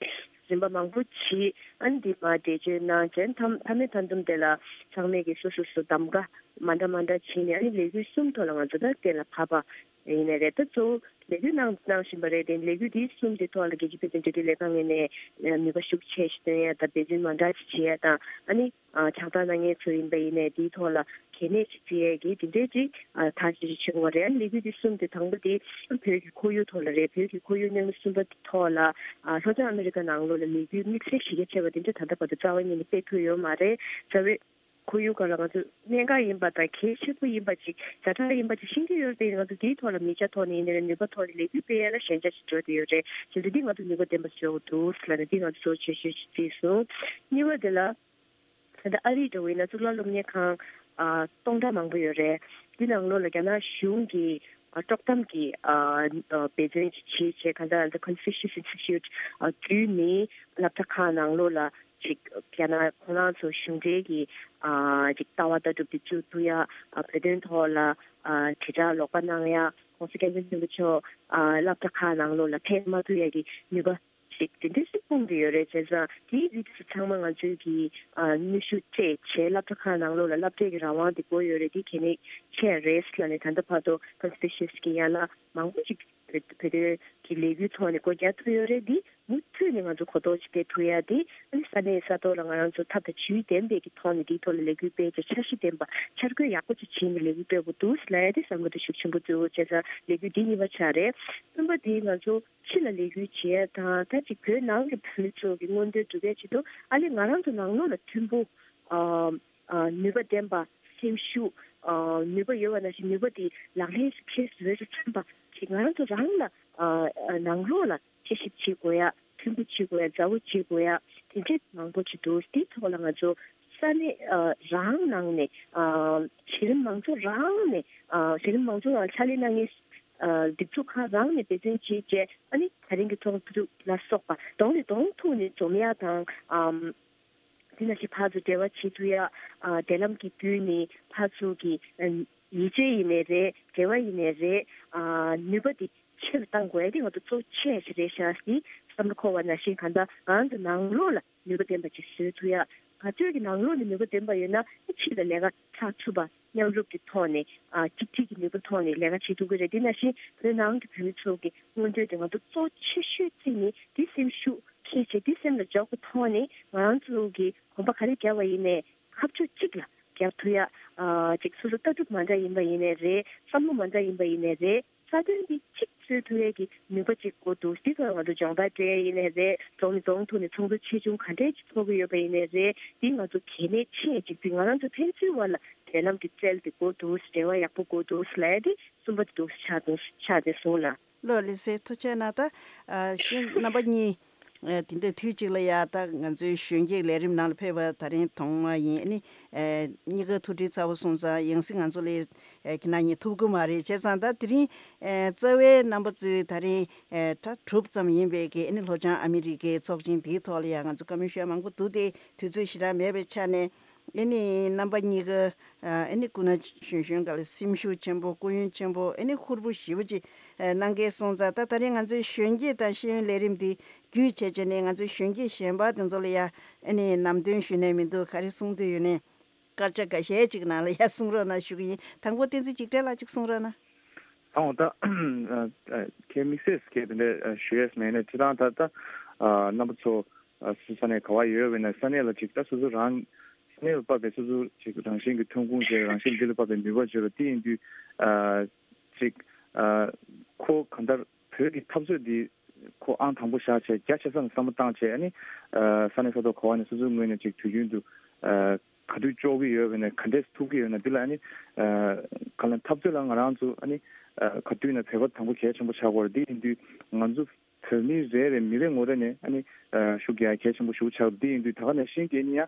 རིམ་པ་མང་པོ་བྱས། ཨ་ནི་འདི་མར་འགྲེལ་བརྗོད་གནང་རྗེས་མཐའ་མཐའ་མའི་མཐའ་མཚམས་དེ་ལ་ཚང་མས་ཀྱི་སོ་སོ་སོ་གདམ་ག་མ་འདྲ་མ་འདྲ་བྱས་ནས་ཨ་ནི་ལས་འགུལ་གསུམ་ཐོག་ལ་ང་ཚོ་ད་གཏན་ལ་ཕབ་པ་ཡིན་ནའི་རེད། ད་གཙོ་བོ་ལས་འགུལ་གནང་གནང་བཞིན་པ་རེད། དེ་ལས་འགུལ་འདི་གསུམ་དེ་ཐོག་ལ་རྒྱལ་སྤྱིའི་བོད་དོན་འབྲེལ་མཐུད་ལས་ཁང་ངོས་ནས་ནུས་པ་ཤུགས་ཆེ་ཞིག་བཏོན་ཡ་དང་འབད་བརྩོན་མ་འདྲ་ཞིག་བྱེད་ཡ་དང་། ཨ་ནི་ཨ་ཕྱག་རྟགས་གནང་མཁན་ཚོ་ཡིན་པ་ཡིན་ནའི་དེའི་ཐོག་ལ་གལ་གནད་ཅིག་བརྩི་ཡས་ཀྱི་དེ་འདྲའི་ཅིག་ཨ་ཐག་གཅོད་ཅིག་བྱེད་དགོས་པ་རེད། ཨ་ནི་ལས་འགུལ་འདི་གསུམ་དེ་དང་པོ་དེ་བོད་ཀྱི་ཁོར་ཡུག་ཐོག་ལ་རེད། བོད་ཀྱི་ཁོར་ཡུག་མཉམ་ལས་གསུམ་པ་དེ་ཐོག་ལ་ཨ་ལྷོ་བྱང་ཨ་མེ་རི་ཀ་ནང་ལོགས་ལ་ལས་འགུལ་དམིགས་བསལ་གཞི་རྒྱ་ཆེ་བ་དེ་འདྲ་ད་ལྟ་བར་དུ་རྩ་བ་ཉིད་ནས་སྤེལ་ཐུབ་ཡོད་མ་རེད། རྩ་བའི་ ཁོར་ཡུག་སྒང་ལ་ང་ཚོ་གནད་འགག་ཡིན་པ་དང་གལ་ཆེན་པོ་ཡིན་པ་ཅིག་ཛ་དྲག་ཡིན་པ་ཅིག་ཤེས་ཀྱི་ཡོད་རེད་དེ། ང་ཚོ་འདིའི་ཐོག་ལ་མིག་རྒྱ་ཐོག་ནས་ཡིན་ནའི་རེད། ནུས་པ་ཐོག་ནས་ལས་འགུལ་སྤེལ་ཡ་ལ་ཞན་ཆ་ཞིག་འགྲོ་བསྡད་ཡོད་རེད། བྱས་ཙང་འདི་ང་ཚོ་ནུས་པ་ལྡན་པ་ཞིག་ཡོང་གི་འདུག་ལབ་ནས་འདི་ང་ཚོ་གཙོ་ཆེ་ཤོས་ཤིག་བརྩིས་སོང་། གཉིས་པ་དེ་ལ། ད་ལྟ་ཨ་རིའི་འགྲོ་བའི་ན་གཙུག་ལག་སློབ་གཉེར་ཁང་ཨ་སྟོང་ཕྲག་མང་པོ་ཡོད་རེད། འདི་ནང་ལོགས་ལ་རྒྱ་ནག་གཞུང་གིས་ཨ་དཀྲོག་གཏམ་གྱི་ཨ་ཨ་འབད་བརྩོན་ཅིག་བྱེད་བྱས། གང་ལྟར་The Confucius Institute ཨ་བརྒྱུད་ནས་སློབ་གྲྭ་ཁག་ནང་ལོགས་ལ་ཅིག་རྒྱ་ནག་ཁོ་རང་ཚོ་གཞུང་འབྲེལ་གྱི་ཨ་ཅིག་ལྟ་བ་ལྟ་གྲུབ་དེ་བཅོས་ཐུབ་ཡ། ཨ་བོད་དོན་ཐོག་ལ་ཨ་དྲིལ་བསྒྲགས་ལོག་པ་གནང་ཡ། ༸གོང་ས་༸སྐྱབས་མགོན་ཆེན་པོ་མཆོག་ཨ་སློབ་གྲྭ་ཁག་ནང་ལོགས་ལ་ཕེབས་མ་ཐུབ་ཡ་གི་ནུས་པ་ཞིག་དེ་འདྲ་ཞིག་སྤུངས་ཏེ་ཡོད་རེད། བྱས་ཙང་དེའི་རིགས་དེ་ཚོ་ཚང་མ་ང་ཚོའི་གི་ཨ་ནུས་ཤུགས་སྤྲད་བྱས་སློབ་གྲྭ་ཁག་ནང་ལོགས་ལ་སློབ་གྲྭའི་གི་རང་དབང་དེ་དགོས་ཡོད་རེད། དེ་གལ་གནད་ཆེ་རེད་ལབ་ནས། ད་ལྟ་བར་དུ་Confucius གི་ཡན་ལག་མང་པོ་ཅིག་བོད་བོད་དོན་གྱི་ལས་འགུལ་ཐོག་ནས་སྒོ་རྒྱག་ཐུབ་ཡོད་རེད། འདི་མུ་མཐུད་ནས་ང་ཚོ་གོ་རྟོགས་ཅིག་སྤེལ་ཐུབ་ཡ་དེ། ཨ་ནི་ས་གནས་ས་ཐོག་ལ་ང་རང་ཚོ་ཐབས་དང་ཇུས་ལྡན་པའི་གི་ཐོག་ནས་དེའི་ཐོག་ལ་ལས་འགུལ་སྤེལ་བྱས། འཆར་གཞི་ལྡན་པ་འཆར་འགོད་ཡག་པོ་ཅིག་བྱས་ནས་ལས་འགུལ་སྤེལ་དགོས་འདུག་ལབ་ཡ་དེ་བསམ་བློ་དེ་ཤུགས་ཆེན་པོ་བཏོན། བྱས་ཙང་ལས་འགུལ་འདི་གཉིས་པ་ཆགས་རེད། གསུམ་པ་དེ་ང་ཚོ་ཕྱི་ལ་ལས་འགུལ་བྱེད་ཡ་དང་། ད་ཅིག་བོད་ནང་གི་བོད་མི་ཚོ་གི་མངོན་འདོད་སྒྲུབ་ཡ་ཆེད་དུ་ཨ་ལས་ང་རང་ཚོ་ནང་ལོགས་ལ་མཐུན་པོ་ཨ་ཨ་ནུས་པ་ལྡན་པ། སེམས་ཤུགས་ཨ་ནུས་པ་ཡོད་པ་ནང་བཞིན་ནུས་པ་དེ་ལག་ལེན་ཁྱེར་བཟོས་རུ་ཐོན་པ་ཅིག་ང་རང་ཚོ་རང་ལ་ཨ་ཨ་ནང་ལོགས་ལ་དཔྱད་ཞིབ་བྱེད་དགོས་ཡ། མཐུན་པོ་བྱེད་དགོས་ཡ། མཛའ་བོ་བྱེད་དགོས་ཡ། དེ་འདྲས་མང་པོ་ཅིག་འདུག་དེའི་ཐོག་ལ་ང་ཚོ་ས་གནས་ཨ་རང་ནང་ནས་ཨ་གཞི་རིམ་མང་ཚོགས་རང་ནས་ཨ་གཞི་རིམ་མང་ཚོགས་ལ་ཕྱག་ལས་གནང་མཁན་ཨ་སྒྲིག་འཛུགས་ཁག་རང་ནས་འབད་བརྩོན་བྱས་བྱས། ཨ་ནི་ད་རིང་གི་ཚོགས་འདུ་ལ་སོགས་པ་གདོང་ནས་གདོང་ཐུག་ནས་འཛོམས་ཡ་དང་། ཨམ། དེ་ནང་བཞིན་ཕར་ཚུར་འབྲེལ་བ་བྱེད་ཐུབ་ཡ། ཨ་འབྲེལ་ལམ་གྱི་བརྒྱུད་ནས་ཕར་ཚུར་གྱི་ཨ་ཡིད་ཆེས་ཡིན་ནའི་རེད། འབྲེལ་བ་ཡིན་ནའི་རེད། ཨ་ནུས་པ་དེ་ཆེ་རུ་གཏང་དགོས་ཡ་དེ་ང་ཚོ་གཙོ་ཆེ་ཞིག་རེད་ཤག་ཟེར་བསམ་བློ་འཁོར་བ་ནང་བཞིན། གང་ལྟར་ང་ཚོ་ནང་ལོགས་ལ་ནུས་པ་ལྡན་པ་ཅིག་བཟོ་ཐུབ་ཡ། ག་ཚོད་ཀྱི་ནང་ལོགས་ནས་ནུས་པ་ལྡན་པ་ཡོད་ན་ཕྱི་ལ་ལས་ཀ་ཚགས་ཚུད་པ། མཉམ་རུབ་ཀྱི་ཐོག་ནས་ཨ་གཅིག་སྒྲིལ་གྱི་ནུས་པ་ཐོག་ནས་ལས་ཀ་བྱེད་ཐུབ་ཀྱི་རེད། དེ་ནང་བཞིན་བོད་ནང་གི་བོད་མི་ཚོ་གི་མངོན་འདོད་དེ་ང་ཚོ་གཙོ་ཆེ་ཤོས་བརྩིས་ནས། དེ་སེམས་ཤུགས་འཁྱེར་བྱས། དེ་སེམས་ལ་འཇོག་པའི་ཐོག་ནས་ང་རང་ཚོ་གི་གོམ་པ་ག་རེ་བརྒྱབ་པ་ཡིན་ནའི་ཁ་ཕྱོགས་གཅིག་ལ་བརྒྱབ་ཐུབ་ཡ། ཨ་ཅིག་སོ་སོ་ལྟ་གྲུབ་མ་འདྲ་ཡིན་པ་ཡིན་ནའི་རེད། བསམ་བློ་མ་འདྲ་ཡིན་པ་ཡིན་ནའི་རེད། རྩ་དོན་འདི་གཅིག་བཟོ་ཐུབ་ཡས་ཀྱི་ནུས་པ་གཅིག་དགོས་འདུག་དེ་ཚོ་ང་ཚོ་སྦྱོང་བརྡར་སྤྲད་ཡས་ཡིན་ནའི་རེད། གདོང་ནས་གདོང་ཐུག་ནས་ཚོགས་འདུ་ཆེ་ཆུང་ག་འདྲས་ཅིག་ཚོགས་ཀྱི་ཡོད་པ་ཡིན་ནའི་རེད། འདི་ང་ཚོ་གལ་གནད་ཆེ་ཅིག་དེ། ང་རང་ཚོ་ཕན་ཚུན་བར་ལ་འབྲེལ་ལམ་གྱི་རྩལ་དེ་དགོས་འདུག་འབྲེལ་བ་ཡག་པོ་དགོས་འདུག་ལབ་ཡས་དེ་གསུམ་པ་དེ་འདུག་ཆགས་འདུག་ཆགས་བསྡད་སོང་ལགས། ལགས་ལགས་སེ། ཐུགས་རྗེ་གནང་། ད་ཨ་གཞན་རྣམ་པ་གཉིས་ཨ་དེ་འདྲ་དུས་གཅིག་ལ་ཡ་ད་ང་ཚོའི་གཞོན་སྐྱེས་ལས་རིམ་ནང་ལ་ཕེབས་པ་ད་རིང་ཐོག་མ་ཡིན། ཨ་ནི་ཨ་གཉིས་ཀ་ཐུགས་ཁྲལ་ཚ་པོ་སོང་ཙང་ཡང་སེ་ང་ཚོ་ལས་ཨ་ཁྱེད་རྣམ་གཉིས་ཐུག་གི་མ་རེད། བྱས་ཙང་ད་དེ་རིང་ཨ་རྩ་བའི་རྣམ་པ་ཚོས་ད་རིང་ཨ་གྲྭ་དྲུག་ཙམ་ཡིན་པའི་གི་ཨ་ནི་ལྷོ་བྱང་ཨ་མི་རི་ཀའི་ཚོགས་ཆེན་དེའི་ཐོག་ལ་ཡ་ང་ཚོ་བཀའ་མོལ་ཞུ་ཡ་མང་པོ་འདུག་སྟེ། དུས་ཚོད་ཞེ་དྲག་མེད་པའི་ཆ་ནས། ཨ་ནི་རྣམ་པ་གཉིས་ཀ་ཨ་ནི་སྐུ་ན་གཞོན་གཞོན་སྒང་ལ་སེམས་ཤུགས་ཆེན་པོ། སྐུ་ཡོན་ཆེན་པོ། ཨ་ནི་ཧུར་པོ་ཞེ་པོ་ཅིག་ཨ་གནང་མཁན་སོང་ཙང་། ད་ད་རིང་ང་ཚོའི་གཞོན་སྐྱེས་དང་ཤེས་ཡོན་ལས་རིམ་འདི་བརྒྱུད་བྱས་བྱས་ནས་ང་ཚོའི་གཞོན་སྐྱེས་གཞན་པ་དེ་ཚོ་ལ་ཡ་ཨ་ནི་ལམ་སྟོན་ཞུས་ནས་མི་འདུག་ག་རེ་གསུང་འདོད་ཡོད་ནའི་སྐར་ཆ་འགའ་ཤས་ཅིག་ནང་ལ་ཡ་གསུང་རོགས་གནང་ཞུ་གི་ཡིན། དང་པོ་བསྟན་འཛིན་འཇིགས་བྲལ་ལགས་ཅིག་གསུང་རོགས་གནང་། དང་པོ་ད་ཨ་ཨ་ཁྱེད་དམིགས་བསལ་གྱི་དེ་འདྲ་ཨ་ཞུ་ཡས་མེད་ནས། སྤྱིར་བཏང་ད་ལྟ་ཨ་རྣམ་པ་ཚོ་ཨ་སོ་སོ་ས་གནས་ག་བ་ཡོད་པ་ཡིན་ན་ས་གནས་ལ་ཅིག་ད་སོ་སོ་རང་ས་གནས་ལ་བབས་པའི་སོ་སོ་ཅིག་རང་བཞིན་གྱི་ཐོན་ཁུངས་བྱས། རང་བཞིན་འདི་ལ་བབས་པའི་ནུས་པ་བརྗོད་པ་འདི་ཡིན་དུས། ཨ་ཅིག་ཨ་ཁོ་གང་ལྟར་བོད་ཀྱི་འཐབ་རྩོད་འདི་ཁོ་ཨང་དང་པོ་བཞག་བྱས་རྒྱ་ཆེ་ས་ནས་བསམ་བློ་བཏང་བྱས། ཨ་ནི་ཨ་ས་གནས་ས་ཐོག་ག་བ་ནས་སོ་སོའི་ངོས་ནས་ཅིག་དུས་རྒྱུན་དུ་ཨ་ག་དུས་ལྕོགས་ཀྱི་ཡོད་པ་ཡིན་ན། ག་འདྲས་ཐུབ་ཀྱི་ཡོད་ན། འདི་ལ་ཨ་ནི་ཨ་གང་ལ་འཐབ་རྩོད་ལ་ང་རང་ཚོ་ཨ་ནི་ཨ་ག་དུས་ཡིན་ན་བོད་པ་དང་པོ་གལ་ཆེན་པོ་ཆགས་དགོས་རེད། འདི་ཡིན་དུས་ང་ཚོ་བོད་མི་རེ་རེ་མི་རེ་ངོ་རེ་ནས་ཨ་ནི་ཨ་ཤུགས་རྒྱག་གལ་ཆེན་པོ་ཞེ་པོ་ཆགས་རེད། འདི་ཡིན་དུས་ད་ག་ནང་བཞིན་གྱི་ཨ་ནི་ཡང་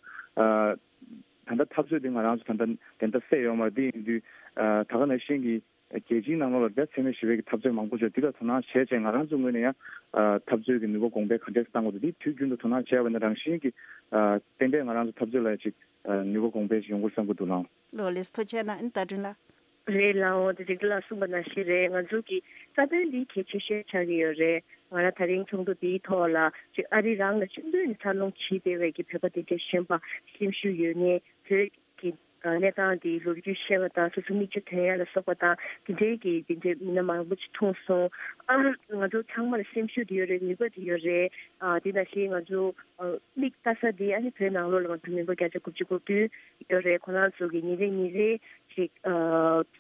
ཨ་ད་ལྟ་འཐབ་རྩོད་འདི་ང་རང་ཚོ་ད་ལྟ་དེ་འདྲ་སད་ཡོད་མ་རེད། འདི་ཡིན་དུས་ཨ་ད་ག་ནང་བཞིན་གྱི་རྒྱལ་སྤྱིའི་ནང་ལོགས་ལ་རྒྱ་ཆེ་མི་ཞེ་པོ་གི་འཐབ་རྩོད་མང་པོ་བྱུང་། འདི་ལ་དོ་སྣང་བྱས་བྱས་ང་རང་ཚོའི་ངོས་ནས་ཡང་ཨ་འཐབ་རྩོད་ཀྱི་ནུས་པ་གོང་འཕེལ་ག་འདྲས་གཏང་དགོས་འདུག་འདི་དུས་རྒྱུན་དུ་དོ་སྣང་བྱས་པ་ཡིན་ན་རང་བཞིན་གྱིས་ཨ་ཏན་ཏན་ང་རང་ཚོ་འཐབ་རྩོད་ལ་ཅིག་ཨ་ནུས་པ་གོང་འཕེལ་ཞིག་ཡོང་གི་རེད་བསམ་གྱི་འདུག་ལགས། ལགས་ལགས་སེ། ཐུགས་རྗེ་གནང་། ཨ་ནི་ཟླ་སྒྲོན་ལགས། རེད་ལགས་འོང་། དེ་རིང་ལ་གསུངས་པ་ནང་བཞིན་རེད། ང་ཚོ་གི་རྩ་དོན་འདི་གལ་ཆེ་ཤོས་ཆགས་ཀྱི་ཡོད་རེད། ང་རང་ད་རིང་ཚོགས་འདུ་འདིའི་ཐོག་ལ་ཅིག་ཨ་རི་རང་ལ་ཆུང་དུས་ནས་འཚར་ལོངས་བྱས་བསྡད་པའི་གི་བོད་པ་དེ་འདྲའི་གཞོན་པ་སེམས་ཤུགས་ཡོད་མཁན། བོད་ཀྱི་གནས་སྟངས་དེའི་ལོ་རྒྱུས་ཤེས་པ་དང་། སོ་སོ་མིག་ཆུ་ཐོན་ཡ་ལ་སོགས་པ་དང་། དེ་འདྲའི་གི་དེ་འདྲའི་མི་སྣ་མང་པོ་ཅིག་མཐོང་སོང་། ཨ་ང་ཚོ་ཚང་མ་ལ་སེམས་ཤུགས་དེ་ཡོད་རེད། ནུས་པ་དེ་ཡོད་རེད། ཨ་དེ་ནང་བཞིན་ང་ཚོ་ཨ་མིག་ལྟ་ས་དེ་ཨ་ནི་བོད་ནང་ལོགས་ལ་ང་ཚོ་མི་འབོར་བརྒྱ་ཆ་དགུ་བཅུ་གོ་བདུན་ཡོད་རེད། ཁོ་རང་ཚོ་གི་ཉིན་རེ་ཉིན་རེ་ཅིག་ཨ་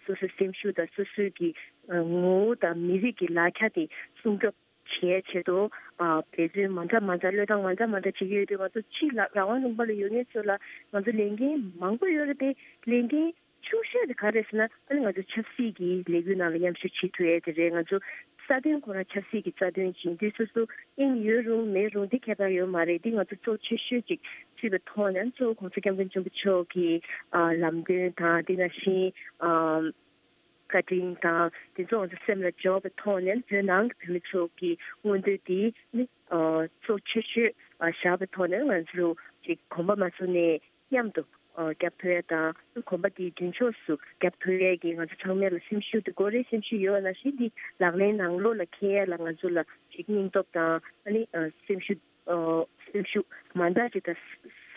སོ་སོའི་སེམས་ཤུགས་དང་སོ་སོའི་གི་ཨ་ངོ་བོ་དང་མི་རིགས་ཀྱི་ལག་ཆ་དེ་སྲུང་སྐྱོབ་ བྱེད་ཡའི་ཆེད་དུ་ཨ་འབད་བརྩོན་མ་འདྲ་མ་འདྲ་བློས་བཏང་མ་འདྲ་མ་འདྲ་བྱེད་ཀྱི་ཡོད་དུས། ང་ཚོ་ཕྱི་ལ་རང་དབང་ལུང་པ་ལ་ཡོད་མཁན་ཚོ་ལ་ང་ཚོ་ལས་འགན་མང་པོ་ཡོད་རེད་དེ། ལས་འགན་ཆུང་ཤོས་དེ་ག་རེད་ཟེར་ན། ཨ་ནི་ང་ཚོ་ཆབ་སྲིད་ཀྱི་ལས་འགུལ་ནང་ལ་མཉམ་ཞུགས་བྱེད་ཐུབ་ཡས་དེ་རེད། ང་ཚོ་རྩ་དོན་ཁོ་རང་ཆབ་སྲིད་ཀྱི་རྩ་དོན་ཡིན་དུས། སོ་སོ་དབྱིངས་ཡོད་རུང་མེད་རུང་དེ་ཁྱད་པར་ཡོད་མ་རེད། འདི་ང་ཚོ་གཙོ་ཆེ་ཤོས་ཅིག་བརྩིས་པའི་ཐོག་ནས། གཙོ་བོ་༸གོང་ས་༸སྐྱབས་མགོན་ཆེན་པོ་མཆོག་གི་ཨ་ལམ་སྟོན་དང་། དེ་ནང་བཞིན་ཨ་བཀའ་དྲིན་དང་དེ་ཚོ་ང་ཚོ་སེམས་ལ་འཇོག་པའི་ཐོག་ནས། བོད་ནང་གི་བོད་མི་ཚོ་གི་མངོན་འདོད་དེ་ནི་ཨ་གཙོ་ཆེ་ཤོས་ཨ་བཞག་པའི་ཐོག་ནས། ང་ཚོ་ཅིག་གོམ་པ་མ་བཟུང་ནས་མཉམ་དུ་ཨ་རྒྱབ་ཐུབ་ཡ་དང་། གོམ་པ་དེའི་མདུན་ཕྱོགས་སུ་རྒྱབ་ཐུབ་ཡས་ཀྱི་ང་ཚོ་ཚང་མས་ལ་སེམས་ཤུགས་དེ་དགོས་རེད། སེམས་ཤུགས་ཡོད་པ་ནང་བཞིན་དེ་ལག་ལེན་ནང་ལོགས་ལ་འཁྱེར་ཡས་ལ་ང་ཚོ་ལ་ཅིག་སྙིང་སྟོབས་དང་། ཨ་ནི་ཨ་སེམས་ཤུགས་ཨ་སེམས་ཤུགས་མ་འདྲ་ཅིག་དང་།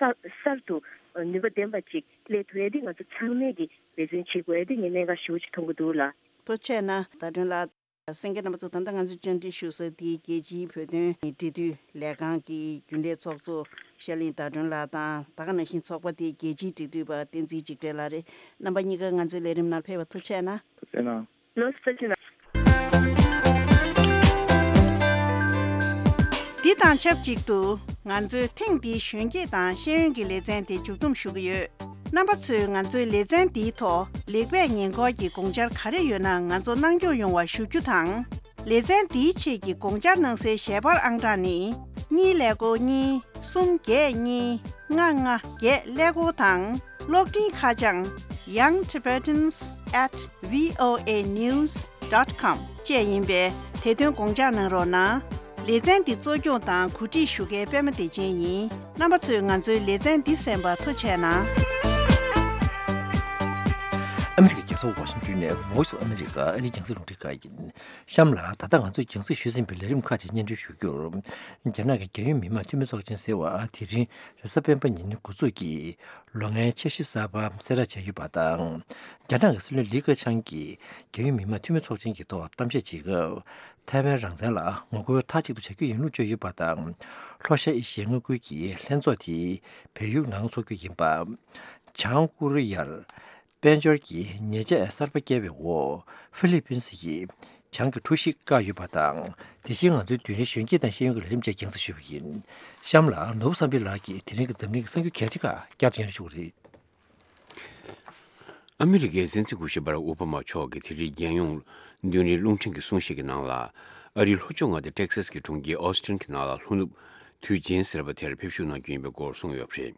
གསར་གསར་དུ་ནུས་པ་ལྡན་པ་ཅིག་སླེབས་ཐུབ་ཡས་དེ་ང་ཚོ་ཚང་མས་ཀྱི་འབད་བརྩོན་བྱེད་དགོས་ཡས་དེ་ངས་གནད་འགག་ཞེ་པོ་ཅིག་མཐོང་གི་འདུག་ལགས། ཐུགས་རྗེ་གནང་། ཟླ་སྒྲོན་ལགས། གསན་མཁན་རྣམ་པ་ཚོ། ད་ལྟ་ང་ཚོས་བཅར་འདྲི་ཞུ་ས་དེ་རྒྱལ་སྤྱིའི་བོད་དོན་འབྲེལ་མཐུད་ལས་ཁང་གི་རྒྱུན་ལས་ཚོགས་གཙོ་ཤར་གླིང་ཟླ་སྒྲོན་ལགས་དང་། ད་ག་ནང་བཞིན་ཚོགས་པ་དེའི་རྒྱལ་སྤྱིའི་འབྲེལ་མཐུད་པ་བསྟན་འཛིན་འཇིགས་བྲལ་ལགས་རེད། རྣམ་པ་གཉིས་ཀ་ང་ཚོའི་ལས་རིམ་ནང་ཕེབས་པར་ཐུགས་རྗེ་གནང་། ཐུགས་རྗེ་གནང་། ལགས་སོ། ཐུགས་རྗེ་གནང་། འདི་དང་ཆབས་ཅིག་ཏུ་ང་ཚོས་ཐེངས་འདིའི་གཞོན་སྐྱེས་དང་ཤེས་ཡོན་གྱི་ལེ་ཚན་དེ་མཇུག་བསྡོམས་ཞུ་གི་ཡོད། རྣམ་པ་ཚོས་ང་ཚོའི་ལེ་ཚན་འདིའི་ཐོག་ལེགས་པས་ཉེས་འགོག་གི་དགོངས་འཆར་ག་རེ་ཡོད་ན་ང་ཚོར་གནང་སྐྱོང་ཡོང་བ་ཞུ་རྒྱུ་དང་། ལེ་ཚན་འདིའི་ཆེད་ཀྱི་དགོངས་འཆར་གནང་སའི་ཞལ་པར་ཨང་གྲངས་ནི། གཉིས་ཀླད་ཀོར་གཉིས། གསུམ་བརྒྱད་གཉིས། ལྔ་ལྔ་བརྒྱད་ཀླད་ཀོར་དང་། གློག་འཕྲིན་ཁ་བྱང་young tibetans at voa news dot com བཅས་ཡིན་པས། དེ་དོན་དགོངས་འཇགས་གནང་རོགས་གནང་། ལེ་ཚན་འདི་གཙོ་སྐྱོང་དང་གོ་སྒྲིག་ཞུ་མཁན་པད་མ་བདེ་ཆེན་ཡིན། རྣམ་པ་ཚོས་ང་ཚོའི་ལེ་ཚན་འདི་གསན་པར་ཐུགས་རྗེ་གནང་། ཨ་མི་རི་ཀའི་རྒྱལ་ས་ཝ་ཤིང་ཏོན་ནས་Voice of America ཨ་རིའི་རྒྱང་སྲིང་རླུང་འཕྲིན་ཁང་ཡིན། གཤམ་ལ་ད་ལྟ་ང་ཚོས་རྒྱང་སྲིང་ཞུས་ཟིན་པའི་ལས་རིམ་ཁག་ཅིག་སྙན་སྒྲོན་ཞུ་རྒྱུར། རྒྱ་ནག་གི་རྒྱལ་ཡོངས་མི་དམངས་འཐུས་མི་ཚོགས་ཆེན་ཟེར་བ་དེ་རིང་རེས་གཟའ་སྤེན་པ་ཉིན་འགོ་འཛུགས་ཀྱིས་ལོ་ལྔའི་འཆར་གཞི་གསར་པ་གསལ་བསྒྲགས་བྱས་ཡོད་པ་དང་། རྒྱ་ནག་གི་སྲིད་བློན་ལི་ཁེ་ཆང་གིས་རྒྱལ་ཡོངས་མི་དམངས་འཐུས་མི་ཚོགས་ཆེན་གྱི་ཐོག་གཏམ་བཤད་བྱེད་སྐབས། ཐའེ་ཝན་རང་བཙན་ལ་ངོ་རྒོལ་མཐའ་གཅིག་ཏུ་བྱ་རྒྱུ་ཡིན་ལུགས་བརྗོད་ཡོད་པ་དང་། ལྷོ་ཤར་ཨེ་ཤི་ཡའི་མངའ་ཁུལ་གྱི་ལྷན་ཚོགས་དེ་བལ་ཡུལ་ནང་འཚོགས་རྒྱུ་ཡིན་པ། བྱང་ཀོ་རི་ཡར་དཔལ་འབྱོར་གྱི་ཉེས་ཆད་གསར་པ་བཀལ་བའི་འོག་ཧྥི་ལི་པིན་སི་ཡིས་བྱང་གི་གྲུ་བཞི་བཀག་ཡོད་པ་དང་། དེ་བཞིན་ང་ཚོའི་མདུན་རིའི་གཞོན་སྐྱེས་དང་ཤེས་ཡོན་གྱི་ལས་རིམ་བཅས་རྒྱང་སྲིང་ཞུས་པ་ཡིན། གཤམ་ལ་ནོར་བུ་བསམ་འཕེལ་ལགས་ཀྱིས་དེ་རིང་གི་འཛམ་གླིང་གི་གསར་འགྱུར་གལ་ཆེ་ཁག་བསྐྱར་དུ་སྙན་སྒྲོན་ཞུ་གི་རེད། ཨ་མི་རི་ཀའི་སྲིད་འཛིན་སྐུ་ཞབས་བྷ་རག་ཨོ་བྷ་མ་མཆོག་གིས་དེ་རིང་རྒྱལ་ཡོངས་མདུན་རིའི་རླུང་འཕྲིན་གྱི་གསུང་བཤད་ཀྱི་ནང་ལ། ཨ་རིའི་ལྷོ་ཕྱོགས་མངའ་སྡེ་ཊེག་སཱས་ཀྱི་གྲོང་ཁྱེར་ཨོ་སི་ཊིན་གྱི་ནང་ལ་ལྷོ་ནུབ་དུས་ཆེན་ཟེར་བ་དེར་ཕེབས་བཞུགས་གནང་རྒྱུ་ཡིན་པའི་སྐོར་གསུངས་ཡོད་པ་རེད།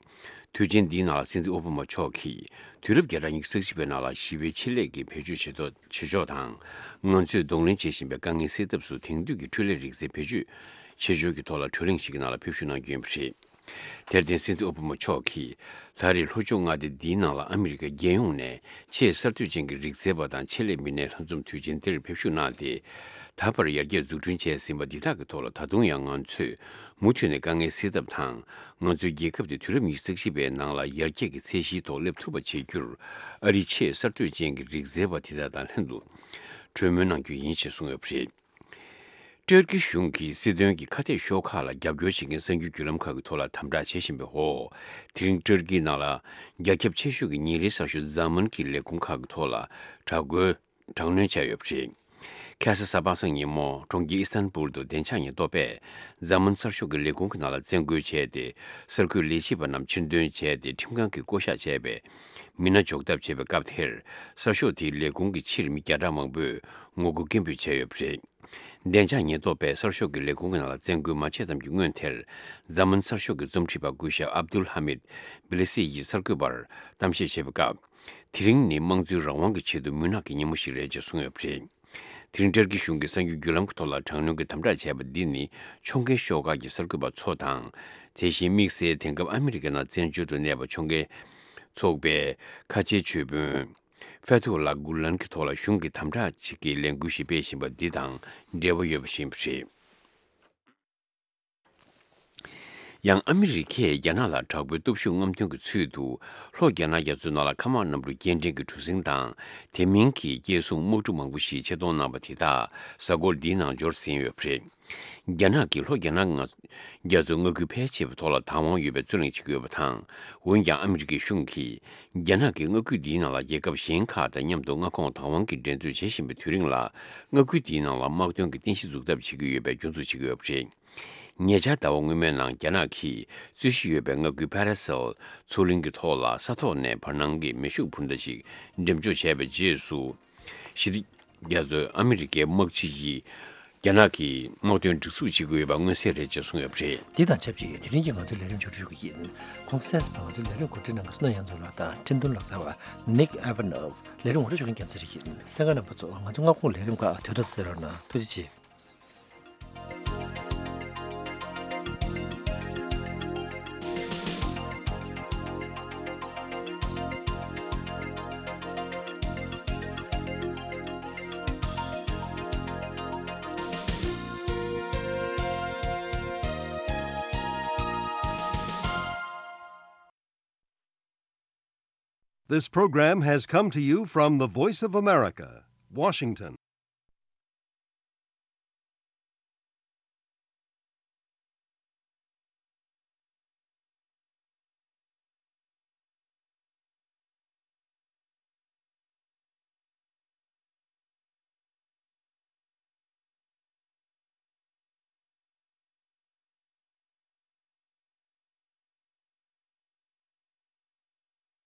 དུས་ཆེན་འདིའི་ནང་ལ་སྲིད་འཛིན་ཨོ་བྷ་མ་མཆོག་གིས་དུས་རབས་བརྒྱ་ཕྲག་ཉི་ཤུ་རྩ་གཅིག་པའི་ནང་ལ་ཞི་བའི་ཆེད་ལས་ཀྱི་བེད་སྤྱོད་བྱེད་ཐབས་བྱེད་ཕྱོགས་དང་། ང་ཚོས་གདོང་ལེན་བྱེད་བཞིན་པའི་དཀའ་ངལ་སེལ་ཐབས་སུ་དེང་དུས་ཀྱི་འཕྲུལ་ལས་རིག་རྩལ་བེད་སྤྱོད་བྱེད་ཕྱོགས་ཀྱི་ཐོག་ལ་གྲོས་གླེང་ཞིག་གི་ནང་ལ་ཕེབས་བཞུགས་གནང་རྒྱུ་ཡིན་པ་རེད། དེར་བརྟེན་སྲིད་འཛིན་ཨོ་བྷ་མ་མཆོག་གིས་ད་རེས་ལྷོ་ཕྱོགས་མངའ་སྡེ་འདིའི་ནང་ལ་ཨ་མི་རི་ཀ་རྒྱལ་ཡོངས་ནས་ཆེས་གསར་གཏོད་ཅན་གྱི་རིག་རྩལ་པ་དང་ཆེད་ལས་མི་སྣའི་ལྷན་འཛོམས་དུས་ཆེན་འདིར་ཕེབས་བཞུགས་གནང་སྟེ། ད་བར་ཡར་རྒྱས་འཛུགས་སྐྲུན་བྱས་ཟིན་པ་འདི་དག་གི་ཐོག་ལ་ད་དུང་ཡང་ང་ཚོས་མུ་མཐུད་ནས་དཀའ་ངལ་སེལ་ཐབས་དང་། ང་ཚོའི་རྒྱལ་ཁབ་དེ་དུས་རབས་ཉི་ཤུ་རྩ་གཅིག་པའི་ནང་ལ་ཡར་རྒྱས་ཀྱི་ཚད་གཞིའི་ཐོག་སླེབས་ཐུབ་པ་བྱེད་རྒྱུར། ཨ་རིའི་ཆེས་གསར་གཏོད་ཅན་གྱི་རིག་རྩལ་པ་དེ་དག་དང་ལྷན་དུ་གྲོས་མོལ་གནང་རྒྱུ་ཡིན་ཞེས་གསུངས་ཡོད་པ་རེད། ཏུར་ཀི་གཞུང་གིས་སྲིད་དོན་གྱི་ཁ་གཏད་ཤོག་ཁག་ལ་རྒྱབ་སྐྱོར་བྱེད་མཁན་གསར་འགྱུར་བརྒྱུད་ལམ་ཁག་གི་ཐོག་ལ་དམ་དྲག་བྱེད་བཞིན་པའི་འོག་དེ་རིང་ཏུར་ཀིའི་ནང་ལ་རྒྱ་ཁྱབ་ཆེ་ཤོས་ཀྱི་ཉིན་རེའི་གསར་ཤོག་ཛ་མཱན་གྱི་ལས་ཁུངས་ཁག་གི་ཐོག་ལ་དྲག་རྒོལ་དྲག་གནོན་བྱས་ཡོད་པ་རེད། ཁ་ས་གཟའ་པ་སངས་ཉིན་མོ་གྲོང་ཁྱེར་ཨི་སི་ཐན་པུར་དུ་བདེ་འཇགས་ཉེན་རྟོག་པས་ཛ་མཱན་གསར་ཤོག་གི་ལས་ཁུངས་ཀྱི་ནང་ལ་བཙན་རྒོལ་བྱས་ཏེ། གསར་འགོད་ལས་བྱེད་པ་རྣམས་ཕྱིར་འདོན་བྱས་ཏེ། ཁྲིམས་ཁང་གིས་བསྐོ་བཞག་བྱས་པའི་མི་སྣ་འཇོག་ཐབས་བྱས་པའི་སྐབས་དེར། གསར་ཤོག་དེའི་ལས་ཁུངས་ཀྱི་ཕྱིར་མི་བརྒྱ་ཕྲག་མང་པོས་ངོ་རྒོལ་སྐད་འབོད་བྱས་ཡོད་པ་རེད། བདེ་འཇགས་ཉེན་རྟོག་པས་གསར་ཤོག་གི་ལས་ཁུངས་ཀྱི་ནང་ལ་བཙན་རྒོལ་མ་བྱས་ཙམ་གྱི་སྔོན་དེར། ཛ་མཱན་གསར་ཤོག་གི་རྩོམ་སྒྲིག་པ་སྐུ་ཞབས་ཨབ་དུལ་ཧ་མིད་བི་ལི་སི་ཡིས་གསར་འགོད་པར་གཏམ་བཤད་བྱས་པའི་སྐབས། དེ་རིང་ནི་དམངས་གཙོའི་རང་དབང་གི་ཆེད་དུ་མུན་ནག་གི་ཉིན་མོ་ཞིག་རེད་ཅེས་གསུངས་ཡོད་པ་རེད། དེ་རིང་ཏུར་ཀི་གཞུང་གིས་གསར་འགྱུར་བརྒྱུད་ལམ་གྱི་ཐོག་ལ་དྲག་གནོན་གྱི་དམ་དྲག་བྱས་པ་འདི་ནི་ཕྱོགས་འགལ་ཤོག་ཁག་གི་གསར་འགོད་པ་ཚོ་དང་། དེ་བཞིན་དམིགས་བསལ་དེང་སྐབས་ཨ་མི་རི་ཀའི་ནང་བཙན་བྱོལ་དུ་གནས་པ་ཕྱོགས་འགལ་ཚོགས་པའི་ཁ་ཆེའི་ཇུས་དཔོན་ཕེ་ཐུ་ལ་གུ་ལན་གྱི་ཐོག་ལ་གཞུང་གིས་དམ་དྲག་ཅིག་གི་ལས་འགུལ་ཞིག་སྤེལ་བཞིན་པ་འདི་དང་འབྲེལ་བ་ཡོད་པ་ཞིག་ཡིན་པ་རེད། ཡང་ཨ་མི་རི་ཀས་རྒྱ་ནག་ལ་དྲག་པོའི་སྟོབས་ཤུགས་རྔམ་སྟོན་གྱི་ཚུལ་དུ། ལྷོ་རྒྱ་ནག་རྒྱ་མཚོའི་ནང་ལ་མཁའ་དམག་གནམ་གྲུ་སྐྱེལ་འདྲེན་གྱི་གྲུ་གཟིངས་དང་། དེ་མིན་གྱི་སྐྱེལ་སྲུང་དམག་གྲུ་མང་པོ་ཞིག་ཆེད་གཏོང་གནང་བ་དེ་དག་གཟའ་འཁོར་འདིའི་ནང་འབྱོར་ཟིན་ཡོད་པ་རེད། རྒྱ་ནག་གིས་ལྷོ་རྒྱ་ནག་ང་རྒྱ་མཚོའི་མངའ་ཁུལ་ཕལ་ཆེ་བའི་ཐོག་ལ་བདག་དབང་ཡོད་པའི་རྩོད་གླེང་བྱེད་ཀྱི་ཡོད་པ་དང་། འོན་ཀྱང་ཨ་མི་རི་ཀའི་གཞུང་གིས་རྒྱ་ནག་གིས་མངའ་ཁུལ་འདིའི་ནང་ལ་རྒྱལ་ཁབ་གཞན་ཁག་དང་མཉམ་དུ་མངའ་ཁོངས་བདག་དབང་གི་འགྲན་རྩོད་བྱེད་བཞིན་པའི་དུས་རིང་ལ། མངའ་ཁུལ་འདིའི་ནང་ལ་དམག་དོན་གྱི་རྟེན་གཞི་འཛུགས་ཐབས་བྱེད་ཀྱི་ཡོད་པའི་སྐྱོན་འཛུགས་བྱེད་ཀྱི་ཡོད་པ་རེད། ཉེ་ཆར་ཟླ་བ་སྔོན་མའི་ནང་རྒྱ་ནག་གིས་རྩོད་གཞི་ཡོད་པའི་མངའ་ཁུལ་ཕ་ར་སེལ་མཚོ་གླིང་གི་ཐོག་ལ་ས་ཐོག་ནས་བར་སྣང་གི་མེ་ཤུགས་འཕུར་མདའ་ཞིག་འགྲེམས་འཇོག་བྱས་པའི་རྗེས་སུ། ཞི་བདེ་རྒྱ་མཚོའི་ཨ་མི་རི་ཀའི་དམག་སྤྱི་ཡིས་རྒྱ་ནག་གིས་དམག་དོན་སྒྲིག་འཛུགས་བྱེད་ཀྱི་ཡོད་པ་མངོན་གསལ་རེད་ཅེས་གསུངས་ཡོད་པ་རེད། འདི་དང་ཆབས་ཅིག་དེ་རིང་གི་ང་ཚོའི་ལས་རིམ་མཇུག་སྒྲིལ་ཞུ་གི་ཡིན། གོང་གསལ་ང་ཚོའི་ལས་རིམ་གོ་སྒྲིག་གནང་མཁན་བསོད་ནམས་དབྱངས་འཛོམས་ལགས་དང་འཕྲིན་གཏོང་ལག་རྩལ་བ་Nick Ivanov། ལས་རིམ་ངོ་སྤྲོད་ཞུ་མཁན་རྒྱལ་མཚན་རིག་ཡིན། གསན་མཁན་རྣམ་པ་ཚོ་ང་ཚོ་མངའ་ཁོངས་ལས་རིམ་ཁག་དུས་ཐོག་ཏུ་གསན་རོགས་གནང་། ཐུགས་རྗེ་ཆེ། This program has come to you from the Voice of America, Washington.